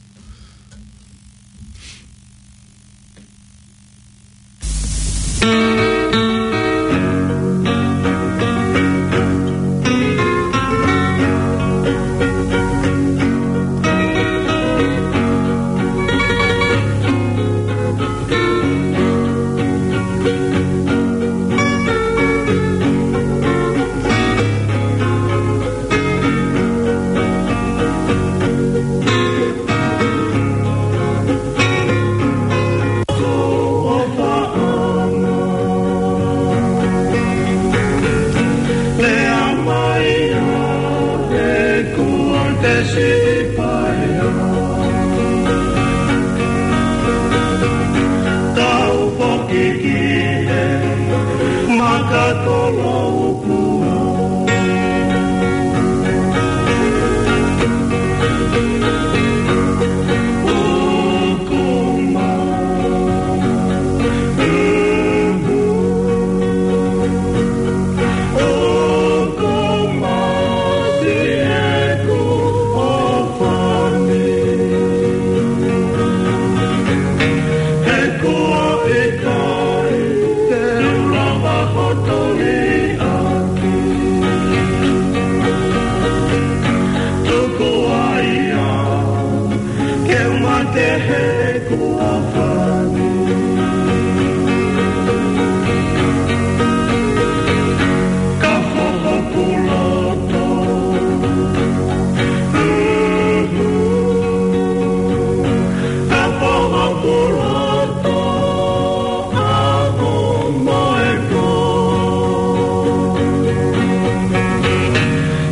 He kuo fani. Ka hoho kuloto. Ka hoho kuloto. Ako mo e ko.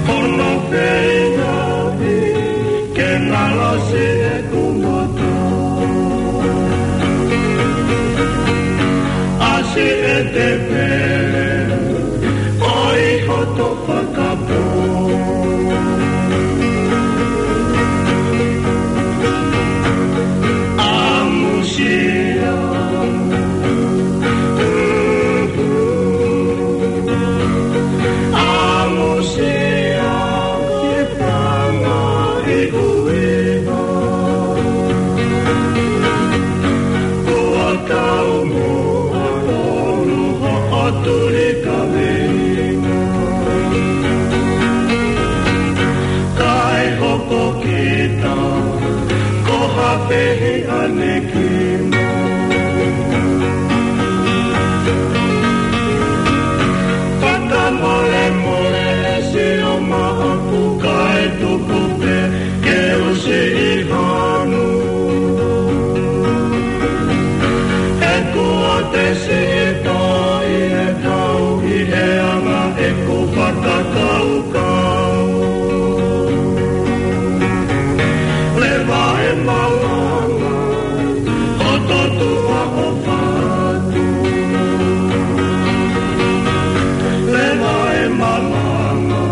Hono feinga ke ngalo si e kumoto. Asi e te pele, ʻoi hoto fakapō. ʻAmusia. ʻAmusia. Ke panga i uiva. Kua kau mo a tonu ho o tuli ka veinga. Kae hoko kita, ko ha pehi aneki. Fakamolemole e sio maʻaku kae tuku pē ke u siʻi hanu. He kuo te siʻi tō ʻi he tau ʻi he anga ʻeku fakakaukau. Leva e malanga, hoto tuʻa ʻo fatu. Leva e malanga,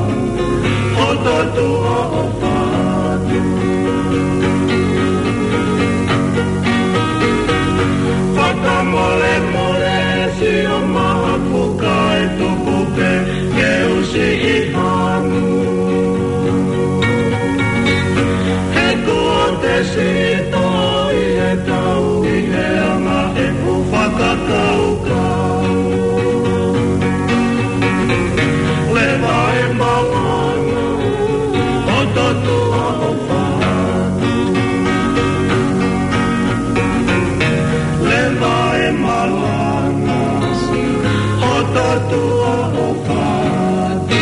hoto tuʻa ʻo fatu. Fakamolemole sio maʻaku kae tuku pē ke u siʻi hanu. He kuo te siʻi tō ʻi he tau ʻi he anga ʻeku fakakaukau. Leva e malanga, hoto tuʻa ʻo fatu. Leva e malanga, hoto tuʻa ʻo fatu.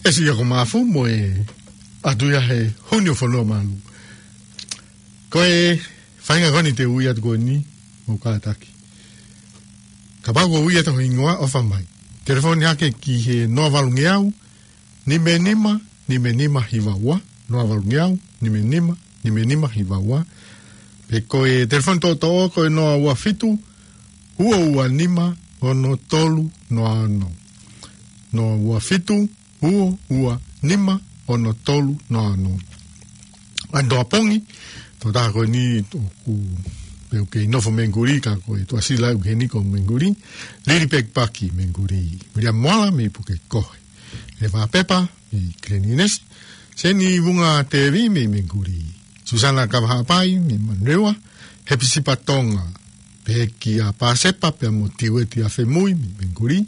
ʻE Siʻi Ako Mafu mo e ʻAtu Ia he Huni ʻo Fonua Malu. Ko e faʻahinga ko eni te u ui atu ko eni, mo kātaki. Kapau ʻoku ui atu ho hingoa, ʻofa mai telefoni hake ki he noa valu ngeau, nima nima, nima nima hiva ua, noa valu ngeau, nima nima, nima nima hiva ua. Pe ko e telefoni toʻotoʻo ko e noa ua fitu, ua ua nima, ono tolu noa ono. Noa ua fitu, ua ua nima, ono tolu noa ono. ʻAnitoa pongi, tokotaha ko eni ʻoku pehē ʻoku kei nofo Menguli, ka ko e tuʻasila ʻoku ʻi heni ko Menguli. Lili Pekipaki Menguli. Viliami Moala mei Pukekohe. Leva Pepa mei Kilininesi. Seni Vunga Tevi mei Menguli. Susana Kavahaʻapai mei Manurewa. Hepisipa Tonga. Pehē kia Pasepa pea mo Tiueti Afemui mei Menguli.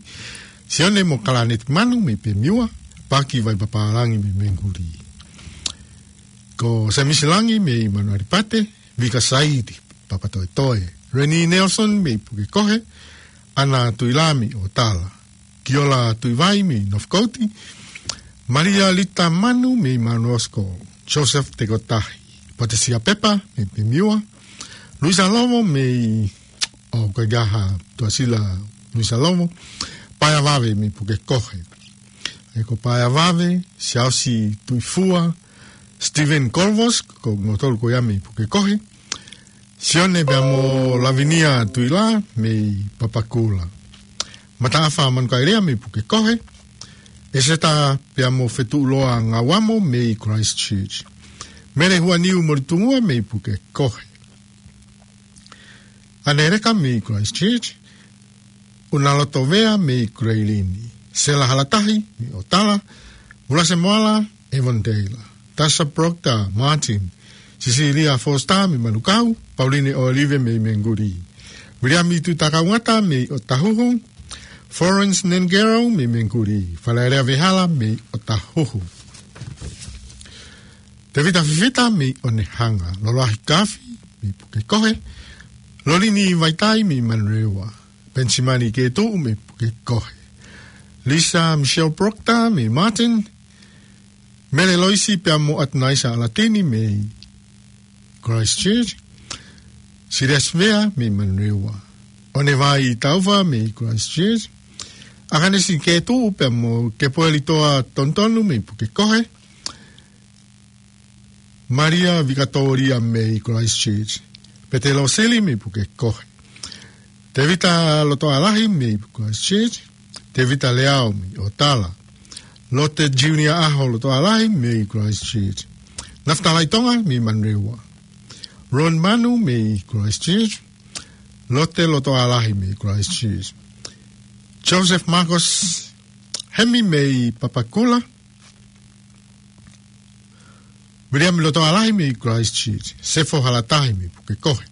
Sione mo Kalaneti Manu mei Pemiua. Paki Vaipapālangi mei Menguli. Ko Semisi Langi mei Manualipate. Vika Saidi, Papatoetoe. Reni Nelson mei Pukekohe. ʻAna Tuila mei ʻOtala. Kiola Tuivai mei Northcote. Malia Lita Manu mei Mount Roskill. Joseph Tekotahi. Patesia Pepa mei Pemiua. Luisa Lovo mei, ʻo, ko e ʻaho tuʻasila Luisa Lovo. Paea Vave mei Pukekohe. ʻE ko Paea Vave, Siaosi Tuifua, Stephen Colvos, ko kimoutolu ko ia mei Pukekohe. Sione pea mo Lavinia Tuila mei Papakura. Mataʻafa Manukaelea mei Pukekohe. ʻEseta pea mo Fetuʻuloa Ngauamo mei Christchurch. Mele Huaniu Molitungua mei Pukekohe. ʻAneleka mei Christchurch. ʻUnaloto Vea mei Kuleilini. Sela Halatahi mei ʻOtala. Ulase Moala, Evan Taylor. Tasha Proctor Martin. Sisilia Foster mei Manukau. Pauline ʻOlive mei Menguli. Viliami Tuʻitakaungata mei ʻOtahuhu. Florence Nengero mei Menguli. Falaelea Vehala mei ʻOtahuhu. Tevita Fifita mei ʻOnehanga, Loloahi Kafi mei Pukekohe, Lolini Vaitai mei Manurewa, Penisimani Ketuʻu mei Pukekohe, Lisa Michelle Proctor mei Martin, Mele Loisi pea mo ʻAtunaisa ʻAlatini mei Christchurch, Siriasi Vea mei Manurewa, ʻOnevai Taufa mei Christchurch, ʻAkanesi Ketuʻu pea mo Kepoeli Toa Tonutonu mei Pukekohe, Maria Vikatoria mei Christchurch, Petelo Sili mei Pukekohe, Tevita Lotoalahi mei Christchurch, Tevita Leao mei ʻOtala, Lote Junior Aho Lotoalahi mei Christchurch, Nafitalai Tonga mei Manurewa, Ron Manu mei Christchurch, Lote Lotoalahi mei Christchurch, Joseph Marcus Hemi mei Papakura, Viliami Lotoalahi mei Christchurch, Sefo Halatahi mei Pukekohe,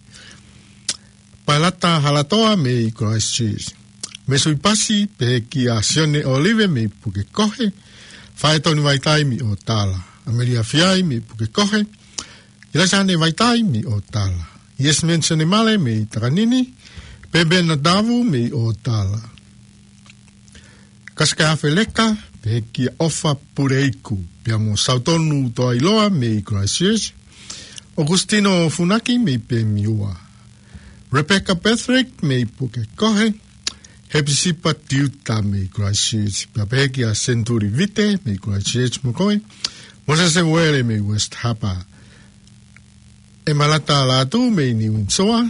Pailata Halatoa mei Christchurch, Mesui Pasi pehē kia Sione Olive mei Pukekohe, Faetoni Vaitai mei ʻOtala, ʻAmelia Fiai mei Pukekohe, ʻIlaisane Vaitai mei ʻOtala, Iesimensione Male mei Takanini, Pebe Natavu mei ʻOtala, Kasika Feleka pehē kia ʻOfa Puleiku, pea mo Sautonu Toailoa mei Christchurch, ʻOkusitino Funaki mei Pemiua, Rebecca Patrick mei Pukekohe, Hepisipa Tiuta mei Christchurch, pea pehē kia Senturi Vite mei Christchurch mo koe, Mosese Uele mei West Harbour, ʻEmalata Lātū mei Niu Sini Soa,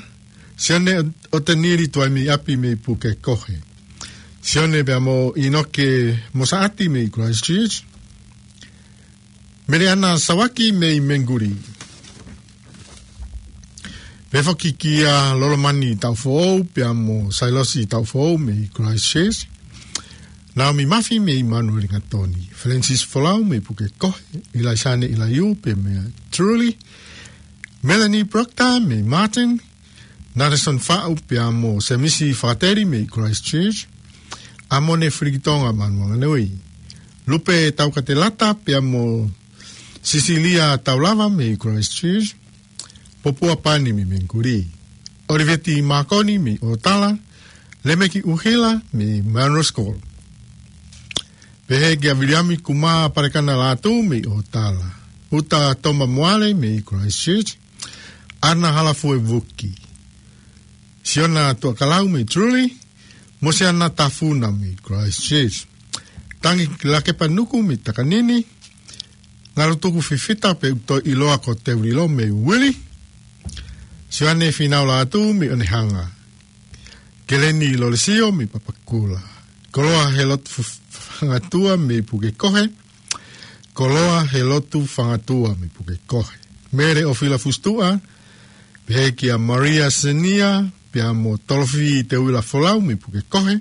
Sione ʻOtenili Tuaimiapi mei Pukekohe, Sione pea mo ʻInoke Mosaʻati mei Christchurch, Meleana Sawaki mei Menguli. Pehē foki kia Lolomani Taufoʻou pea mo Sailosi Taufoʻou mei Christchurch, Naomi Mafi mei Manurewa Gatoni, Francis Folau mei Pukekohe, ʻIlaisane ʻIlaiū pea mo Truly, Melanie Proctor mei Martin, Nareson Faʻu pea mo Semisi Fakateli mei Christchurch, ʻAmone Filikitonga Manuanganui, Lupe Taukatelata pea mo Sisilia Taulava mei Christchurch, Popua Pani mei Menguli, ʻOliveti Makoni mei ʻOtala, Lemeki ʻUhila mei Manus School. Pehē kia Viliami Kuma Parekana Lātū mei ʻOtala, Uta Toma Moale mei Christchurch, ʻAna Halafuevuki, Siona Tuakalau mei Truly, Mosiana Tafuna mei Christchurch, Tangi Lakepanuku mei Takanini, Ngalutuku Fifita pea ʻoku toe ʻiloa ko Teulilo mei Wili, Sione Finau Lātū mei ʻOnehanga, Keleni Lolesio mei Papakura, Koloa Helotu Fu-, Fangatua mei Pukekohe, Koloa Helotu Fangatua mei Pukekohe, Mele ʻOfila Fusituʻa, pehē kia Maria Senia pea mo Tolofi Teuila Folau mei Pukekohe,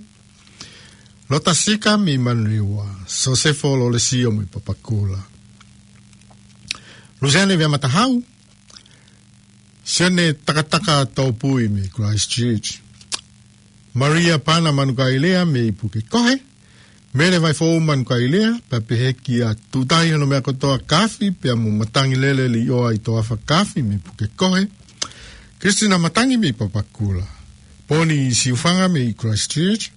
Lota Sika mei Manurewa, Sosefo Lolesio mei Papakura, Lusiane Veamatahau, Sione Takataka Topui mei Christchurch, Maria Pana Manukaelea mei Pukekohe, Mele Vaifou Manukaelea, pea pehē kia Tutai Honomeakotoa Kafi pea mo Matangi Lele Liʻoa ʻi Toafa Kafi mei Pukekohe, Kristina Matangi mei Papakura, Poni Siufanga mei Christchurch,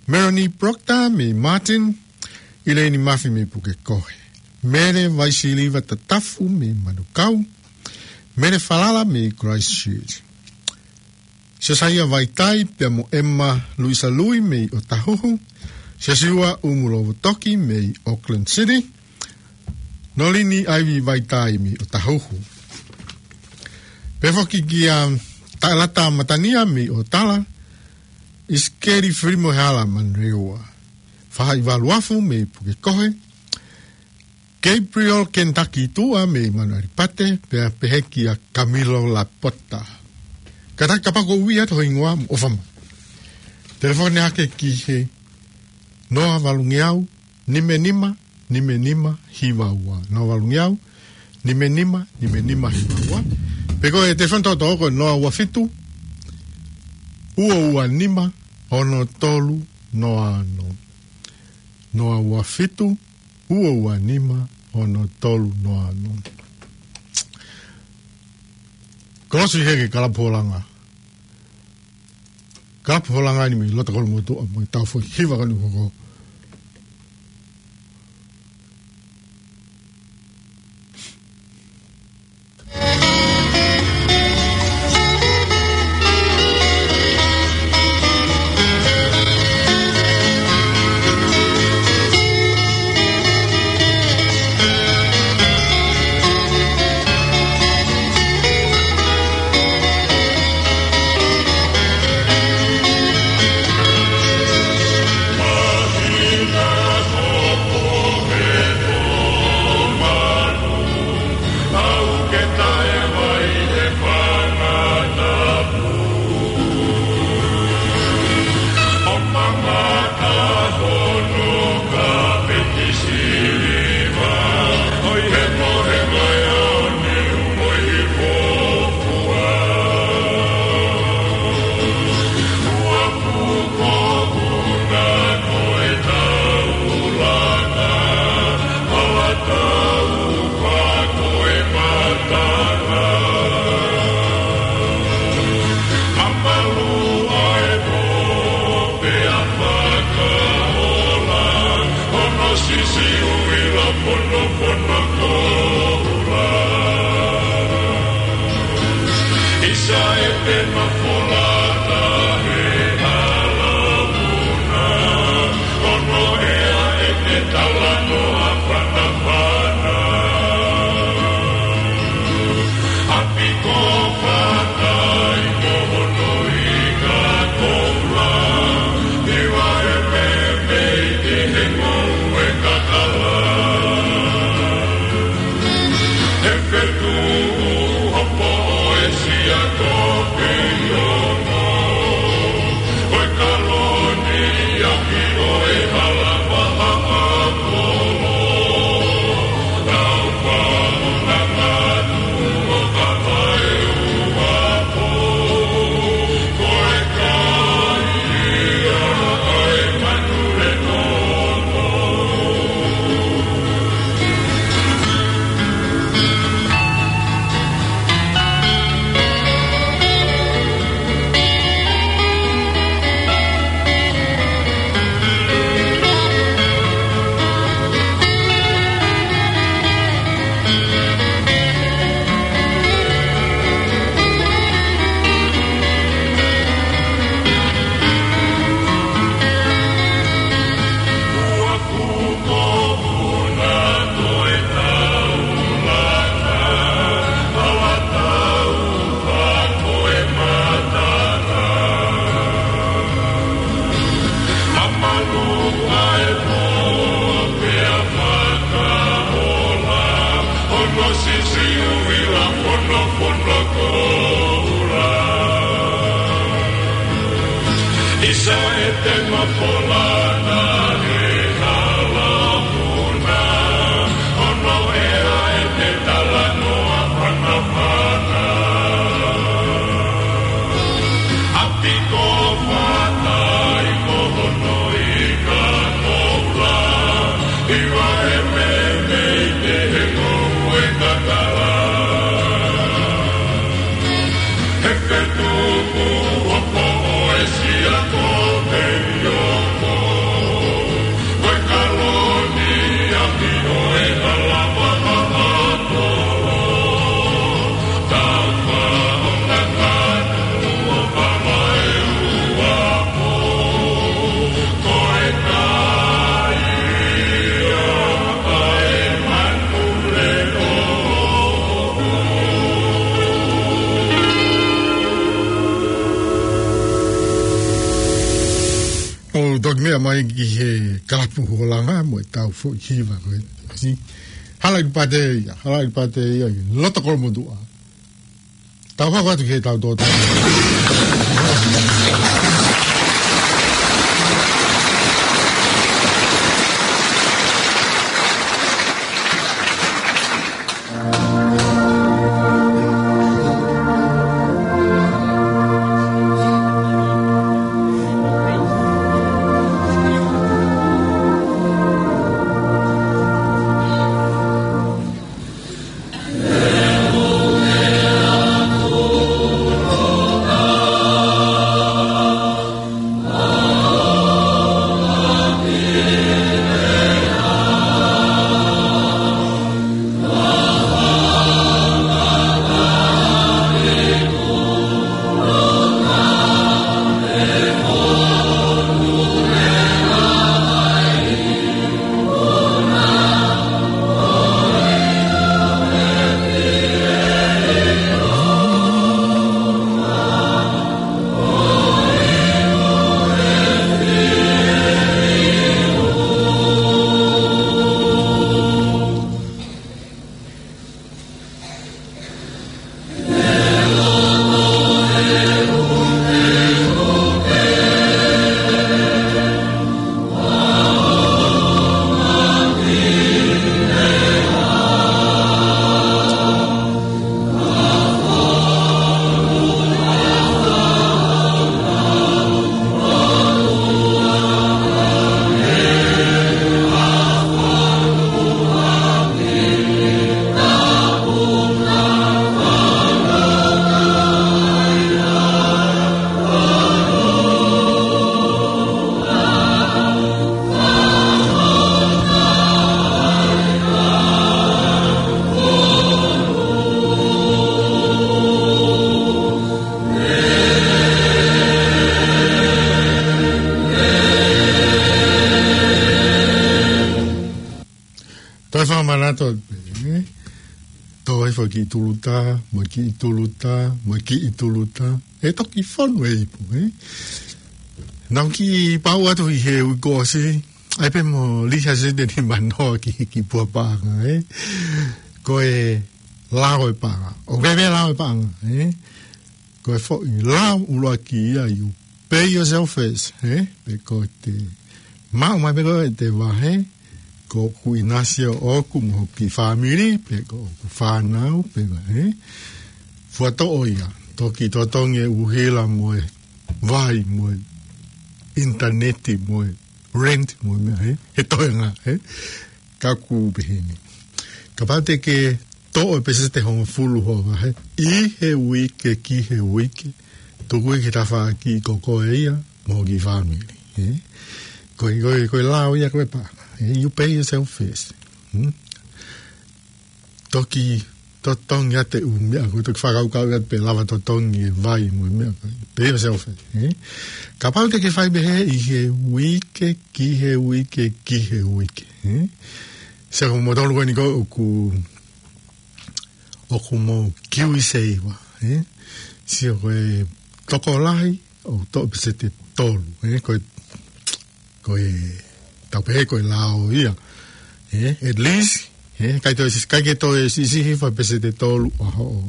Melanie Proctor mei Martin, ʻIleini Mafi mei Pukekohe, Mele Vaisiliva Tatafu mei Manukau, Mele Falala mei Christchurch, Siosaia Vaitai pea mo ʻEma Luisa Lui mei ʻOtahuhu, Siosiua ʻUmulovotoki mei Auckland City, Nolini ʻAivi Vaitai mei ʻOtahuhu. Pehē foki kia Taʻelata Matania mei ʻOtala, ʻIsikeli Filimoehala Manurewa, Fahaʻivaluafu mei Pukekohe, Gabriel Kentucky Tuʻa mei Manuʻalipate, pea pehē kia Kamilo Lapota. Kātaki kapau ʻoku ʻi ai ha hingoa mo ʻofa mai, telefoni hake ki he noa valungeau, nime nima, nime nima, hiva ua. Noa valungeau, nime nima, nime nima, hiva ua. Pe ko e telefoni tokoto ko e noa ua fitu, ua ua nima, ono tolu, noa ono. Noa ua fitu, ua ua nima, ono tolu, noa ono. Tokosiʻi hake Kalapu Holanga. Kalapu Holanga ni mei loto Kolomotuʻa mo e tau foʻi hiva ko eni ʻoku hoko. ʻO toki meʻa mai ki he Kalapu Holanga mo e tau foʻi hiva ko eni. Hala ʻi Pātea ia, hala ʻi Pātea ia, ʻi loto Kolomotuʻa. Tau hoko atu ki he tau tōtā. Toe fakamanatu atu pē, ē? Toe foki tuluta, mo e kiʻi tuluta, mo e kiʻi tuluta. ʻE toki fonu e ipu, ē? Naʻá ku kiʻi pau atu ʻi he uike kuo ʻosi, ʻai pē mo lihasete ni manoa ki, ki he puha paʻanga, ē? Ko e lao e paʻanga. ʻOku ʻi ai pē lao e paʻanga, ē? Ko e foʻi lao ʻuluaki ia, you pay yourself first, ē? Pe ko ʻete maʻu mai pē ko ʻete vahe, ko ʻeku ʻinasi ʻoʻoku mo hoku kiʻi fāmili, pe ko ʻeku fānau, pe ko e, ē? Fuʻu toʻo ia, toki totongi e ʻuhila mo e vai mo e ʻinitaneti mo e rent mo e meʻa, ē? He toenga, ē? Ka ʻoku pehē ni. Kapau te ke toʻo e peseti hongofulu hoʻo vahe ʻi he uike ki he uike, tuku ia ki he tafaʻaki ko koe ia mo hoʻo kiʻi fāmili, ē? Ko e, ko e, ko e lao ia ko e paʻanga, ē? You pay yourself first. Hmm? Toki totongi ʻete ʻū meʻa, ko e toki fakakaukau atu pe lava totongi e vai mo e meʻa, pay yourself first, ē? Kapau te ke fai pehē ʻi he uike ki he uike ki he uike, ē? Sio, ko moutolu ko eni ko ē ʻoku, ʻoku mou KiwiSaver, ē? Sio, ko e tokolahi ʻoku toʻo peseti ʻe tolu, ē? Ko e, ko e, tau pehē ko e lao ia, ē? At least, ē? ʻIkai toe siʻi, ʻikai ke toe siʻisiʻi hifo e peseti ʻe tolu ʻa hoʻo,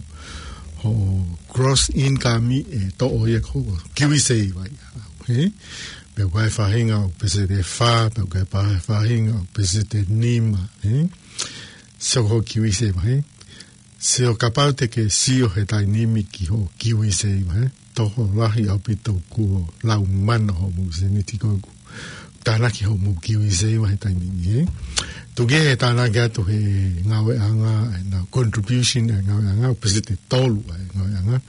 hoʻo gross income ʻe toʻo ia ko e KiwiSaver ia, ē? Pe ʻoku ʻi ai e faʻahinga ʻoku peseti ʻe fā, pe ʻoku ʻi ai e faʻahinga ʻoku peseti ʻe nima, ē? Sio ko e KiwiSaver, ē? Sio, kapau te ke sio he taimi ni ki hoʻo KiwiSaver, ē? Tokolahi ʻaupito kuo lau mana hoʻomou sēniti ko ē ʻoku tānaki hoʻomou KiwiSaver he taimi ni, ē? Tuku kehe e tānaki atu he ngāueʻanga, ʻenau contribution ʻa e ngāueʻanga, ʻoku peseti ʻe tolu ʻa e ngāueʻanga.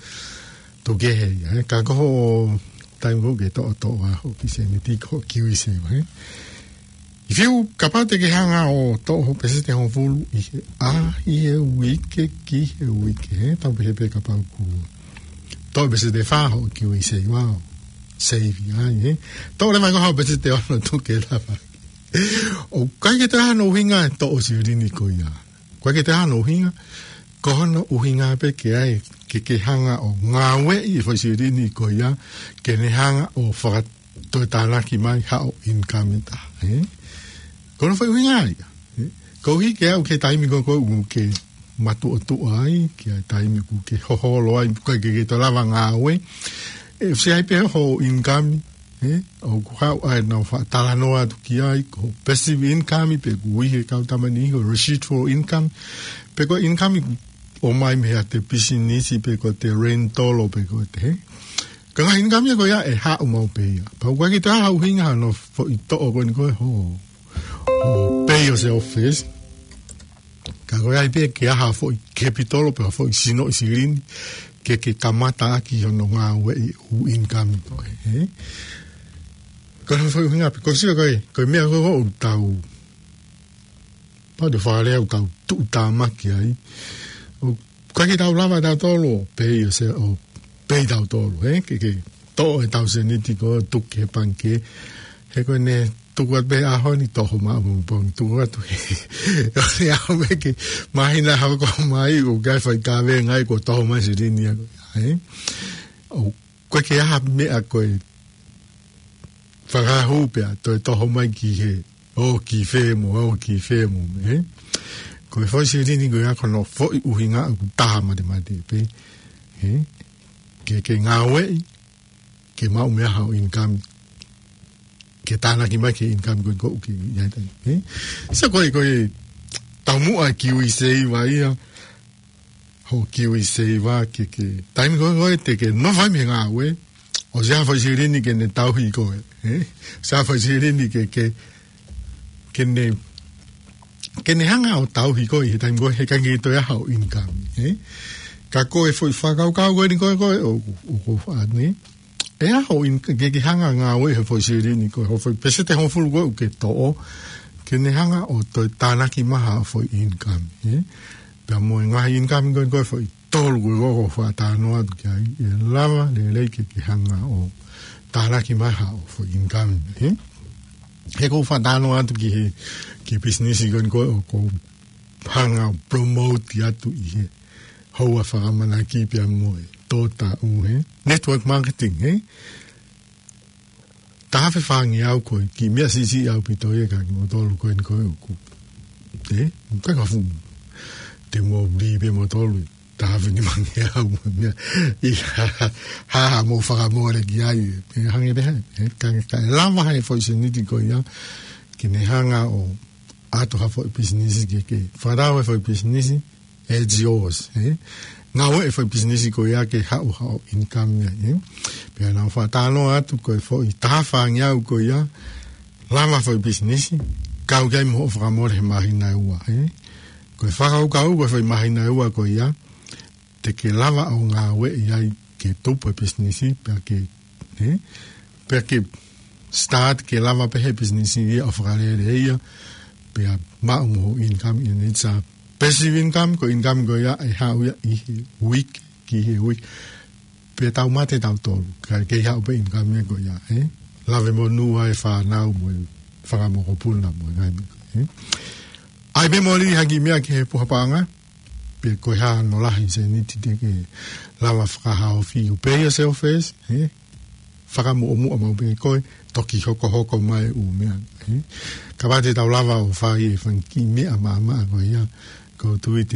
Tuku kehe ia, ē? Ka ko hoʻo taimi ko ē ke toʻotoʻo ʻa hoʻo kiʻi sēniti ki hoʻo KiwiSaver, ē? If you, kapau te ke hanga ʻo toʻo hoʻo peseti hongofulu ʻi he, ʻa, ʻi he uike ki he uike, ē? Tau pehē pē kapau ʻoku toʻo peseti ʻe fā hoʻo KiwiSaver, save ai, ē? Toʻo leva ko hoʻo peseti ʻe ono, tuku leva. ʻOku ʻikai ke toe ʻi ai hano ʻuhinga e toʻo silini ko ia. ʻOku ʻikai ke toe ʻi ai hano ʻuhinga, ko hono ʻuhinga pē ke ʻai, ke, ke hanga ʻo ngāueʻi e foʻi silini ko ia, ke ne hanga ʻo faka-, toe tānaki mai haʻo income ʻe taha, ē? Ko hono foʻi ʻuhinga ia, ē? Koeʻuhi ke aʻu ki he taimi ko ē ʻoku ke matuʻotuʻa ai, ki he taimi ʻoku ke hoholo ai, ʻoku ʻikai ke ke toe lava ngāue, ʻe ʻosi ʻi ai pē hoʻo income, ē? ʻOku haʻu ai ʻenau faʻa talanoa atu ki ai, ko e passive income, pe ʻoku ui he kau tama ni ko e residual income, pe ko e income ʻoku ʻomai mei haʻate pisinisi, pe ko ʻete rental, pe ko ʻete, ē? Ka ko e ngaahi income ia ko ia ʻe haʻu maʻu pē ia. Pea ʻoku ʻikai ke toe ʻi ai ha ʻuhinga hano foʻi toʻo ko eni ko ē hoʻo, hoʻo pay yourself first. Ka ko e ʻai pē ke ʻi ai ha foʻi capital pe ha foʻi sinoʻi silini ke, ke kamata ʻaki hono ngāueʻi e ʻū income ko ē, ē? Ko hono foʻi ʻuhinga pē, ko e sio ko ē, ko e meʻa ko ē ʻoku tau, pau te fakalea ʻoku tau tuʻutāmaki ai. ʻOku ʻikai ke tau lava tautolu ʻo pay yourself, ʻo pay tautolu, ē? Ke, ke toʻo ʻetau sēniti ko ē tuku ki he pangikē. He ko ʻene tuku atu pē he ʻaho ni, toho maʻu pongipongi, tuku atu he, ʻo ne aʻu mai ki he māhina, hava ko ē mai, ʻoku ʻikai fai kavenga ai, kuo toho mai silini ia ko ia, ē? ʻOku ʻikai ke ʻi ai ha meʻa ko e fakahū pea toe toho mai ki he, ʻo ki fē mo, ʻo ki fē mo, ē? Ko e foʻi silini ko ia ko hono foʻi ʻuhinga ʻoku taha matemate pē, ē? Ke, ke ngāueʻi, ke maʻu mei ai haʻo income, ke tānaki mai ki he income ko ē ʻoku ke ʻi ai, ē? So ko e, ko e taumuʻa e KiwiSaver ia, hoʻo KiwiSaver ke, ke, taimi ko ē, ko ē te ke nofo ai mei he ngāue, ʻosi ʻi ai ha foʻi silini ke ne tauhi koe, ē? ʻOsi ʻi ai ha foʻi silini ke, ke, ke ne, ke ne hanga ʻo tauhi koe he taimi ko ē he ʻikai ke toe ʻi ai haʻo income, ē? Ka ko e foʻi fakakaukau ko eni ko ē, ko ē, ʻo, ʻo, ʻo, ʻa, ne? ʻE ʻi ai hoʻo in-, ke, ke hanga ngāue he foʻi silini ko ē, hoʻo foʻi peseti hongofulu ko ē ʻoku ke toʻo, ke ne hanga ʻo toe tānaki mai haʻo foʻi income, ē? Pea mo e ngaahi income ko ē, ko e foʻi tolu ko ē ʻoku faʻa talanoa atu ki ai, ʻe lava lelei ke, ke hanga ʻo tānaki mai haʻo foʻi income, ē? He ʻoku ou fakatalanoa atu ki he, ki he pisinisi ko eni ko ē ʻoku ou hanga ʻo promote atu ʻi he houa fakaʻamanaki pea mo e tō taʻu, he? Network marketing, he? Taha afe fāngeau ko e kiʻi meʻa siʻisiʻi ʻaupito ia kia kimoutolu ko eni ko ē ʻoku. He? Ka ka fu. Te mou lī pē moutolu. Taha afe nimangeau mo e meʻa. ʻI ha, ha, ha mou fakamole ki ai. Pea hangē pē hē. He? Ka, ka lava he foʻi sēniti ko ia. Ke ne hanga ʻo ʻoatu ha foʻi pisinisi ke, ke. Fakatau e foʻi pisinisi. It's yours, he? Ngāue e foʻi pisinisi ko ia ke haʻu haʻo income ia, he? Pea naʻa ku fakatalanoa atu ko e foʻi taha afe fāngeau ko ia, lava foʻi pisinisi, kau ki ai mo hoʻo fakamole he māhina ʻe ua, he? Ko e fakakaukau ko e foʻi māhina ʻe ua ko ia, te ke lava ʻo ngāueʻi ai ke tupu e pisinisi, pea ke, he? Pea ke start ke lava pē he pisinisi ia ʻo fakalele ia, pea maʻu mo hoʻo income ia, it's a passive income, ko e income ko ia ʻe haʻu ia ʻi he uike, ki he uike. Pea tau mate tautolu, ka kei haʻu pē income ia ko ia, he? Lave monū ʻa e fānau mo e fanga mokopuna mo e ngaahi meʻa, he? ʻAi pē moli ha kiʻi meʻa ki he puha paʻanga, pe ko e hā hono lahi sēniti te ke lava fakahaofi, you pay yourself first, he? Fakamuʻomuʻa maʻu pē koe, toki hokohoko mai ʻū meʻa, he? Kapau te tau lava ʻo fai e fanga kiʻi meʻa maʻamaʻa ko ia, ʻoku ou tui te